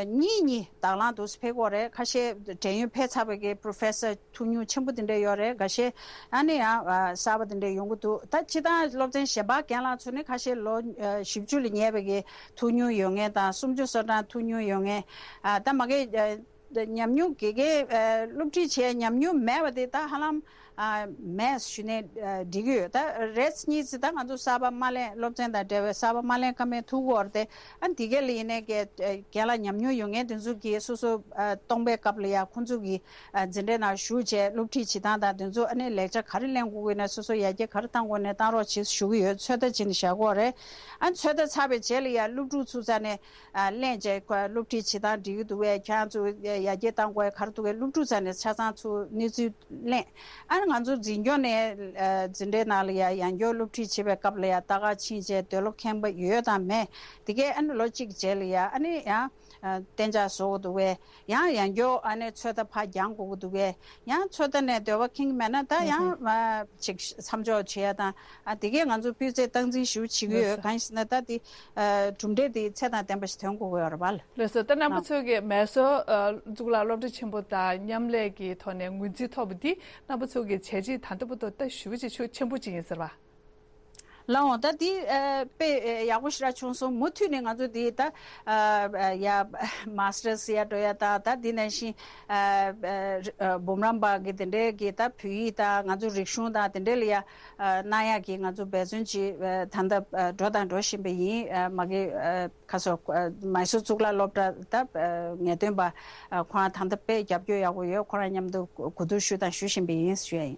གཉིས་གཉིས་དང་བླངས་འདུག་སེ་ཕེབས་ཀྱི་ཡོད་རེད། ཁ་ཤས་འབྲེལ་ཡོད་ཕེབས་ཚར་བའི་གི་པོ་རོ་ཕེ་སར་ཐུགས་མྱུར་ཆེན་པོ་དེ་འདྲ་ཡོད་རེད། འགའ་ཤས་ཨ་ནི་ཡང་ཨ་གསར་པ་དེ་འདྲ་ཡོང་གི་འདུག་ད་སྤྱིར་བཏང་སློབ་ཚན་གཞན་པ་རྒན་ལགས་ཚོ་ནི་ཁ་ཤས་ལོ་ཨ་བཞི་བཅུ་ལ་ཉེ་བའི་གི་ཐུགས་མྱུར་ཡོད་མཁན་དང་སུམ་ཅུ་སོ་གྲངས་ཐུགས་མྱུར་ཡོད་མཁན། ཨ་ད་མ་གི་ཨ་ཉམས་མྱོང་དགེ་རྒན་ཨ་སློབ་ཁྲིད་བྱས་ཉམས་མྱོང་མེད་པ་དེ་ད་ཧ་ལམ་ཨ་མེད་ཞུས་ནས་ཨ་འགྲིག་གི་ཡོད། ད་རེས་གཉིས་ཙམ་ད་ང་ཚོ་གསར་པ་དམའ་ལེན་སློབ་ཚན་དང་འབྲེལ་བའི་གསར་པ་དམའ་ལེན་བཀའ་མོལ་ཐུག་གི་ཡོད་རེད་དེ། ཨ་འདི་ག་ལ་ཡིན་ནའི་གི་ཨ་རྒན་ལགས་ཉམས་མྱོང་ཡོད་མཁན་དེ་ཚོ་གིས་སོ་སོ་ཨ་སྟོང་པའི་སྐབས་ལ་ཡ་ཁོང་ཚོ་གི་ཨ་འཛིན་གྲྭའི་ནང་ཞུགས་བྱས་སློབ་ཁྲིད་བྱེད་སྟངས་དང་དེ་ཚོ་ཨ་ནི་ལེགས་ཆ་ག་རེ་ལེན་དགོས་ཀྱི་ཡོད་ན་སོ་སོ་ཡར་རྒྱས་ག་རེ་གཏང་དགོས་ནས་གཏང་རོགས་བྱེད་ཞུ་གི་ཡོད། ཚོད་ལྟ་བྱེད་ནས་བཞག་གི་ཡོད་རེད། ཨ་ཚོད་ལྟ་ཚར་བའི་རྗེས་ལ་ཡ་སློབ་ཕྲུག་ཚོ་རྩ་ནས་ཨ་ལེན་བྱས་སློབ་ཁྲིད་བྱེད་སྟངས་འགྲིག་གི་འདུག་གས། ཁྱེད་རང་ཚོ་ཡར་རྒྱས་གཏང་དགོས་ག་རེ་འདུག་གས། སློབ་ཕྲུག་རྩ་ནས་ཆ་ཚང་ཚོ་གནས་ཚུལ་ལེན། ཨ་ནི་ང་ཚོ་འཛིན་སྐྱོང་ནས་ཨ་འཛིན་གྲྭའི་ནང་ལ་ཡ་ཡང་བསྐྱར་སློབ་ཁྲིད་བྱེད་པའི་སྐབས་ལ་ཡ་ལྟ་ག་ཕྱིན་བྱས་འདོད་བློ་ཁེངས་པ་ཡོད་དང་མེད་དེ་གས་ཨ་ནི་ལོ་གཅིག་རྗེས་ལ་ཡ་ཨ་ནི་ཡང་ཨ་གཏན་འཇགས་བཟོ་དགོས་འདུག་གས། ཡང་ཡང་བསྐྱར་ཨ་ནི་ཚོད་ལྟ་ཕར་རྒྱག་དགོས་ཀྱི་འདུག་གས། ཡང་ཚོད་ལྟ་ནས་འདོད་པ་ཁེངས་མེད་ན་ད་ཡང་ཨ་ཅིག་མཚམས་འཇོག་བྱེད་ཡ་དང་། ཨ་དེ་གས་ང་ཚོ་སྤུས་ཚད་སྟངས་འཛིན་ཞུ་བྱེད་ཀྱི་ཡོད། གང་ཡིན་ཟེར་ན་ད་དེ་ཨ་གྲུབ་འབྲས་དེ་ཚད་དང་ལྡན་པ་ཞིག་ཐོན་དགོས་ཀྱི་ཡོད་རེད་པ། ལགས་སོ། ད་རྣམ་པ་ཚོ་གིས་མེ་སོར་ཨ་གཙུག་ལག་སློབ་གྲྭ་ཆེན་པོ་དང་མཉམ་ལས་ཀྱི་ཐོག་ནས་ངོས་འཛིན་ཐོབ་པ་འདི་རྣམ་པ་ཚོ་གི་བྱས་རྗེས་ད་ལྟ་བར་དུ་ད་ཞེ་པོ་ཅིག་ཤུགས་ཆེན་པོ་ཅིག་ཡིན་ཟེར་བ། ལགས་འོང་། ད་འདི་ཨ་དཔེ་ཨ་ཡག་པོ་ཞེ་དྲག་བྱུང་སོང་། མུ་མཐུད་ནས་ང་ཚོ་འདི་ད་ཨ་ཡ་མཱ་སི་ཊར་ཟེར་ཡ་འགྲོ་ཡ་དང་ད་འདི་ནང་བཞིན་ཨ་ཨ་འབུམ་རམས་པ་གི་དེ་འདྲའི་གི་ད་བོད་ཡིག་དང་ང་ཚོ་རིག་གཞུང་དང་དེ་འདྲའི་ལ་ཡ་ཨ་གནང་ཡག་གི་ང་ཚོ་འབད་བརྩོན་ཅིག་ཨ་ད་ལྟ་ཨ་འགྲོ་དང་འགྲོ་བཞིན་པ་ཡིན། ཨ་མ་གི་ཨ་ཁ་སོ་ཨ་མེ་སོར་གཙུག་ལག་སློབ་གྲྭ་ད་ཨ་ངེས་སྟོན་པ་ཨ་ཁོ་རང་ད་ལྟ་དཔེ་རྒྱབ་སྐྱོར་ཡག་པོ་ཡོད། ཁོ་རང་མཉམ་དུ་གོ་བསྡུར་ཞུས་དང་ཞུ་བཞིན་པ་ཡིན་ཞུ་ཡ་ཡིན།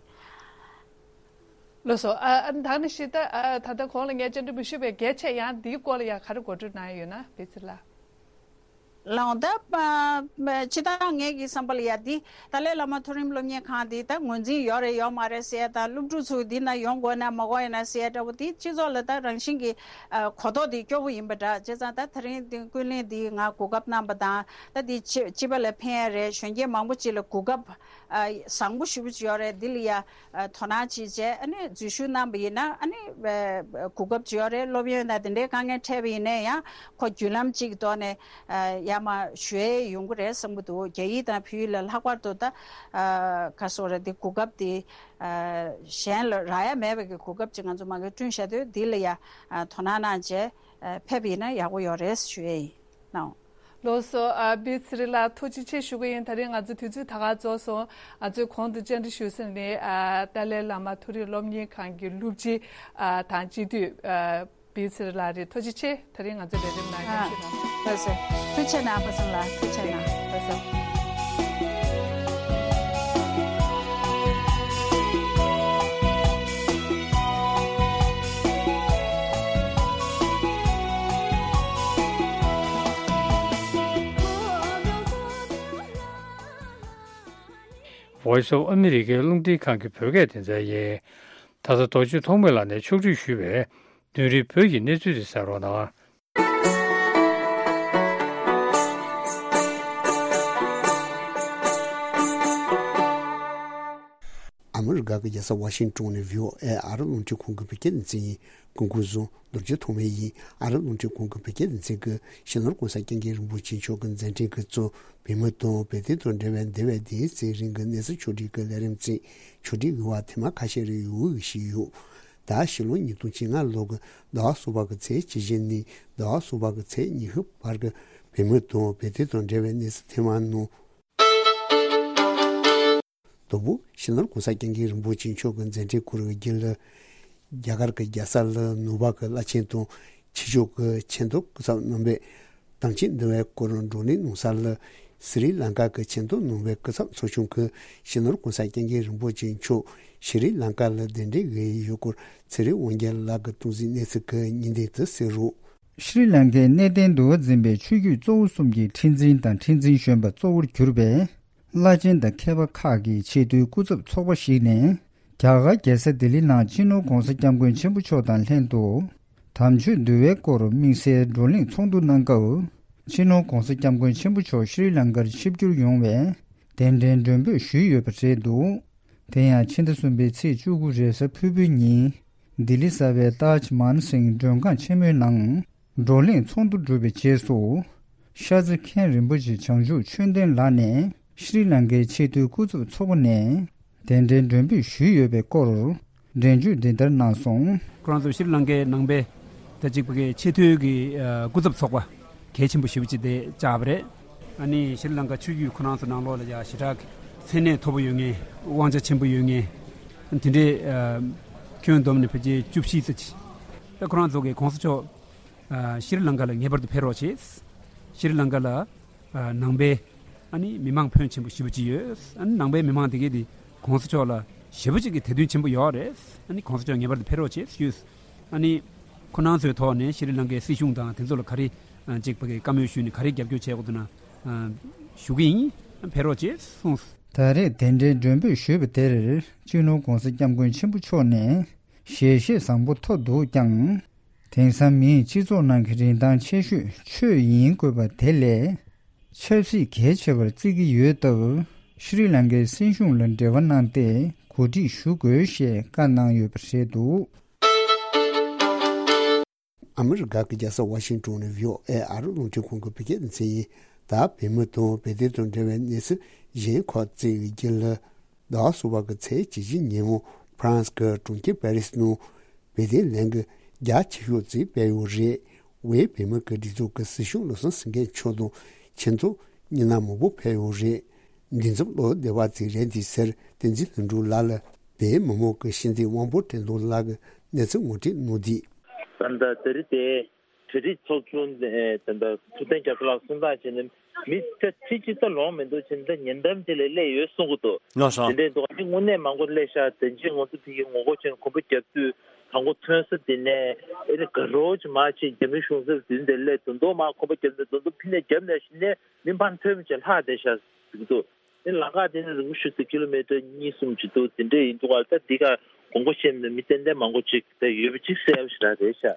ལགས་སོ། ཨ་ཨ་ད་ནི་ཤི་ད་ཨ་ད་ལྟ་གོང་ལ་ངས་བཅར་འདྲི་མི་ཞུས་པའི་གལ་ཆེ་ཡང་འདིའི་སྐོར་ལ་ཡང་ག་རེ་གོ་སྒྲིག་གནང་ཡོད་ན་བེ་ཚི་ལ། ལགས་འོང་། ད་ཨ་ཕྱི་ད་ངས་ཀྱི་བསམ་པ་ལ་ཡ་འདི་ཏཱ་ལའི་བླ་མ་མཐོ་རིམ་སློབ་གཉེར་ཁང་འདི་ད་ངོས་འཛིན་ཡོད་རེད་ཡོད་མ་རེད་ཟེར་ཡ་དང་སློབ་ཕྲུག་ཚོ་འདི་ན་ཡོང་དགོས་ན་མ་དགོས་ཡ་ན་ཟེར་ཡ་འདྲ་བོ་འདི་སྤྱི་ཚོགས་ལ་ད་རང་བཞིན་གྱི་ཨ་གོ་རྟོགས་འདི་སྐྱོ་བོ་ཡིན་པ་འདྲ། བྱས་ཙང་ད་དེ་རིང་འདི་ཀུན་གླེང་འདི་ང་གོ་སྐབས་གནང་པ་དང་ད་འདི་སྤྱི་སྤྱི་པ་ལ་ཕན་ཡ་རེད། གཞོན་སྐྱེས་མང་པོ་ཅིག་ལ་གོ་སྐབས་ཨ་བཟང་པོ་ཞེ་པོ་ཅིག་ཡོད་རེད། འདི་ལ་ཡ་ཨ་དོ་སྣང་བྱེད་བྱས་ཨ་ནི་འཛུལ་ཞུགས་གནང་པ་ཡིན་ན་ཨ་ནི་ཨ་གོ་སྐབས་ཅིག་ཡོད་རེད། སློབ་ཡོན་དང་དེ་འདྲའི་དཀའ་ངལ་འཕྲད་པ་ཡིན་ན་ཡང་ཁོ་བརྒྱུད་ལམ་གཅིག་གི་ཐོག་ནས་ཨ་ཡར་མར་ཞུ་ཡས་ཡོང་གི་རེད་བསམ་གྱི་འདུག་རྒྱ་ཡིག་དང་བོད་ཡིག་ལ་ལྷག་པར་དུ་ད་ཨ་ག་སོ་རེད། འདི་གོ་སྐབས་འདི་ཨ་གཞན་ལ་རག་ཡ་མེད་པའི་གི་གོ་སྐབས་ཅིག་ང་ཚོ་མ་གིར་བསྐྲུན་བཞག་དུས་འདི་ལ་ཡ་ཨ་དོ་སྣང་གནང་བྱས་ཨ་ཕེབས་པ་ཡིན་ན་ཡག་པོ་ཡོད་རེད་ཞུ་ཡས་ཡིན། ལགས་སོ། ཨ་བི་ཚེ་རིང་ལགས་ཐུགས་རྗེ་ཆེ་ཞུ་གི་ཡིན། ད་རིང་ང་ཚོ་དུས་ཚོད་ད་ག་རྫོགས་སོང་། ང་ཚོས་གོང་དུ་བཅར་འདྲི་ཞུས་ཟིན་ནི་ཨ་ཏཱ་ལའི་བླ་མ་མཐོ་རིམ་སློབ་གཉེར་ཁང་གི་སློབ་སྤྱི་ཨ་དང་སྤྱི་འཐུས་ཨ་བི་ཚེ་རིང་ལགས་རེད། ཐུགས་རྗེ་ཆེ། ད་རིང་ང་ཚོ་ལས་རིམ་ནང་ཨ་མཉམ་ཞུགས་གནང་། ལགས་སོ། ཐུགས་རྗེ་གནང་། ཕ་སངས་ལགས་ཐུགས་རྗེ་གནང་། ལགས་སོ། Voice of America རླུང་འཕྲིན་ཁང་གི་བོད་སྐད་སྡེ་ཚན་ཡིན། ད་ལྟ་རྡོ་རྗེ་ཐོགས་མེད་ལགས་ནས་ཕྱོགས་སྒྲིག་ཞུས་པའི་བདུན་རེའི་བོད་ཀྱི་གནས་ཚུལ་དེ་གསན་རོགས་གནང་། ཨ་མི་རི་ཀ་གི་རྒྱལ་ས་ཝ་ཤིང་ཊོན་ནས་ཝི་ཨོ་ཨེ་ཨ་རབ་རླུང་འཕྲིན་ཁང་གི་བོད་སྐད་སྡེ་ཚན་ཡིན། སྐུ་ཁམས་བཟང་། རྡོ་རྗེ་ཐོགས་མེད་ཡིན། ཨ་རབ་རླུང་འཕྲིན་ཁང་གི་བོད་སྐད་སྡེ་ཚན་གྱིས་གཞོན་ནུ་༸གོང་ས་༸སྐྱབས་མགོན་རིན་པོ་ཆེ་མཆོག་གི་མཛད་འཕྲིན་གྱི་གཙོ་བོད་མི་དང་བོད་དོན་དང་འབྲེལ་བའི་འདས་པའི་ཟླ་བའི་ཚེ་རིང་གི་གནས་ཚུལ་ཕྱོགས་སྒྲིག་གི་ལས་རིམ་བརྩིས། ཕྱོགས་སྒྲིག་གི་བར་ཐེངས་མ་ཁ་ཤས་རེ་ཡོང་གི་ཞིག་ཡོད། ད་ཕྱི་ལོ་ཉིས་སྟོང་བཅོ་ལྔ་ལོ་གི་ཟླ་བ་གསུམ་པ་གི་ཚེས་བཅུ་བཞི་ནས་ཟླ་བ་གསུམ་པ་གི་ཚེས་ཉི་ཤུ་བར་གྱི་བོད་མི་དང་བོད་དོན་དང་འབྲེལ་བའི་གནས་ཚུལ་ཐེངས་མ་ནང་། དང་པོ་སྤྱི་ནོར་༸གོང་ས་༸སྐྱབས་མགོན་རིན་པོ་ཆེ་མཆོག་གི་མཛད་འཕྲིན་སྐོར་གྱི་རྒྱུན་ལ། རྒྱ་གར་གྱི་རྒྱལ་ས་ལ་ནུབ་བ་གི་བླ་ཆེན་དང་ཕྱི་ཕྱོགས་ཀྱི་ཆེས་མཐོའི་སྐུ་ཚབ་རྣམ་པས་དམ་ཆོས་འདུལ་བའི་སྐོར་བགྲོ་གླེང་གནང་ས་ལ། སི་རི་ལང་ཀ་གི་ཆེས་མཐོའི་ནང་པའི་སྐུ་ཚབ་ཚོགས་ཆུང་གིས་སྤྱི་ནོར་༸གོང་ས་༸སྐྱབས་མགོན་རིན་པོ་ཆེ་མཆོག་སི་རི་ལང་ཀ་ལ་གདན་འདྲེན་ཞུས་ཡོད་སྐོར་ཚེ་རིང་དབང་རྒྱལ་ལགས་ཀྱིས་གཏོང་གཟིགས་གནས་ཚུལ་གྱི་སྙིང་བསྡུས་དེ་གསན་རོགས། ཤྲི་ལང་ཀའི་གནས་བརྟན་འདུལ་བ་འཛིན་པའི་ཆོས་བརྒྱུད་གཙོ་བོ་གསུམ་གྱི་ཁྲི་འཛིན་དང་ཁྲི་འཛིན་གཞོན་པ་གཙོ་བོར་གྱུར་པའི་བླ་ཆེན་དང་མཁས་པ་ཁག་གི་ཆེས་མཐོའི་སྐུ་ཚབ་ཚོགས་པ་ཞིག་ནས། རྒྱ་གར་རྒྱལ་ས་ལྡི་ལི་ནང་སྤྱི་ནོར་༸གོང་ས་༸སྐྱབས་མགོན་ཆེན་པོ་མཆོག་དང་ལྷན་དུ། དམ་ཆོས་འདུལ་བའི་སྐོར་དམིགས་བསལ་བགྲོ་གླེང་ཚོགས་འདུ་གནང་སྐབས། སྤྱི་ནོར་༸གོང་ས་༸སྐྱབས་མགོན་ཆེན་པོ་མཆོག་ཤྲི་ལང་ཀར་ཆིབས་བསྒྱུར་ཡོང་བའི་གདན་འདྲེན་མགྲོན་འབོད་ཞུས་ཡོད་པ་རེད་འདུག་དེ་ཡང་ཕྱི་ཟླ་གསུམ་པའི་ཚེས་བཅུ་དགུ་རེས་གཟའ་ཕུར་བུའི་ཉིན། ལྡི་ལི་གསར་པའི་ཏཱཇ་མཱན་སིང་མགྲོན་ཁང་ཆེན་མོའི་ནང་། བགྲོ་གླེང་ཚོགས་འདུ་གྲུབ་པའི་རྗེས་སུ། ཤར་རྩེ་མཁན་རིན་པོ་ཆེ་བྱང་ཆུབ་ཆོས་ལྡན་ལགས་ནས་ཤྲི་ལང་ཀའི་ཆེས་མཐོའི་སྐུ་ཚབ་ཚོགས་པ་ནས་གདན་འདྲེན་མགྲོན་འབོད་ཞུས་ཡོད་པའི་སྐོར་འགྲེལ་བརྗོད་འདི་ལྟར་གནང་སོང་། ཁོ་རང་ཚོ་ཤྲི་ལང་ཀའི་ནང་པའི་ད་ཅིག་ཕ་གིའི་ཆེས་མཐོའི་གི་ཨ་སྐུ་ཚབ་ཚོགས་པ་གལ་ཆེན་པོ་ཞེ་པོ་ཅིག་དེ་བཅར་བ་རེད། ཨ་ནི་ཤྲི་ལང་ཀ་ཆོས་བརྒྱུད་ཁོ་རང་ཚོ་ནང་ལོགས་ལ་ཡ་ཞེ་དྲག་གི་མཚན་གནས་མཐོ་པོ་ཡོད་མཁན། དབང་ཆ་ཆེན་པོ་ཡོད་མཁན། དེ་འདྲའི་ཨ་ཁྱོན་བསྡོམས་ནས་ཕལ་ཆེར་བཅུ་བཞི་ཙམ་ཅིག་ད་ཁོ་རང་ཚོ་གི་གོང་ས་མཆོག་ཨ་ཤྲི་ལང་ཀ་ལ་ངེས་པར་དུ་ཕེབས་རོགས་བྱེད། ཤྲི་ལང་ཀ་ལ་ཨ་ནང་པའི་ཨ་ནི་མི་མང་ཕོན་ཆེན་པོ་ཞེ་པོ་ཅིག་ཡོད། ཨ་ནི་ནང་པའི་མི་མང་དེ་གས་དེ་གོང་ས་མཆོག་ལ་ཞེ་པོ་ཅིག་གི་དད་འདུན་ཆེན་པོ་ཡོད་རེད། ཨ་ནི་གོང་ས་མཆོག་ངེས་པར་དུ་ཕེབས་རོགས་བྱེད་ཞུས། ཨ་ནི་ཁོ་རང་ཚོའི་ཐོག་ནས་ཤྲི་ལང་ཀའི་སྲིད་གཞུང་དང་དེ་ཚོ་ལ་ག་རེ་ཨ་ཅིག་ཕ་གི་བཀའ་མོལ་ཞུས་ནས་ག་རེ་རྒྱབ་སྐྱོར་བྱས་དགོས་འདུག་ན་ཨ་ཞུ་གི་ཡིན། ཕེབས་རོགས་བྱེད་གསུངས། ད་རེས་གདན་འདྲེན་མགྲོན་འབོད་ཞུས་པ་དེར་སྤྱི་ནོར་༸གོང་ས་༸སྐྱབས་མགོན་ཆེན་པོ་མཆོག་ནས་ཞལ་བཞེས་བཟང་པོ་ཐོབ་འདུག་ཀྱང་། དེང་སང་མིའི་སྤྱི་ཚོགས་ནང་གི་རིན་ཐང་ཆེ་ཤོས་ཆོས་ཡིན་དགོས་པ་དེ་ལས་ཆབ་སྲིད་གལ་ཆེ་བར་བརྩི་གི་ཡོད་སྟབས། ཤྲི་ལང་ཀའི་སྲིད་གཞུང་ལ་འབྲེལ་བ་གནང་སྟེ་གོ་སྒྲིག་ཞུ་དགོས་ཞེས་བཀའ་གནང་ཡོད་པ་རེད་འདུག་ཨ་མི་རི་ཀ་གི་རྒྱལ་ས་ཝ་ཤིང་ཏོན་ནས་བྷི་ཨོ་ཨེ་ཨ་རི་རླུང་འཕྲིན་ཁང་གི་བོད་སྐད་སྡེ་ཚན་ཡིན། ད་བོད་མི་དང་བོད་དོན་དང་འབྲེལ་བའི་གནས་ཚུལ་གཞན་ཁག་ཅིག་གི་རྒྱུན་ལ། ཟླ་བ་གསུམ་པ་གི་ཚེས་བཅུ་བཞི་ཉིན་མོ་ཧྥ་རན་སི་གི་གྲོང་ཁྱེར་པེ་རི་སི་ནང་བོད་དོན་ལས་འགུལ་རྒྱ་ཆེ་ཤོས་ཅིག་སྤེལ་ཡོད་རེད། དབུས་བོད་མི་གི་སྒྲིག་འཛུགས་ཀྱི་སྲིད་སྐྱོང་བློ་བཟང་སེང་གེ་མཆོག་དང་ཁྱིམ་ཚང་མི་སྣ་མང་པོ་ཕེབས་ཡོད་རེད། འདི་ཚོ་བློ་བདེ་བ་ཅིག་རེད་འདི་ཟེར། བསྟན་འཛིན་ལྷུན་གྲུབ་ལགས་ལ་བོད་མི་མང་གི་སྤྱི་འཐུས་དབང་པོ་བཀྲས་མཐོང་ལགས་ཀྱིས་གནས་ཚུལ་ངོ་སྤྲོད་གནང་དུས། ད་ལྟ་དེ་རིང་དེ་གྲ་སྒྲིག་ཚོགས་ཆུང་ནས་ད་ལྟ་ཐུབ་བསྟན་སྐྱབས་མགོན་ལགས་གསུང་སྟངས་བྱས་ན་མི་ད་ཁྲི་གཅིག་ཙམ་ལོངས་མི་འདུག་བྱས་ན་ད་ཉེ་འགྲམ་དེ་ལ་སླེབས་ཡོད་གསུང་གི་འདུག་ལགས་སོ། དེ་འདྲའི་འདུག་ཨ་ནི་དངོས་གནས་མང་པོ་སླེབས་ཤག་དེ་རྗེས་ང་ཚོ་ཕ་གིའི་ངོ་རྒོལ་བྱས་ནས་གོམ་པ་རྒྱབ་དུས་དང་པོ་ཐོན་ས་དེ་ནས་ཨེ་ནི་དགའ་རོགས་ཀྱི་མར་ཕྱིན་རྒྱ་མི་གཞུང་ཚབ་དེ་འདྲ་སླེབས་དུས་མདོ་མར་གོམ་པ་རྒྱབ་ནས་མདོ་མདོ་ཕི་ནས་རྒྱབ་ནས་གཞི་ནས་མི་འབངས་ཐོན་མི་བྱེད་ལྷག་བསྡད་ཤག་ཟེར་གི་འདུག་ཨེ་ལམ་ཁ་དེ་ནི་རིང་པོ་ཞིག་ཏུ་ཀི་ལོ་མི་ཊར་གཉིས་གསུམ་ཅིག་འདུག་དེ་འདྲ་ཡིན་འདུག་ག་ད་འདི་ག་དགོངས་པ་བཞེས་ནས་མི་ཏན་ཏན་མང་པོ་ཅིག་ད་ཡོད་པ་ཅིག་གསལ་པོ་ཞེ་དྲག་རེད་ཤག་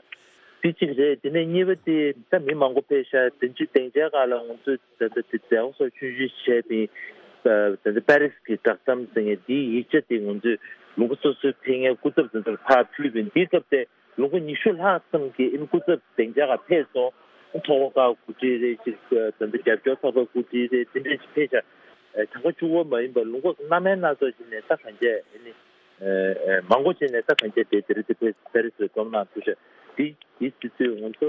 དེ་གཅིག་རེད། དེ་ནས་གཉིས་པ་དེ་ད་མི་མང་པོ་ཕེབས་ཤག་དེ་ཚོའི་སྡིངས་ཆའི་སྒང་ལ་ང་ཚོས་ད་ལྟ་དེ་མཛད་སྒོ་སོགས་ཆུང་ཆུང་བྱས་པའི་ད་ལྟ་པེ་རི་སི་གི་བསྒྲགས་གཏམ་ཟེར་མཁན་དེའི་ཡིག་ཆ་དེ་ང་ཚོས་ལུང་པ་སོ་སོའི་ཕེབས་མཁན་སྐུ་ཚབ་དེ་ཚོར་ཕར་ཕུལ་བས། འདིའི་སྐབས་དེ་ལུང་པ་ཉི་ཤུ་ལྷག་ཙམ་གྱི་ཨིན་སྐུ་ཚབ་སྡིངས་ཆ་སྒང་ཕེབས་སོང་། ཐོག་ཁ་གུ་ཁྲི་རེ་ཞིག་ད་ལྟ་རྒྱབ་སྐྱོར་ཚོགས་པའི་སྐུ་ཁྲི་རེ་དེ་འདྲ་ཞིག་ཕེབས་ཤག་གྲངས་ཀ་བཅུ་པ་མ་ཡིན་པར་ལུང་པ་སྣ་མིན་སྣ་ཚོགས་ཤིག་ནས་ད་གང་ཅི་ཨེ་ནི་མང་པོ་ཅིག་ནས་ད་གང་ཅི་དེ་དེ་རིང་དེ་ཕེབས་པེ་རི་སི་ལ་བསྡོམས་གནང་ཐུབ་ཤག་དེ་དེ་དུས་ཚོད་ང་ཚོ་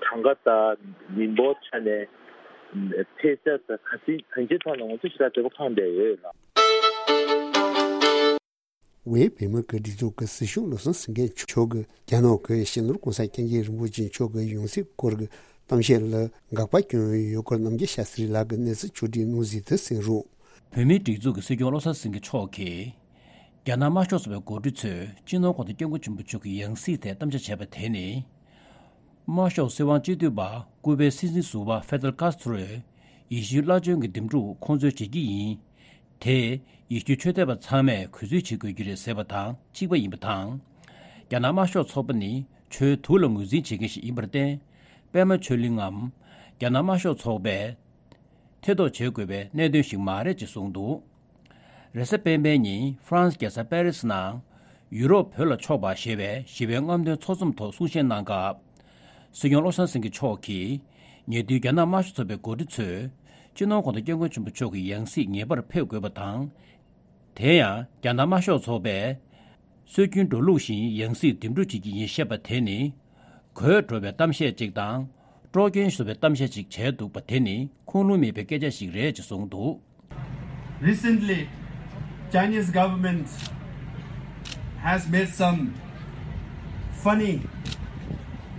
གྲངས་ཀ་དང་མི་འབོར་ཆ་ནས་ཕེབས་ས་དང་ག་ཚོད་གང་ཅིའི་ཐོག་ནས་ང་ཚོ་ཞེ་དྲག་བདེ་པོ་ཁེངས་བསྡད་ཡོད་ལགས། དབུས་བོད་མི་གི་སྒྲིག་འཛུགས་ཀྱི་སྲིད་སྐྱོང་བློ་བཟང་སེང་གེ་མཆོག་གིས་རྒྱ་ནག་གི་སྤྱི་ནོར་༸གོང་ས་༸སྐྱབས་མགོན་རིན་པོ་ཆེ་མཆོག་གི་ཡང་སྲིད་སྐོར་གྱི་གཏམ་བཤད་ལ་དགག་པ་བསྐྱོན་ཡོད་སྐོར་རྣམ་རྒྱལ་ཤཱ་སྟྲི་ལགས་ཀྱིས་གནས་ཚུལ་ཕྱོགས་སྒྲིག་གནང་གཟིགས་དེ་གསན་རོགས། བོད་མིའི་སྒྲིག་འཛུགས་ཀྱི་སྲིད་སྐྱོང་བློ་བཟང་སེང་གེ་མཆོག་གིས་རྒྱ་ནག་དམར་ཤོག་ཚོགས་པའི་འགོ་ཁྲིད་ཚོས་སྤྱི་ནོར་༸གོང་ས་༸སྐྱབས་མགོན་ཆེན་པོ་མཆོག་གི་ཡང་སྲིད་ཐད་གཏམ་བཤད་བྱས་པ་དེ་ནི། དམར་ཤོག་སྲིད་དབང་སྤྱི་འཐུས་པ་སྐུ་པའི་སྲིད་འཛིན་ཟུར་པ་ཧྥེ་དེལ་ཀཱས་ཏྲོས་ཡེ་ཤུའི་བླ་ཆེན་གྱི་འདེམས་སྒྲུག་ཁོང་ཚོས་བྱེད་ཀྱི་ཡིན། དེས་ཡེ་ཤུའི་ཆོས་དད་པ་ཚང་མས་གུས་བརྩི་བྱེད་དགོས་ཀྱི་རེད་ཟེར་བ་དང་གཅིག་པ་ཡིན་པ་དང་། རྒྱ་ནག་དམར་ཤོག་ཚོགས་པ་ནི་ཆོས་དུག་ལ་ངོས་འཛིན་བྱེད་མཁན་ཞིག་ཡིན་པར་བརྟེན། པད་མ་ཆོས་གླིང་ངམ་རྒྱ་ནག་དམར་ཤོག་ཚོགས་པས་ཐེ་གཏོགས་བྱེད་དགོས་པའི་གནད་དོན་ཞིག་མ་རེད་ཅེས་གསུངས་འདུག་རེས་གཟའ་སྤེན་པའི་ཉིན་ཧྥ་རན་སི་རྒྱལ་ས་པེ་རི་སི་ནང་ཡུ་རོབ་བོད་ལ་ཕྱོགས་པ་ཞེས་པའི་ཞི་བའི་རྔམ་སྟོན་ཚོགས་འཛོམས་ཐོག་གསུང་བཤད་གནང་སྐབས། སྲིད་སྐྱོང་བློ་བཟང་སེང་གེ་མཆོག་གིས་ཉེ་དུས་རྒྱ་ནག་དམར་ཤོག་ཚོགས་པའི་འགོ་ཁྲིད་ཚོས་སྤྱི་ནོར་༸གོང་ས་༸སྐྱབས་མགོན་ཆེན་པོ་མཆོག་གི་ཡང་སྲིད་ངེས་པར་ཕེབས་དགོས་པ་དང་། དེ་ཡང་རྒྱ་ནག་དམར་ཤོག་ཚོགས་པས་སྲོལ་རྒྱུན་འགྲོ་ལུགས་བཞིན་ཡང་སྲིད་འདེམས་སྒྲུག་བྱེད་ཀྱི་ཡིན་བཤད་པ་དེ་ནི། གོད་འགྲོ་བའི་གཏམ་བཤད་ཅིག་དང་། དཀྲོག་རྐྱེན་བཟོ་བའི་གཏམ་བཤད་ཅིག་བྱས་འདུག་པ་དེ་ནི་ཁུངས་ལུང་མེད་པའི་སྐད་ཆ་ཞིག་རེད་ཅེས་གསུངས་འདུག Recently, Chinese government has made some funny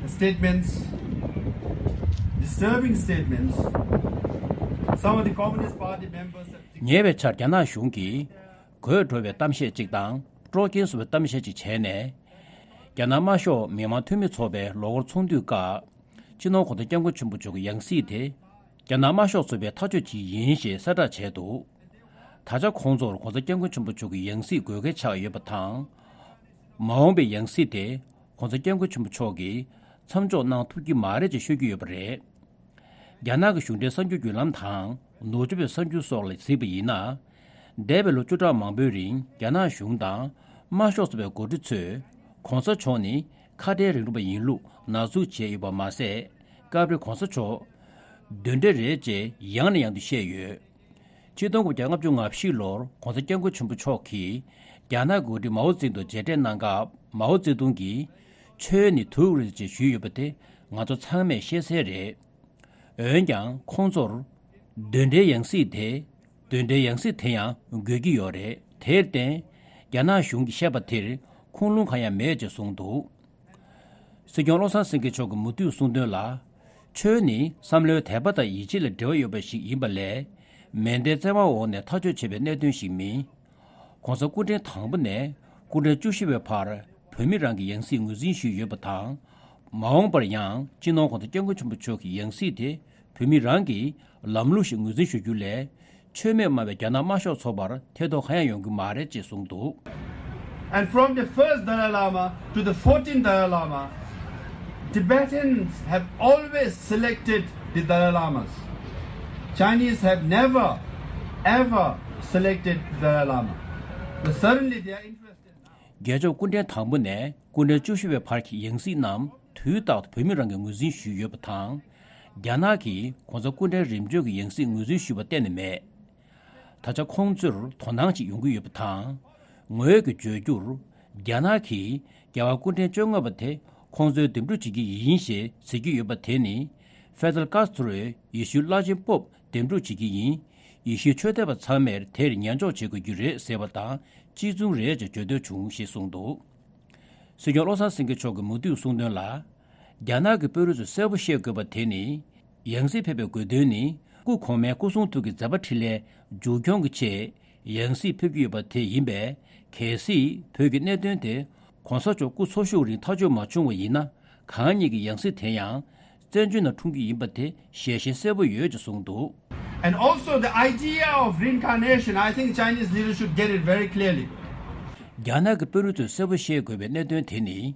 statements, disturbing statements. Some of the Communist Party members have ཉེ་བའི་ཆར་རྒྱ་ནག་གཞུང་གིས་དགོད་བྲོ་བའི་གཏམ་བཤད་ཅིག་དང་སྤྲོ་སྐྱེན་བཟོ་བའི་གཏམ་བཤད་ཅིག་བྱས་ནས། རྒྱ་ནག་དམར་ཤོག་མི་དམངས་འཐུས་མི་ཚོགས་པའི་ལོ་འཁོར་ཚོགས་འདུའི་སྐབས། སྤྱི་ནོར་༧གོང་ས་༧སྐྱབས་མགོན་ཆེན་པོ་མཆོག་གི་ཡང་སྲིད་དེ། རྒྱ་ནག་དམར་ཤོག་ཚོགས་པའི་ཐག་གཅོད་ཅིག་ཡིན་ཞེས་གསལ་བསྒྲགས་བྱས་འདུག་ད་ཆ་ཁོང་ཚོར་༧གོང་ས་༧སྐྱབས་མགོན་ཆེན་པོ་མཆོག་གི་ཡང་སྲིད་དགོས་གལ་ཆགས་ཡོད་པ་དང་། མ་འོངས་པའི་ཡང་སྲིད་དེ་༧གོང་ས་༧སྐྱབས་མགོན་ཆེན་པོ་མཆོག་གིས་མཚམས་འཇོག་གནང་ཐུབ་ཀྱི་མ་རེད་ཅེས་ཤོད་ཀྱི་ཡོད་པ་རེད། རྒྱ་ནག་གི་གཞུང་འབྲེལ་གསར་འགྱུར་བརྒྱུད་ལམ་དང་ནུབ་ཕྱོགས་པའི་གསར་འགྱུར་སོགས་ལ་གཟིགས་པ་ཡིན་ན། འདས་པའི་ལོ་བཅུ་ཕྲག་མང་པོའི་རིང་རྒྱ་ནག་གཞུང་དང་དམར་ཤོག་ཚོགས་པའི་འགོ་ཁྲིད་ཚོས་༧གོང་ས་མཆོག་ནི་ཁ་བྲལ་རིང་ལུགས་པ་ཡིན་ལུགས་ན་ཟུག་བྱས་ཡོད་པ་མ་ཟད། སྐབས་རེ་༧གོང་ས་མཆོག་གདོན་འདྲེ་རེད་ཅེས་ཡང་ནས་ཡང་དུ་བཤད་ཡོད། ཆིག་སྟོང་དགུ་བརྒྱ་ལྔ་བཅུ་ང་བཞི་ལོར་༧གོང་ས་༧སྐྱབས་མགོན་ཆེན་པོ་མཆོག་གིས་རྒྱ་ནག་གི་འགོ་ཁྲིད་མའོ་ཙེ་ཏུང་མཇལ་འཕྲད་གནང་སྐབས། མའོ་ཙེ་ཏུང་གིས་ཆོས་ནི་དུག་རེད་ཅེས་ཞུས་ཡོད་པ་དེ་ང་ཚོ་ཚང་མས་ཤེས་གསལ་རེད། འོན་ཀྱང་ཁོང་ཚོར་གདོན་འདྲེའི་ཡང་སྲིད་དེ། གདོན་འདྲེའི་ཡང་སྲིད་དེ་ཡང་དགོས་ཀྱི་ཡོད་རེད། དེར་བརྟེན། རྒྱ་ནག་གཞུང་གིས་བཤད་པ་དེར་ཁུངས་ལུང་གང་ཡང་མེད་ཅེས་གསུངས་འདུག་སྲིད་སྐྱོང་བློ་བཟང་སེང་གེ་མཆོག་གིས་མུ་མཐུད་གསུངས་དོན་ལ། ཆོས་ནི་བསམ་བློའི་དད་པ་དང་ཡིད་ཆེས་ལ་འབྲེལ་བ་ཡོད་པ་ཞིག་ཡིན་པ་ལས། མེ་མདའི་བཙན་དབང་འོག་ནས་ཐག་གཅོད་བྱེད་པའི་གནད་དོན་ཞིག་མིན། ༸གོང་ས་སྐུ་ཕྲེང་དང་པོ་ནས་སྐུ་ཕྲེང་བཅུ་བཞི་བའི་བར་བོད་མི་རང་གི་ཡང་སྲིད་ངོས་འཛིན་ཞུས་ཡོད་པ་དང་། མ་འོངས་པར་ཡང་སྤྱི་ནོར་༸གོང་ས་༸སྐྱབས་མགོན་ཆེན་པོ་མཆོག་གི་ཡང་སྲིད་དེ་བོད་མི་རང་གི་ལམ་ལུགས་ཤིག་ངོས་འཛིན་ཞུ་རྒྱུ་ལས། ཆོས་མེད་སྨྲ་བའི་རྒྱ་ནག་དམར་ཤོག་ཚོགས་པར་ཐེ་གཏོགས་གང་ཡང་ཡོང་གི་མ་རེད་ཅེས་གསུངས་འདུག And from the first Dalai Lama to the fourteenth Dalai Lama, Tibetans have always selected the Dalai Lamas. Chinese have never, ever selected the Dalai Lama. But certainly they are interested now. རྒྱལ་མཆོག་སྐུ་ཕྲེང་དང་པོ་ནས་སྐུ་ཕྲེང་བཅུ་བཞི་བའི་བར་གྱི་ཡང་སྲིད་རྣམས་དུས་རྟག་ཏུ་བོད་མི་རང་གིས་ངོས་འཛིན་ཞུས་ཡོད་པ་དང་། རྒྱ་ནག་གིས་༸གོང་ས་སྐུ་ཕྲེང་རིམ་བྱོན་གྱི་ཡང་སྲིད་ངོས་འཛིན་ཞུས་པ་གཏན་ནས་མེད། ད་ཆ་ཁོང་ཚོར་དོ་སྣང་ཅིག་ཡོང་གི་ཡོད་པ་དང་། ངོས་ཀྱིས་བརྗོད་རྒྱུར། རྒྱ་ནག་གིས་རྒྱལ་བ་སྐུ་ཕྲེང་བཅོ་ལྔ་པ་དེ་ཁོང་ཚོས་འདེམས་སྒྲུག་བྱེད་ཀྱི་ཡིན་ཞེས་ཟེར་གྱི་ཡོད་པ་དེ་ནི། ཧྥེ་དེལ་ཀཱ་སི་ཏྲོས་ཡེ་ཤུའི་བླ་ཆེན་པོབ་འདེམས་སྒྲུག་བྱེད་ཀྱི་ཡིན། ཡེ་ཤུའི་ཆོས་དད་པ་ཚང་མས་དེར་ཉན་འཇོག་བྱེད་དགོས་ཀྱི་རེད་ཟེར་བ་དང་གཅིག་མཚུངས་རེད་ཅེས་བརྗོད་འདོད་བྱུང་ཞེས་གསུངས་འདུག་སྲིད་སྐྱོང་བློ་བཟང་སེང་གེ་མཆོག་གིས་མུ་མཐུད་གསུངས་དོན་ལ། རྒྱ་ནག་གི་དཔོན་རིགས་ཚོས་གསལ་པོ་ཤེས་དགོས་པ་དེ་ནི། ཡང་སྲིད་ཕེབས་པའི་དགོས་དོན་ནི། སྐུ་གོང་མའི་སྐུ་གསུང་ཐུགས་ཀྱི་མཛད་པ་འཕྲིན་ལས་མཇུག་སྐྱོང་གི་ཆེད་ཡང་སྲིད་ཕེབས་ཀྱི་ཡོད་པ་དེ་ཡིན་པས། གལ་སྲིད་བོད་ཀྱི་གནད་དོན་དེ་གོང་ས་མཆོག་སྐུ་འཚོ་བཞུགས་རིང་ཐག་གཅོད་མ་བྱུང་བ་ཡིན་ན། གང་ཉིད་ཀྱི་ཡང་སྲིད་དེ་ཡང་བཙན་བྱོལ་ནང་འཁྲུངས་ཀྱི་ཡིན་པ་དེ་ཞལ་བཞེས་གསལ་པོ་ཡོད་ཅེས་གསུངས་འདུག And also the idea of reincarnation, I think Chinese leaders should get it very clearly. རྒྱ་ནག་གི་དཔོན་རིགས་ཚོས་གསལ་པོ་ཤེས་དགོས་པའི་གནད་དོན་དེ་ནི།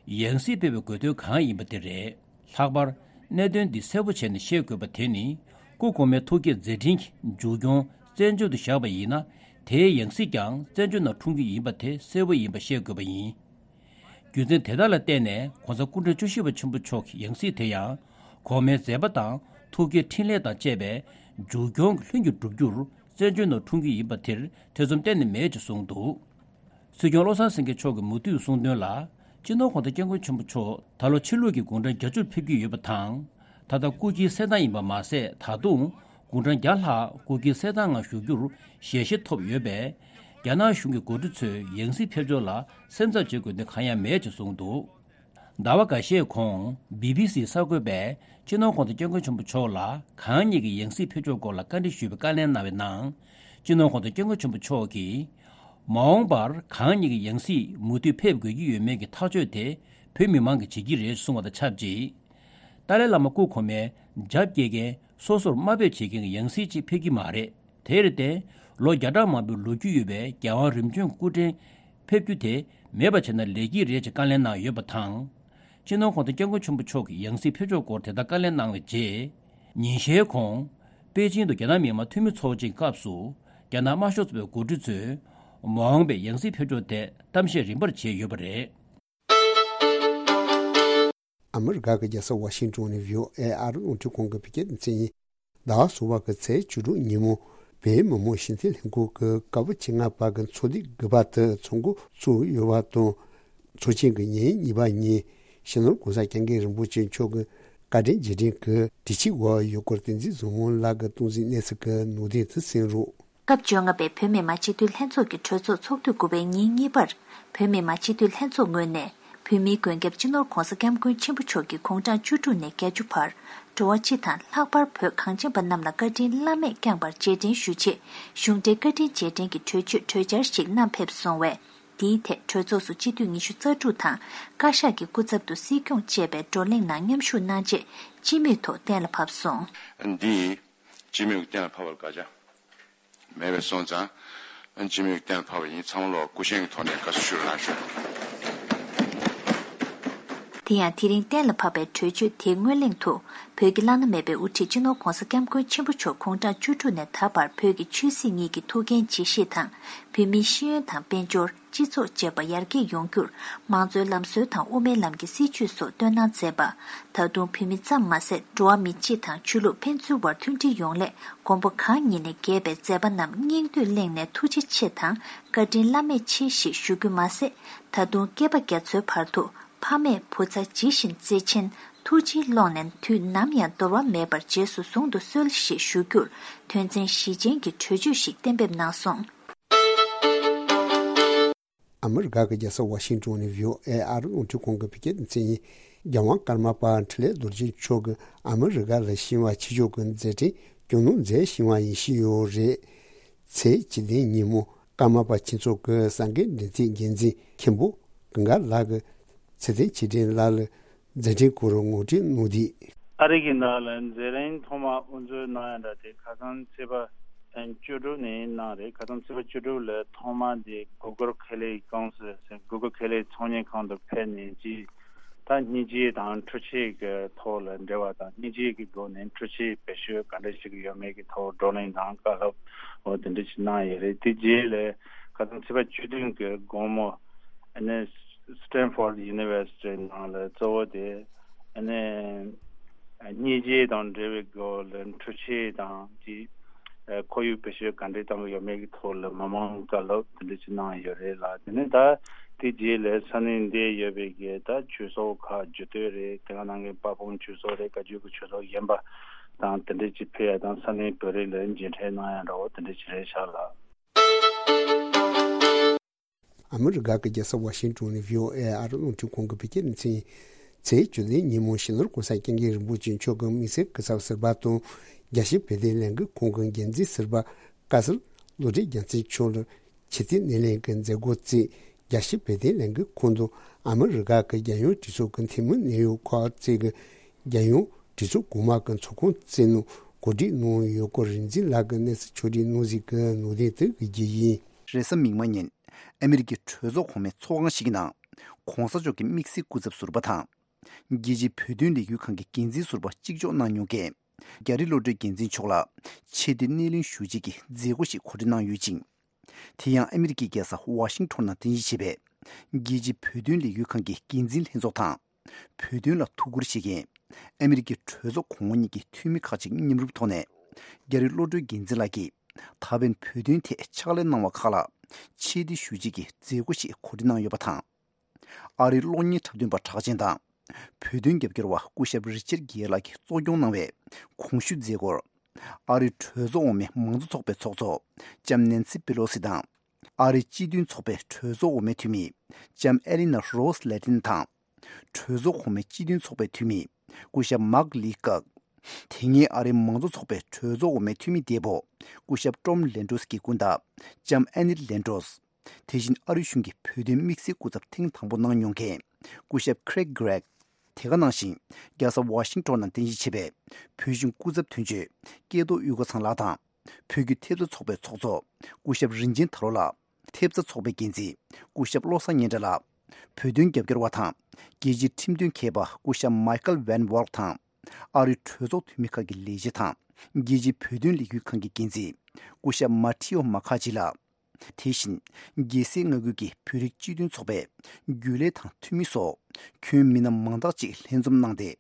ཡང་སྲིད་ཕེབས་པའི་དགོས་དོན་གང་ཡིན་པ་དེ་རེད། ལྷག་པར་གནད་དོན་འདི་གསལ་པོ་བྱས་ནས་ཤེས་དགོས་པ་དེ་ནི། སྐུ་གོང་མའི་ཐུགས་བསྐྱེད་མཛད་འཕྲིན་གྱི་མཇུག་སྐྱོང་བཙན་བྱོལ་དུ་བཞག་པ་ཡིན་ན། དེའི་ཡང་སྲིད་ཀྱང་བཙན་བྱོལ་ནང་འཁྲུངས་རྒྱུ་ཡིན་པ་དེ་གསལ་པོ་ཡིན་པ་ཤེས་དགོས་པ་ཡིན། རྒྱུ་མཚན་དེ་དག་ལ་བརྟེན་ནས་གོང་ས་སྐུ་ཕྲེང་བཅུ་བཞི་པ་ཆེན་པོ་མཆོག་གི་ཡང་སྲིད་དེ་ཡང་། གོང་མའི་མཛད་པ་དང་ཐུགས་བསྐྱེད་འཕྲིན་ལས་དང་བཅས་པའི་མཇུག་སྐྱོང་གི་ལྷུན་གྱིས་གྲུབ་རྒྱུར་བཙན་བྱོལ་ནང་འཁྲུངས་རྒྱུ་ཡིན་པ་དེར་ཐེ་ཚོམ་གཏན་ནས་མེད་ཅེས་གསུངས་འདུག་སྲིད་སྐྱོང་བློ་བཟང་སེང་གེ་མཆོག་གིས་མུ་མཐུད་གསུངས་དོན་ལ། སྤྱི་ནོར་༸གོང་ས་༸སྐྱབས་མགོན་ཆེན་པོ་མཆོག་ད་ལོ་ཕྱི་ལུགས་ཀྱི་དགུང་གྲངས་བརྒྱད་ཅུར་ཕེབས་ཀྱི་ཡོད་པ་དང་། ད་ལྟ་སྐུ་སྐྱེའི་གསན་སྟངས་ཡིན་པ་མ་ཟད། ད་དུང་དགུང་གྲངས་བརྒྱ་ལྷག་སྐུ་སྐྱེའི་གསན་སྟངས་ནང་ཞུགས་རྒྱུར་ཞལ་བཞེས་ཐོབ་ཡོད་པས། རྒྱ་ནག་གཞུང་གི་འགོ་ཁྲིད་ཚོས་ཡང་སྲིད་ཕེབས་ཕྱོགས་ལ་སེམས་འཚབ་བྱེད་དགོས་དོན་གང་ཡང་མེད་ཅེས་གསུངས་འདུག་ཟླ་བ་འགའ་ཤས་གོང་བི་བི་སིའི་གསར་འགོད་པས་སྤྱི་ནོར་༸གོང་ས་༸སྐྱབས་མགོན་ཆེན་པོ་མཆོག་ལ་གང་ཉིད་ཀྱི་ཡང་སྲིད་ཕེབས་ཕྱོགས་སྐོར་ལ་བཀའ་འདྲི་ཞུས་པའི་བཀའ་ལན་གནང་བའི་ནང་། སྤྱི་ནོར་༸གོང་ས་༸སྐྱབས་མགོན་ཆེན་པོ་མཆོག་གིས། མ་འོངས་པར་གང་ཉིད་ཀྱི་ཡང་སྲིད་མུ་མཐུད་ཕེབས་དགོས་ཀྱི་ཡོད་མེད་ཀྱི་ཐག་གཅོད་དེ་བོད་མི་མང་གིས་བྱེད་ཀྱི་རེད་གསུངས་པ་དང་ཆབས་ཅིག་ཏཱ་ལའི་བླ་མ་སྐུ་གོང་མའི་རྒྱབ་སྐྱེལ་མཁན་སོ་སོར་དམའ་འབེབས་བྱེད་མཁན་གྱི་ཡང་སྲིད་ཅིག་ཕེབས་ཀྱི་མ་རེད། དེར་བརྟེན། ལོ་བརྒྱ་ཕྲག་མང་པོའི་ལོ་རྒྱུས་ཡོད་པའི་རྒྱལ་དབང་རིམ་བྱོན་སྐུ་ཕྲེང་ཕེབས་རྒྱུ་དེ་མེད་པ་བྱས་ན་ལེགས་ཀྱི་རེད་ཅེས་བཀའ་ལན་གནང་ཡོད་པ་དང་། སྤྱི་ནོར་༸གོང་ས་༸སྐྱབས་མགོན་ཆེན་པོ་མཆོག་གི་ཡང་སྲིད་ཕེབས་ཕྱོགས་སྐོར་དེ་ལྟར་བཀའ་ལན་གནང་བའི་རྗེས། ཉིན་ཤས་གོང་། པེ་ཅིང་དུ་རྒྱ་ནག་མི་དམངས་འཐུས་མི་ཚོགས་ཆེན་སྐབས་སུ། རྒྱ་ནག་དམར་ཤོག་ཚོགས་པའི་འགོ་ཁྲིད་ཚོས། མ་འོངས་པའི་ཡང་སྲིད་ཕེབས་ཕྱོགས་ཐད་གཏམ་བཤད་རིམ་པར་བྱས་ཡོད་པ་རེད། ཨ་མི་རི་ཀ་གི་རྒྱལ་ས་ཝ་ཤིང་ཏོན་ནས་བྷི་ཨོ་ཨེ་ཨ་རི་རླུང་འཕྲིན་ཁང་གི་བོད་སྐད་སྡེ་ཚན་ཡིན། ཟླ་བ་གསུམ་པ་གི་ཚེས་བཅུ་དྲུག་ཉིན་མོ། བོད་མི་མང་སྤྱི་འཐུས་ལྷན་ཁང་གི་སྐབས་བཅོ་ལྔ་པ་གི་ཚོགས་སྡེ་དགུ་པ་དེ་ཚོགས་འགོ་བཙུགས་ཡོད་པ་དང་། ཚོགས་ཆེན་གྱི་ཉིན་གཉིས་པ་ཉིན། སྤྱི་ནོར་༸གོང་ས་༸སྐྱབས་མགོན་རིན་པོ་ཆེ་མཆོག་གི་བཀའ་དྲིན་རྗེས་དྲན་གྱི་དུས་ཆེན་འོག་ཡུལ་སྐོར་བསྟན་འཛིན་བཟང་མོ་ལགས་ཀྱིས་སྟངས་འཛིན་གནས་ཚུལ་གྱི་ནང་དོན་དེ་གསན་རོགས། སྐབས་བཅོ་ལྔ་པའི་བོད་མི་མང་སྤྱི་འཐུས་ལྷན་ཚོགས་ཀྱི་གྲོས་ཚོགས་ཚོགས་དུས་དགུ་པའི་ཉིན་གཉིས་པར། བོད་མི་མང་སྤྱི་འཐུས་ལྷན་ཚོགས་ངོས་ནས། བོད་མིའི་མགོན་སྐྱབས་སྤྱི་ནོར་༧གོང་ས་༧སྐྱབས་མགོན་ཆེན་པོ་མཆོག་གི་དགུང་གྲངས་བཅུ་དྲུག་ནས་བརྒྱད་ཅུ་བར། འགྲོ་བ་སྤྱི་དང་ལྷག་པར་བོད་གངས་ཅན་པ་རྣམས་ལ་བཀའ་དྲིན་བླ་མེད་བསྐྱངས་པར་རྗེས་དྲན་ཞུ་ཆེད། གཞུང་འབྲེལ་བཀའ་དྲིན་རྗེས་དྲན་གྱི་གྲོས་ཆོད་གྲོས་འཆར་ཞིག་བསྣམས་ཕེབས་སོང་བས། འདིའི་ཐད་གྲོས་ཚོགས་སུ་སྤྱི་འཐུས་ཉི་ཤུ་རྩ་དྲུག་དང་། བཀའ་ཤག་གི་སྐུ་ཚབ་ཏུ་སྲིད་སྐྱོང་བཅས་པའི་བགྲོ་གླེང་ནང་མཉམ་ཞུགས་གནང་རྗེས། སྤྱི་མོས་ཐོག་གཏན་ལ་ཕབ་སོང་། འདི་སྤྱི་མོས་གཏན་ལ་ཕབ་པར་དགག་བྱ་མེད་པ་སོང་ཙང་། སྤྱི་མོས་གཏན་ལ་ཕབ་པ་ཡིན། ཚང་མ་ལོག་སྐུ་བཞེངས་ཀྱི་ཐོག་ནས་དགའ་བསུ་ཞུ་རོགས་གནང་ཞུ། དེ་ཡང་དེ་རིང་གཏན་ལ་ཕབ་པའི་གྲོས་ཆོད་དེའི་སྔོན་གླེང་དུ། བོད་ཀྱི་བླ་ན་མེད་པའི་དབུ་ཁྲིད་སྤྱི་ནོར་༧གོང་ས་༧སྐྱབས་མགོན་ཆེན་པོ་མཆོག་དགུང་གྲངས་བཅུ་དྲུག་ནས་ད་བར་བོད་ཀྱི་ཆོས་སྲིད་གཉིས་ཀྱི་ཐུགས་འགན་ཇི་བཞེས་དང་། བོད་མིའི་ཤེས་ཡོན་དང་དཔལ་འབྱོར། སྤྱི་ཚོགས་བཅས་པ་ཡར་རྒྱས་ཡོང་རྒྱུར། མང་གཙོའི་ལམ་སྲོལ་དང་དབུ་མའི་ལམ་གྱི་སྲིད་བྱུས་སོགས་བཏོན་གནང་མཛད་པ། ད་དུང་བོད་མི་ཙམ་མ་ཟད། འགྲོ་བ་མི་སྤྱི་དང་ཆོས་ལུགས་ཕན་ཚུན་བར་མཐུན་སྒྲིལ་ཡོང་སླད། མགོན་པོ་གང་ཉིད་ནས་གྱེས་པའི་མཛད་པ་རྣམས་སྙིང་བསྡུས་གླེང་ནས་ཐུགས་རྗེ་ཆེ་དང་། བཀའ་དྲིན་བླ་མེད་ཆེ་ཞེས་ཞུ་རྒྱུ་མ་ཟད། ད་དུང་སྐྱེས་པ་རྒྱ་མཚོའི་བར་དུ། ཕ་མས་བུ་ཚ་ཇི་བཞིན་བརྩེ་ཆེན། ཐུགས་རྗེའི་ཀློང་ནས་དུས་ནམ་ཡང་འདོར་བ་མེད་པར་རྗེས་སུ་བཟུང་དུ་གསོལ་ཞེས་ཞུ་རྒྱུར། དོན་ཚན་བཞི་ཅན་གྱི་གྲོས་ཆོད་ཞིག་གཏན་འབེབས་གནང་སོང་། ཨ་མི་རི་ཀ་གི་རྒྱལ་ས་ཝ་ཤིང་ཏོན་ནས་བྷི་ཨོ་ཨེ་ཨ་རི་རླུང་འཕྲིན་ཁང་གི་བོད་སྐད་སྡེ་ཚན་ཡིན། རྒྱལ་དབང་ཀརྨ་པ་འཕྲིན་ལས་རྡོ་རྗེ་མཆོག་གིས་ཨ་མི་རི་ཀ་ལ་ཕྱིན་པ། ཕྱི་ཕྱོགས་ཀྱི་མཛད་འཕྲིན་རྒྱུན་ལུགས་མཛད་བཞིན་པ་ཡིན་བཞིན་ཡོད་རེད། ཚེས་བཅུ་བདུན་ཉིན་མོ་ཀརྨ་པ་ཁྱུང་ཚོགས་ཀྱི་སངས་རྒྱས་འབྲེལ་མཛོད་འགན་འཛིན་མཁན་པོ་གངས་དཀར་ལགས་ཀྱིས་ཚེ་བརྟན་ཆོས་སྒྲོན་ལགས་ལ་མཛད་འཕྲིན་སྐོར་ངོ་སྤྲོད་གནང་དུས། ཨ་རི་གི་ནང་ལ་མཛད་རིམ་ཐོག་མ་དབུ་འཛུགས་གནང་ཡ་འདྲ་དེ་ཁ་སང་ཚེས་པ་བཅུ་དྲུག་ནས་གནང་རེད། ཁ་སང་ཚེས་པ་བཅུ་དྲུག་ལ་ཐོག་མ་དེ་Google Kelly Council ཟེར། Google Kelly ཚོང་གཉེར་ཁང་དུ་ཕེབས་ནས་ཅིག་ད་སྙིང་རྗེ་དང་འཕྲུལ་ཆས་ཀྱི་ཐོག་ལ་འབྲེལ་བ་དང་། སྙིང་རྗེ་གི་སྒོ་ནས་འཕྲུལ་ཆས་བེད་སྤྱོད་ག་འདྲ་ཞིག་ཡོད་མེད་ཀྱི་ཐོག་བགྲོ་གླེང་དང་བཀའ་སློབ་འོ་དེ་འདྲ་ཞིག་གནང་ཡོད་རེད། དེ་རྗེས་ལ་ཁ་སང་ཚེས་པ་བཅུ་བདུན་གྱི་དགོང་མོ་ཨ་ནི་Stanford University ནང་ལ་གཙོ་བོ་དེ་ཨ་ནི་སྙིང་རྗེ་དང་འབྲེལ་བའི་སྒོ་ལ་འཕྲུལ་ཆས་དང་དེ་ཁོར་ཡུག་བེད་སྤྱོད་ག་འདྲ་བཏང་གི་ཡོད་མེད་ཀྱི་ཐོག་ལ་མི་མང་བཀའ་སློབ་དེ་འདྲ་ཞིག་གནང་ཡོད་རེད་ལ། དེ་ནས་ད་དེ་རྗེས་ལ་ས་གནས་འདིར་ཡོད་པའི་གི་ད་ཆོས་ཚོགས་ཁག་རྒྱུད་སྟོད་རེད། དེ་ག་ནང་གི་དཔལ་སྤུངས་ཆོས་ཚོགས་རེད། བཀའ་བརྒྱུད་ཀྱི་ཆོས་ཚོགས་གཞན་པ་དང་དེ་འདྲ་ཅིག་ཕེབས་ཡ་དང་། ས་གནས་བོད་རིགས་ལ་མཇལ་འཕྲད་གནང་ཡ་འདྲ་བོ་དེ་འདྲ་ཅིག་རེད་ཤག་ལ། ཨ་མི་རི་ཀ་གི་རྒྱལ་ས་ཝ་ཤིང་ཏོན་ནས་བྷི་ཨོ་ཨེ་ཨ་རི་རླུང་འཕྲིན་ཁང་གི་བོད་སྐད་སྡེ་ཚན་ཡིན། ཚེས་བཅུ་བདུན་ཉིན་མོ་སྤྱི་ནོར་༧གོང་ས་༧སྐྱབས་མགོན་རིན་པོ་ཆེ་མཆོག་གི་དམིགས་བསལ་སྐུ་ཚབ་ཟུར་པ་དང་། རྒྱལ་སྤྱིའི་བོད་དོན་ལས་འགུལ་ཁང་གི་འགན་འཛིན་ཟུར་པ་བཀའ་ཟུར་བློ་གྲོས་རྒྱལ་མཚན་མཆོག་ལ་ཕྱི་སྲིད་སྣེ་ལེན་གྱི་མཛད་སྒོ་བརྩིས། རྒྱལ་སྤྱིའི་བོད་དོན་ལས་འགུལ་ཁང་དུ་ཨ་མི་རི་ཀ་གི་རྒྱལ་ཡོངས་གྲོས་ཚོགས་ཀྱི་འཐུས་མི་གནད་ཡོད་ཁག་ཅིག་གིས་རྒྱལ་ཡོངས་གྲོས་ཚོགས་གོང་མ་གི་ཚོགས་ཁང་བརྩིགས་ནང་གོ་སྒྲིག་གནང་ཡོད་སྐོར་རིག་འཛིན་ལགས་ཀྱིས་གནས་ཚུལ་ཕྱོགས་སྒྲིག་གནང་གཟིགས་ཀྱི་ནང་དོན་དེ་གི་རྒྱུ་ཡིན། རེས་གཟའ་མིག་དམར་ཉིན་ཨ་མི་རི་ཀའི་གྲོས་ཚོགས་གོང་མའི་ཚོགས་ཁང་ཞིག་གི་ནང་༧གོང་ས་མཆོག་གི་དམིགས་བསལ་སྐུ་ཚབ་ཟུར་པ་དང་། རྒྱལ་སྤྱིའི་བོད་དོན་ལས་འགུལ་ཁང་གི་འགན་འཛིན་ཟུར་པ་གཅིག་ལྕོགས་གནང་མྱོང་མཁན། རྒྱ་རི་བློ་གྲོས་རྒྱལ་མཚན་མཆོག་ལ་ཆེ་བསྟོད་སྣེ་ལེན་ཞུ་བྱེད་ཀྱི་མཛད་སྒོ་ཞིག་གོ་སྒྲིག་གནང་ཡོད་ཅིང་། དེ་ཡང་ཨ་མི་རི་ཀའི་རྒྱལ་ས་ཝ་ཤིང་ཊོན་ནང་རྟེན་གཞི་བྱས་པའི་རྒྱལ་སྤྱིའི་བོད་དོན་ལས་འགུལ་ཁང་གི་འགན་འཛིན་ལྷན་ཚོགས་དང་། བོད་དོན་ལ་ཐུགས་ཁུར་བཞེས་མཁན་ཨ་མི་རི་ཀའི་གྲོས་ཚོགས་གོང་འོག་གཉིས་ཀྱི་འཐུས་མི་ཁག་ཅིག་མཉམ་རུབ་ཐོག་ནས། རྒྱ་རི་བློ་གྲོས་རྒྱལ་མཚན་ལགས་ཀྱིས་ད་ཕན་བོད་དོན་ཐད་ཕྱག་ལས་གནང་བ་ཁག་ལ་ཆེ་བསྟོད་ཞུ་བྱེད་ཀྱི་མཛད་སྒོ་ཞིག་གོ་སྒྲིག་གནང་ཡོད་པ་དང་། ཨ་རིའི་གློག་བརྙན་འཁྲབ་སྟོན་པ་གྲགས་ཅན་དང་། བོད་དོན་རྒྱབ་སྐྱོར་བ་སྐུ་ཞབས་རི་ཅར་གྷེ་ལགས་ཀྱིས་གཙོ་སྐྱོང་གནང་བའི་གོང་ཞུས་མཛད་སྒོར། ཨ་རིའི་གྲོས་ཚོགས་འོག་མའི་མང་གཙོ་ཚོགས་པའི་ཚོགས་གཙོ་ལྕམ་ནེན་སི་པེ་ལོ་སི་དང་། ཨ་རིའི་སྤྱི་མཐུན་ཚོགས་པའི་གྲོས་ཚོགས་འོག་མའི་འཐུས་མི་ལྕམ་ཨེ་ལི་ན་རོ་སི་ལེ་ཏིན་དང་། གྲོས་ཚོགས་གོང་མའི་སྤྱི་མཐུན་ཚོགས་པའི་འཐུས་མི་སྐུ་ཞབས་མཱག་ལི་ཀག་དེ་སྔའི་ཨ་རིའི་མང་གཙོ་ཚོགས་པའི་གྲོས་ཚོགས་འོག་མའི་འཐུས་མི་འདས་པོ་སྐུ་ཞབས་ཀྲོམ་ལན་ཀྲོས་ཀྱི་སྐུ་ཟླ་ལྕམ་ཨེ་ནི་ལན་ཀྲོས། དེ་བཞིན་ཨ་རི་གཞུང་གི་བོད་དོན་དམིགས་བསལ་སྐུ་ཚབ་ཐེངས་དང་པོ་གནང་མྱོང་མཁན་སྐུ་ཞབས་Craig Gregg། དེ་ག་ནང་བཞིན་རྒྱལ་ས་ཝ་ཤིང་ཊོན་ནང་རྟེན་གཞི་བྱས་པའི་བོད་གཞུང་སྐུ་ཚབ་དོན་གཅོད་སྐལ་རྡོར་དབུས་དགའ་ཚང་ལགས་དང་། བོད་བརྒྱུད་ཐེབས་རྩ་ཚོགས་པའི་ཚོགས་གཙོ་སྐུ་ཞབས་རིན་ཆེན་དར་ལོ་ལགས། ཐེབས་རྩ་ཚོགས་པའི་འགན་འཛིན་སྐུ་ཞབས་བློ་བཟང་སྙན་གྲགས་ལགས། བོད་དོན་རྒྱབ་སྐྱོར་བ་དང་རྒྱལ་སྤྱིའི་ཁྲིམས་དོན་མཁས་པ་སྐུ་ཞབས་Michael Van Walt དང་། ཨ་རིའི་གྲོས་ཚོགས་འཐུས་མི་ཁག་གི་ལས་བྱེད་དང་། རྒྱལ་སྤྱིའི་བོད་དོན་ལས་འགུལ་ཁང་གི་འགན་འཛིན་སྐུ་ཞབས་མ་ཐི་ཨོ་མ་ཁ་ཅི་ལགས། དེ་བཞིན་རྒྱལ་སྲས་མངའ་ཁུལ་གྱི་བོད་རིགས་སྤྱི་མཐུན་ཚོགས་པའི་རྒྱུན་ལས་དང་འཐུས་མི་སོགས་ཁྱོན་མི་སྣ་མང་དག་ཅིག་ལྷན་འཛོམས་གནང་སྟེ།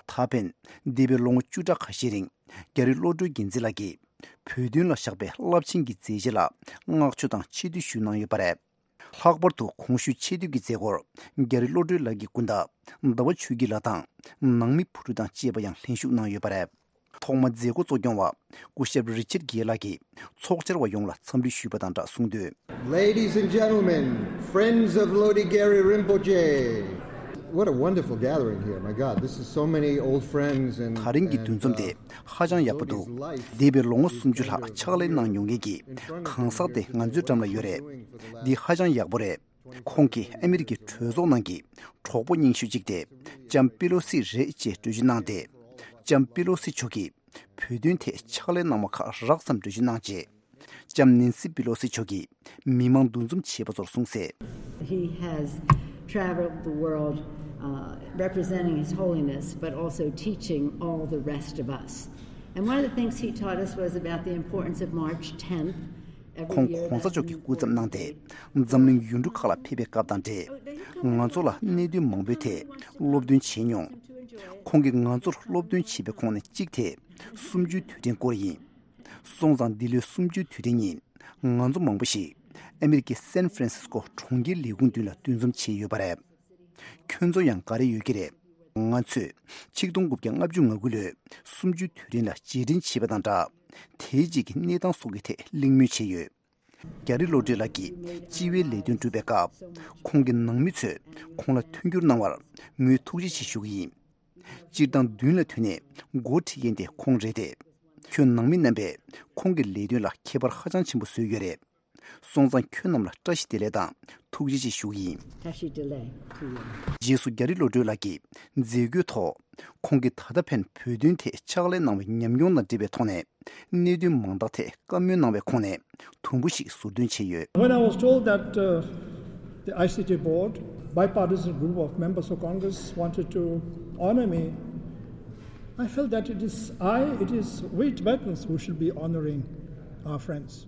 ད་ཕན་འདས་པའི་ལོ་ངོ་བཅུ་ཕྲག་ཁ་ཤས་རིང་རྒྱ་རི་བློ་གྲོས་རྒྱལ་མཚན་ལགས་ཀྱིས་བོད་དོན་ལ་བཞག་པའི་རླབས་ཆེན་གྱི་མཛད་རྗེས་ལ་བསྔགས་བརྗོད་དང་ཆེ་བསྟོད་ཞུས་གནང་ཡོད་པ་རེད། ལྷག་པར་དུ་གོང་ཞུས་ཆེ་བསྟོད་ཀྱི་མཛད་སྒོར་རྒྱ་རི་བློ་གྲོས་ལགས་ཀྱི་སྐུ་ཟླ་ཟླ་བ་ཆོས་སྐྱིད་ལགས་དང་ནང་མི་བུ་ཕྲུག་དང་བཅས་པ་ཡང་ལྷན་ཞུགས་གནང་ཡོད་པ་རེད། ད་ ཐོག་མ་མཛད་སྒོ་གཙོ་སྐྱོང་བ་སྐུ་ཞབས་རི་ཆར་གྷེ་ལགས་ཀྱིས་ཚོགས་བཅར་བ་ཡོངས་ལ་འཚམས་འདྲི་ཞུས་པ་དང་སྦྲགས་གསུངས་དོན། Ladies and gentlemen, friends of Lodi Gyari Rinpoche, what a wonderful gathering here. My God, this is so many old friends and, ད་རིང་གི་འདུ་འཛོམས་དེ་ཧ་ཅང་ཡག་པོ་འདུག་འདས་པའི་ལོ་ངོ་སུམ་ཅུ་ལྷག་ཕྱག་ལས་གནང་མྱོང་མཁན་གྱི་གང་ཟག་དེ་ང་ཚོའི་འགྲམ་ལ་ཡོད་རེད། འདི་ཧ་ཅང་ཡག་པོ་རེད། ཁོང་གིས་ཨ་མི་རི་ཀའི་གྲོས་ཚོགས་ནང་གི་གྲོགས་པོ་རྙིང་ཤོས་གཅིག་དེ་ལྕམ་པེ་ལོ་སི་རེད་ཅེས་འགྲེལ་བརྗོད་གནང་སྟེ། ལྕམ་པེ་ལོ་སི་མཆོག་གིས་བོད་དོན་ཐད་ཕྱག་ལས་གནང་བ་ཁག་རགས་ཙམ་འགྲེལ་བརྗོད་གནང་རྗེས། ལྕམ་ནེན་སི་པེ་ལོ་སི་མཆོག་གིས་མི་མང་འདུ་འཛོམས་བྱས་པ་ཚོར་གསུངས་གསལ། He has traveled the world, uh, representing His Holiness, but also teaching all the rest of us. And one of the things he taught us was about the importance of March tenth. ཁོང་གོང་ས་མཆོག་གི་སྐུ་ཚབ་གནང་སྟེ་འཛམ་གླིང་ཡུལ་གྲུ་ཁག་ལ་ཕེབས་པའི་སྐབས་དང་འབྲེལ། ང་ཚོ་ལ་གནད་དོན་མང་པོའི་ཐད་སློབ་སྟོན་བྱས་མྱོང་། ཁོང་གིས་ང་ཚོར་སློབ་སྟོན་བྱས་པའི་ཁོངས་ནས་གཅིག་དེ་གསུམ་བཅུའི་དུས་དྲན་སྐོར་ཡིན། སོང་ཙང་འདི་ལོའི་གསུམ་བཅུའི་དུས་དྲན་ཉིན་ང་ཚོ་མང་པོ་ཞིག་ཨ་མི་རི་ཀའི་སན་ཧྥ་རན་སིས་ཀོ་གྲོང་ཁྱེར་ལས་ཁུངས་མདུན་ལ་འདུ་འཛོམས་བྱས་ཡོད་པ་རེད། ཁྱོད་ཚོ་ཡང་ག་རེ་ཡོད་ཀྱི་རེད། ང་ཚོས་ཆིག་སྟོང་དགུ་བརྒྱ་ལྔ་བཅུ་ང་དགུ་ལོའི་གསུམ་བཅུའི་དུས་དྲན་ལ་རྗེས་དྲན་བྱས་པ་དང་སྦྲགས། དེའི་རྗེས་ཀྱི་གནས་སྟངས་སོགས་ཀྱི་ཐད་གླེང་མོལ་བྱས་ཡོད། རྒྱ་རི་བློ་གྲོས་ལགས་ཀྱིས་སྤྱི་བའི་ལས་དོན་བསྒྲུབས་པའི་སྐབས། ཁོང་གི་ནང་མི་ཚོས་ཁོང་ལ་མཐུན་འགྱུར་གནང་བར་ངོས་ཐུགས་རྗེ་ཆེ་ཞུ་གི་ཡིན། སྤྱིར་བཏང་མདུན་ལ་ཐོན་ནས་འགོ་ཁྲིད་མཁན་དེ་ཁོང་རེད་དེ། ཁྱོད་ནང་མི་རྣམ་པས་ཁོང་གི་ལས་དོན་ལ་ཁྱད་པར་ཧ་ཅང་ཆེན་པོ་བཟོས་ཡོད་རེད། སོང་ཙང་ཁྱོད་རྣམས་ལ་བཀྲ་ཤིས་བདེ་ལེགས་དང་ཐུགས་རྗེ་ཆེ་ཞུ་གི་ཡིན། Tashi Delek to you. རྗེས་སུ་རྒྱ་རི་བློ་གྲོས་ལགས་ཀྱིས་མཛད་སྒོའི་ཐོག་ཁོང་གིས་ད་ལྟ་ཕན་བོད་དོན་ཐད་ཕྱག་ལས་གནང་བའི་ཉམས་མྱོང་དང་འབྲེལ་བའི་ཐོག་ནས་གནད་དོན་མང་དག་ཐད་བཀའ་མོལ་གནང་བའི་ཁོངས་ནས་དུམ་བུ་ཞིག་ཟུར་འདོན་བྱས་ཡོད། When I was told that, uh, the I C J board, bipartisan group of members of Congress, wanted to honor me, I felt that it is I, it is we Tibetans who should be honoring our friends.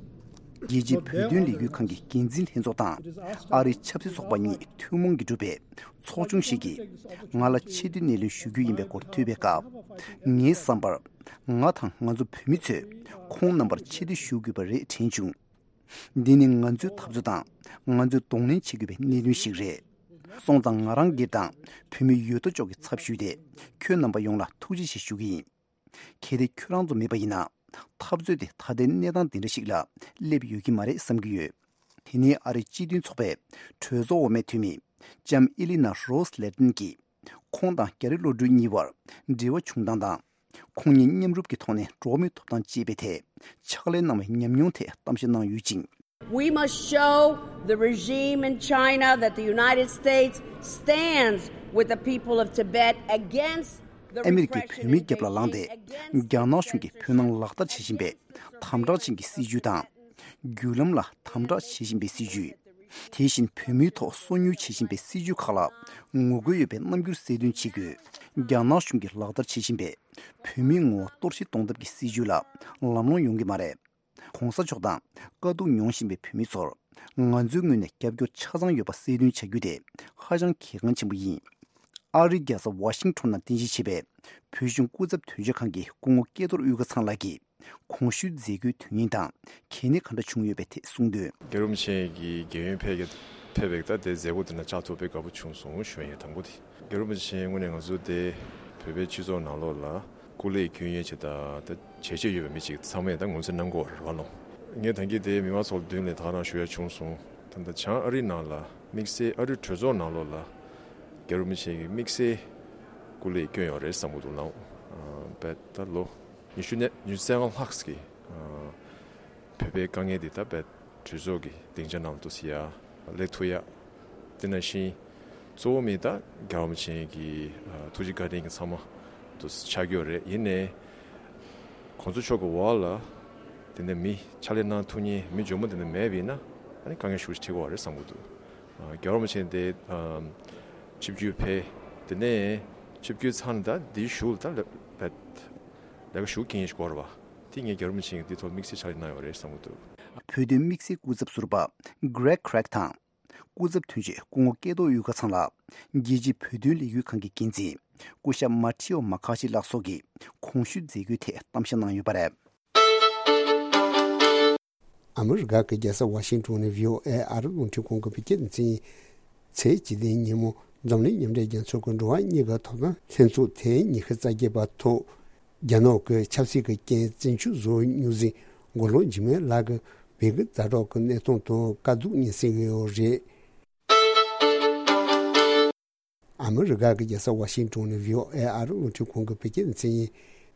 རྒྱལ་སྤྱིའི་བོད་དོན་ལས་འགུལ་ཁང་གི་འགན་འཛིན་ལྷན་ཚོགས་དང་ཨ་རིའི་ཆབ་སྲིད་ཚོགས་པ་གཉིས་ཐུན་མོང་གིས་གྲུབ་པའི་ཚོགས་ཆུང་ཞིག་གིས་ང་ལ་ཆེ་བསྟོད་སྣེ་ལེན་ཞུ་རྒྱུ་ཡིན་པའི་སྐོར་ཐོས་པའི་སྐབས། ངའི་བསམ་པར། ང་དང་ང་ཚོ་བོད་མི་ཚོས་ཁོང་རྣམ་པར་ཆེ་བསྟོད་ཞུ་དགོས་པ་རེད་དྲན་བྱུང་། འདི་ནི་ང་ཚོའི་འཐབ་རྩོད་དང་ང་ཚོས་གདོང་ལེན་བྱེད་དགོས་པའི་གནད་དོན་ཞིག་རེད། སོང་ཙང་ང་རང་སྒེར་དང་བོད་མི་ཡོད་དོ་ཅོག་གི་ཚབ་ཞུས་ཏེ་ཁྱོད་རྣམ་པ་ཡོངས་ལ་ཐུགས་རྗེ་ཆེ་ཞུ་གི་ཡིན། གལ་ཏེ་ཁྱོད་རང་ཚོ་མེད་པ་ཡིན་ན། འཐབ་རྩོད་དེ་ད་ལྟའི་གནས་སྟངས་འདི་འདྲ་ཞིག་ལ་སླེབས་ཡོད་ཀྱི་མ་རེད་བསམ་གྱི་ཡོད། དེ་ནས་ཨ་རིའི་སྤྱི་མཐུན་ཚོགས་པའི་གྲོས་ཚོགས་འོག་མའི་འཐུས་མི་ལྕམ་ཨི་ལི་ན་རོས་ལེ་ཏན་གྱིས་ཁོང་དང་རྒྱ་རི་བློ་གྲོས་གཉིས་བར་འབྲེལ་བ་བྱུང་སྟངས་དང་། ཁོང་གཉིས་མཉམ་རུབ་ཀྱི་ཐོག་ནས་འགྲོ་བ་མིའི་ཐོབ་ཐང་བཅས་པའི་ཐད་ཕྱག་ལས་གནང་བའི་ཉམས་མྱོང་ཐད་གཏམ་བཤད་གནང་ཡོད་ཅིང་། We must show the regime in China that the United States stands with the people of Tibet against the ཨ་མི་རི་ཀས་repression བོད་མིའི་རྒྱབ་ལ་ལངས་ཏེ། རྒྱ་ནག་གཞུང་གིས་བོད་ནང་ལག་བསྟར་བྱེད་བཞིན་པའི་དམ་དྲག་ཅན་གྱི་སྲིད་བྱུས་དང་། བརྒྱུད་ལམ་ལ་དམ་དྲག་བྱེད་བཞིན་པའི་སྲིད་བྱུས། དེ་བཞིན་བོད་མིའི་ཐོག་སོ་ཉུལ་བྱེད་བཞིན་པའི་སྲིད་བྱུས་ཁག་ལ་ངོ་རྒོལ་ཡོད་པའི་རྣམ་འགྱུར་གསལ་སྟོན་བྱེད་དགོས། རྒྱ་ནག་གཞུང་གིས་ལག་བསྟར་བྱེད་བཞིན་པའི་བོད་མིའི་ངོ་བོ་གཏོར་བཤིག་གཏོང་ཐབས་ཀྱི་སྲིད་བྱུས་ལ་ལམ་ལྷོང་ཡོང་གི་མ་རེད། གོང་ས་མཆོག་དང་དཀའ་སྡུག་མྱོང་བཞིན་པའི་བོད་མི་ཚོར་ང་ཚོའི་ངོས་ནས་རྒྱབ་སྐྱོར་ཆ་ཚང་ཡོད་པ་གསལ་སྟོན་བྱ་རྒྱུ་དེ་ཧ་ཅང་གལ་འགངས་ཆེན་པོ་ཡིན། ཨ་རིའི་རྒྱལ་ས་ཝ་ཤིང་ཊོན་ནང་རྟེན་གཞི་བྱས་པའི་བོད་གཞུང་སྐུ་ཚབ་དོན་གཅོད་ཁང་གི་སྐུ་ངོ་སྐལ་རྡོར་དབུས་དགའ་ཚང་ལགས་ཀྱིས་གོང་ཞུས་མཛད་སྒོའི་དོན་སྙིང་དང་གལ་གནད་ག་འདྲ་བྱུང་ཡོད་པའི་ཐད་གསུངས་དོན། རྒྱལ་བ་རིན་པོ་ཆེ་གི་རྒྱལ་ཡོངས་ཕེབས་ཀྱི་ཕེབས་པའི་ད་དེ་མཛད་སྒོ་དེ་ན་བཅར་ཐུབ་པའི་དགའ་པོ་བྱུང་སོང་ཞུ་ཡ་ཡིན་དང་པོ་དེ། རྒྱལ་བ་རིན་པོ་ཆེ་དངོས་གནས་ང་ཚོ་དེ་བོད་པའི་སྤྱི་ཚོགས་ནང་ལོགས་ལ་སྐུ་ལས་སྐྱོན་ཡས་ཆེད་ད་ད་བྱས་རྗེས་ཡོད་པའི་མི་ཅིག་ཚང་མས་ད་ངོས་འཛིན་གནང་གི་ཡོད་རེད་བ་ལོ། ངས་ད་གིན་དེ་མི་མང་ཚོ་མདུན་ལ་ད་ག་རང་ཞུ་ཡ་བྱུང་སོང་། ད་ད་བྱང་ཨ་རིའི་ནང་ལ་དམིགས་བསལ་ཨ་རིའི་གྲོས་ཚོགས་ནང་ལོགས་ལ་རྒྱལ་བ་རིན་པོ་ཆེ་གིས་དམིགས་བསལ་སྐུ་ལས་སྐྱོན་ཡོད་རེད་བསམ་གི་འདུག་ལ། བས་ད་ལོ་ཉི་ཤུ་ནས་ཉི་ཤུ་རྩ་ལྔ་ལྷག་གི་བོད་པའི་དཀའ་ངལ་འདི་ད་བས་གྲོས་ཚོགས་ཀྱི་སྡིངས་ཆ་ནང་དུ་སེལ་ཡ་སླེབས་ཐུབ་ཡ། དེ་ནང་བཞིན་གཙོ་བོ་མི་ད་རྒྱལ་བ་རིན་པོ་ཆེ་གི་ཐུགས་རྗེ་བཀའ་དྲིན་གྱི་ཚང་མ་དུ་ཆགས་ཀྱི་ཡོད་རེད། ཡིན་ནའི་གོང་ས་མཆོག་གི་འོག་ལ་དེ་འདྲ་མི་ཕྱག་ལས་གནང་ཐུབ་མཁན་མི་འཇོན་པོ་དེ་འདྲ་མེད་པ་ཡིན་ན་ཨ་ནི་དཀའ་ངལ་ཤུགས་ཆེ་འཕྲད་ཀྱི་ཡོད་རེད་བསམ་གྱི་འདུག་རྒྱལ་བ་རིན་པོ་ཆེ་དེ་ཆིབས་བསྒྱུར་ཕེབས་དེ་ནས་ཆིབས་བསྒྱུར་ཚར་ནས་ད་འདིའི་གཞུག་ལ་ད་ལས་ཀ་ཞུ་མཁན་ཞིག་དགོས་རེད་བ། དེ་ངས་རྒྱལ་བ་རིན་པོ་ཆེ་གིས་འདི་ཐོག་དམིགས་བསལ་ཕྱག་ལས་གནང་ཡོད་རེད་བསམ་གྱི་འདུག་བོད་དོན་དམིགས་བསལ་སྐུ་ཚབ་ཟུར་པ་Greg Craig དང་། སྐུ་ཚབ་དོན་གཅོད་སྐུ་ངོ་སྐལ་རྡོར་དབུས་དགའ་ཚང་ལགས་རྒྱལ་སྤྱིའི་བོད་དོན་ལས་འགུལ་ཁང་གི་འགན་འཛིན་སྐུ་ཞབས་མ་ཐི་ཨོ་མ་ཁ་ཤི་ལགས་སོགས་ཀྱིས་གོང་ཞུས་མཛད་སྒོའི་ཐད་གཏམ་བཤད་གནང་ཡོད་པ་རེད། ཨ་མི་རི་ཀ་གི་རྒྱལ་ས་ཝ་ཤིང་ཊོན་ནས་བྷི་ཨོ་ཨེ་ཨ་རི་རླུང་འཕྲིན་ཁང་གི་བོད་སྐད་སྡེ་ཚན་ཚེས་བཅུ་བདུན་ཉིན་མོ་འཛམ་གླིང་མཉམ་འབྲེལ་རྒྱལ་ཚོགས་ཀྱི་འགྲོ་བ་མིའི་ཐོབ་ཐང་ལྷན་ཚོགས་ཐེངས་ཉི་ཤུ་རྩ་བརྒྱད་པ་ཐོག་རྒྱ་ནག་གི་ཆབ་སྲིད་ཀྱི་རྐྱེན་བཙན་འཕྲོག་བཟོ་མྱོང་ཟིན་མགོ་ལོག་འཇིགས་མེད་ལགས་ཀྱི་བོད་ཀྱི་ཛ་དྲག་གི་གནས་སྟངས་དང་དཀའ་སྡུག་མྱོང་སྲིད་ཡོད་རེད། ཨ་མི་རི་ཀ་གི་རྒྱལ་ས་ཝ་ཤིང་ཏོན་ནས་བྷི་ཨོ་ཨེ་ཨ་རི་རླུང་འཕྲིན་ཁང་གི་བོད་སྐད་སྡེ་ཚན་ཡིན།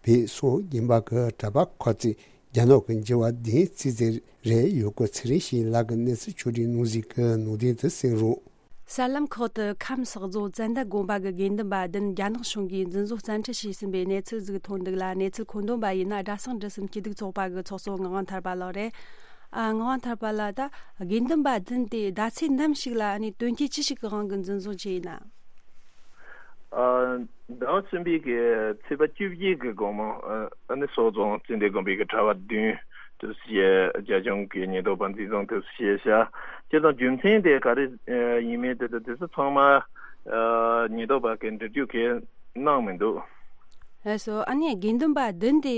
བོད་སོག་དགོན་པ་གི་གྲྭ་པ་ཁོ་ཚོས་རྒྱ་ནག་གི་འགྱུར་བ་བདུན་རྩིས་ཟིན་རེད་ཡོད་སྐོར་ཚེ་རིང་ཞིང་ལགས་ཀྱི་གནས་ཚུལ་ཕྱོགས་བསྒྲིགས་གནང་ཟིན་གྱི་ནང་དོན་དུ་གསན་རོགས། གསར་ལམ་ཁག་ཏུ་ཁམས་བསགས་རྫོང་ཙན་དན་དགོན་པ་གི་དགེ་འདུན་པ་བདུན་རྒྱ་ནག་གཞུང་གིས་འཛིན་བཟུང་བཙན་ཁྲིད་བྱས་ཟིན་པའི་གནས་ཚུལ་ཟིག་ཐོན་འདུག་ལ། གནས་ཚུལ་མཁོ་འདོན་པ་ཡིན་ན་སྒྲ་སང་འབྲི་སེམས་སྐྱིད་སྡུག་ཚོགས་པ་གི་ཚོགས་གཙོ་ངག་དབང་ཐར་པ་ལགས་རེད། ཨ། ངག་དབང་ཐར་པ་ལགས། ད་དགེ་འདུན་པ་བདུན་དེ་ཟླ་ཚེས་ནམ་ཞིག་ལ་ཨ་ནི་དོན་རྐྱེན་ཅི་ཞིག་གི་དབང་གིས་འཛིན་བཟུང་བྱས་ཡིན་ན། ཨ། ཟླ་བ་གསུམ་པའི་གི་ཚེས་པ་བཅུ་བཞི་གི་དགོང་མོ། ཨ་ནི་སོག་རྫོང་ཙན་དན་དགོན་པའི་གི་གྲྭ་པ་བདུན་དུ་བྱས། རྒྱ་གཞུང་གི་ཉེན་རྟོག་པ་འཛིན་བཟུང་དུ་བྱས་ཤག་སྤྱིར་བཏང་རྒྱུ་མཚན་དེ་ག་རེ་ཡིན་མིན་དེ་དང་དེ་ཚོ་ཚང་མ་ཉེན་རྟོག་པ་གི་འགྲེལ་བརྗོད་གི་གནང་མི་འདུག་ལགས་སོ། ཨ་ནི་དགེ་འདུན་པ་བདུན་དེ་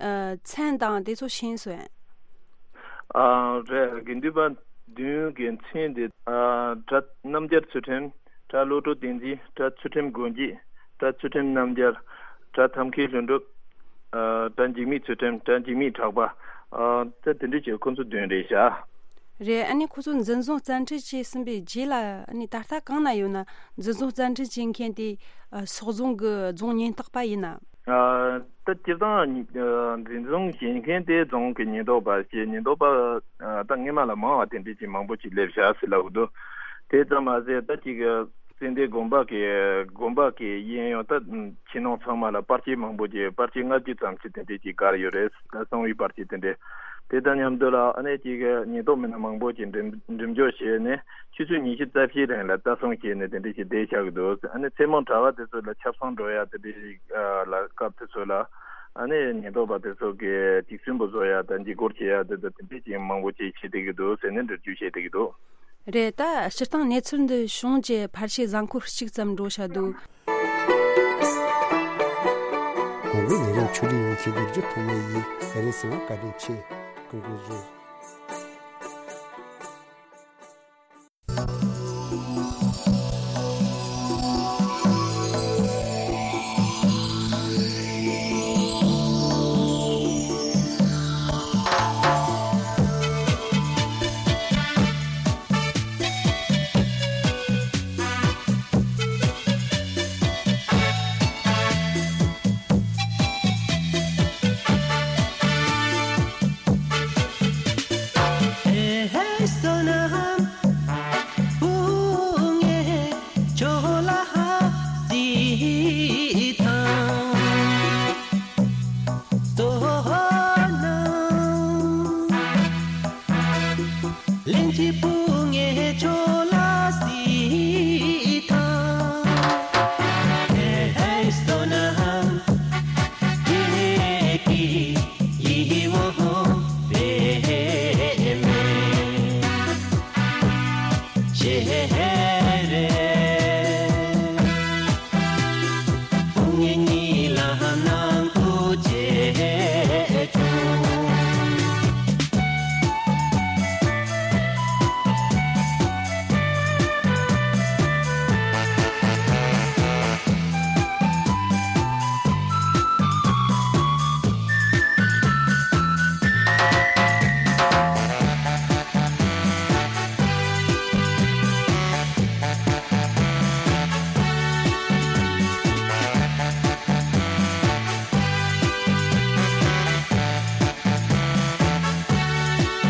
མཚན་དང་དེ་ཚོ་ཤེས་སོང་། ཨ། རེད། དགེ་འདུན་པ་བདུན་གྱི་མཚན་དེ། ཨ། གྲྭ་རྣམ་རྒྱལ་ཚུལ་ཁྲིམས། གྲྭ་བློ་གྲོས་བསྟན་འཛིན། གྲྭ་ཚུལ་ཁྲིམས་དགོན་གཅིག་གྲྭ་ཚུལ་ཁྲིམས་རྣམ་རྒྱལ། གྲྭ་ཐབས་མཁས་ལྷུན་གྲུབ། ཨ། གྲྭ་འཇིགས་མེད་ཚུལ་ཁྲིམས། གྲྭ་འཇིགས་མེད་གྲགས་པ། ཨ། ད་དེ་འདྲ་བྱས་ཁོ་ཚོ་བདུན་རེད་ཤག་རེད། ཨ་ནི་ཁོ་ཚོ་འཛིན་བཟུང་བཙན་ཁྲིད་བྱས་ཟིན་པའི་རྗེས་ལ་ཨ་ནི་ད་ལྟ་གང་ན་ཡོད་ན། འཛིན་བཟུང་བཙན་ཁྲིད་བྱེད་མཁན་དེ་སོག་རྫོང་གི་རྫོང་ཉེན་རྟོག་པ་ཡིན་ན། ཨ། ད་སྤྱིར་བཏང་འཛིན་བཟུང་བྱེད་མཁན་དེ་རྫོང་གི་ཉེན་རྟོག་པ་ཞེས། ཉེན་རྟོག་པ་ད་སྔོན་མ་ལ་མང་བ་དེ་འདྲ་ཅིག་མང་པོ་ཅིག་སླེབས་བཞག་ཟེར་ལབ་འདུག་དེ་ཙམ་མ་ཟད་ད་ཅིག་ཙན་དན་དགོན་པ་གི་དགོན་པ་གི་གཡས་གཡོན་ད་ཕྱི་ནང་ཚང་མ་ལ་པར་ཆས་མང་པོ་ཅིག་པར་ཆས་ལྔ་བཅུ་ཙམ་ཅིག་དེ་འདྲ་ཅིག་བཀར་ཡོད་རེད། གསང་བའི་པར་ཆས་དེ་འདྲ། དེ་དང་མཉམ་དུ་ལ་ཨ་ནི་ཅིག་ཉེན་རྟོག་མི་སྣ་མང་པོ་ཅིག་འགྲེམས་འགྲེམས་འཇོག་བྱས་ནས་ཆུ་ཚོད་ཉི་ཤུ་རྩ་བཞིའི་རིང་ལ་ལྟ་སྲུང་བྱས་ནས་དེ་འདྲ་ཞིག་བསྡད་བཞག་གི་འདུག་ཨ་ནི་མཚན་མོ་གྲྭ་པ་དེ་ཚོ་ལ་ཆབ་གསང་འགྲོ་ཡ་དེ་འདྲ་ཞིག་ལ་སྐབས་དེ་ཚོ་ལ་ཨ་ནི་ཉེན་རྟོག་པ་དེ་ཚོ་གིས་ཐིག་སུན་པོ་བཟོ་ཡ་དང་འཇིགས་སྐུལ་བྱེད་ཡ་དེ་དང་དེ་འདྲ་ཅིག་མང་པོ་ཅིག་བྱེད་བསྡད་ཀྱི་འདུག་ཟེར་ནས་འགྲེལ་བརྗོད་བྱེད་བསྡད་ཀྱི་འདུག་རེད། ད་སྤྱིར་བཏང་གནས་ཚུལ་འདི་བྱུང་རྗེས་ཕལ་ཆེར་གཟའ་འཁོར་གཅིག་ཙམ་འགྲོ་བཞག་འདུག་གོང་གི་ལས་རིམ་ཕྱོགས་བསྒྲིགས་ཡོང་མཁན་རྡོ་རྗེ་ཐོགས་མེད་ཡིན། ད་རིང་གསན་པར་བཀའ་དྲིན་ཆེ། སྐུ་ཁམས་བཟང་།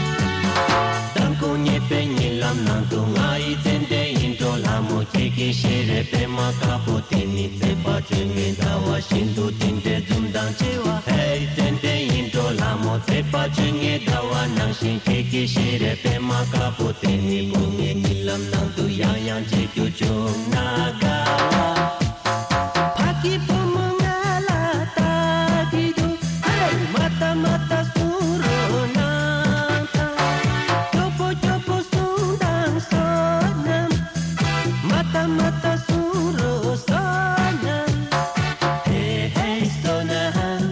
མདང་དགོང་ཉེ་བའི་ཉིན་ལམ་ནང་དུ་ང་ཡི་ཙན་དན་ཡིད་འཕྲོག་ལྷ་མོ་ཁྱེད་ཀྱི་ཤེས་རབ་པད་མ་དཀར་པོ་དེ་ནི་ཚེས་པ་བཅོ་ལྔའི་ཟླ་བ་བཞིན་དུ་དེ་འདྲའི་འཛུམ་མདངས་ཆེ་བ། ཧེ་ཙན་དན་ཡིད་འཕྲོག་ལྷ་མོ། ཚེས་པ་བཅོ་ལྔའི་ཟླ་བ་ནང་བཞིན་ཁྱེད་ཀྱི་ཤེས་རབ་པད་མ་དཀར་པོ་དེ་ནི་དགོང་ངའི་ཉིན་ལམ་ནང་དུ་ཡང་ཡང་མཇལ་རྒྱུ་བྱུང་ན་དགའ་བ། ཕ་གི་བུ་མོ་ང་ལ་ལྟ་གི་འདུག་ཧེ། མ་ལྟ་མ་ལྟ་གསུང་རོགས་གནང་དང་། སྐྱོ་པོ་སྐྱོ་པོ་གསུང་དང་བསོད་ནམས། མ་ལྟ་མ་ལྟ་གསུང་རོགས་བསོད་ནམས། ཧེ་ཧེ་བསོད་ནམས།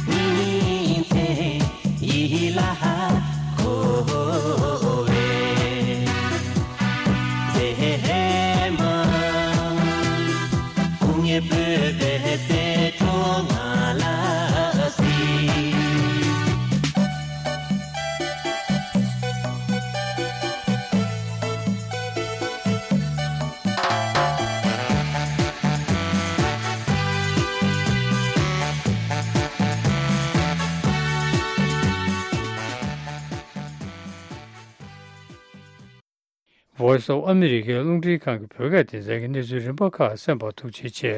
ཉིན་མཚན་ཡིད་ལ་འཁོར་བའི་མཛེས་མ། སྐུ་ངལ་སྤོབས་པའི་གསེར་སྒྲོམ་ང་ལ། Voice of America ཨ་མི་རི་ཀའི་རླུང་འཕྲིན་ཁང་གི་བོད་སྐད་སྡེ་ཚན་གྱི་གནས་ཚུལ་རིམ་པ་ཁག་གསན་པར་ཐུགས་རྗེ་ཆེ།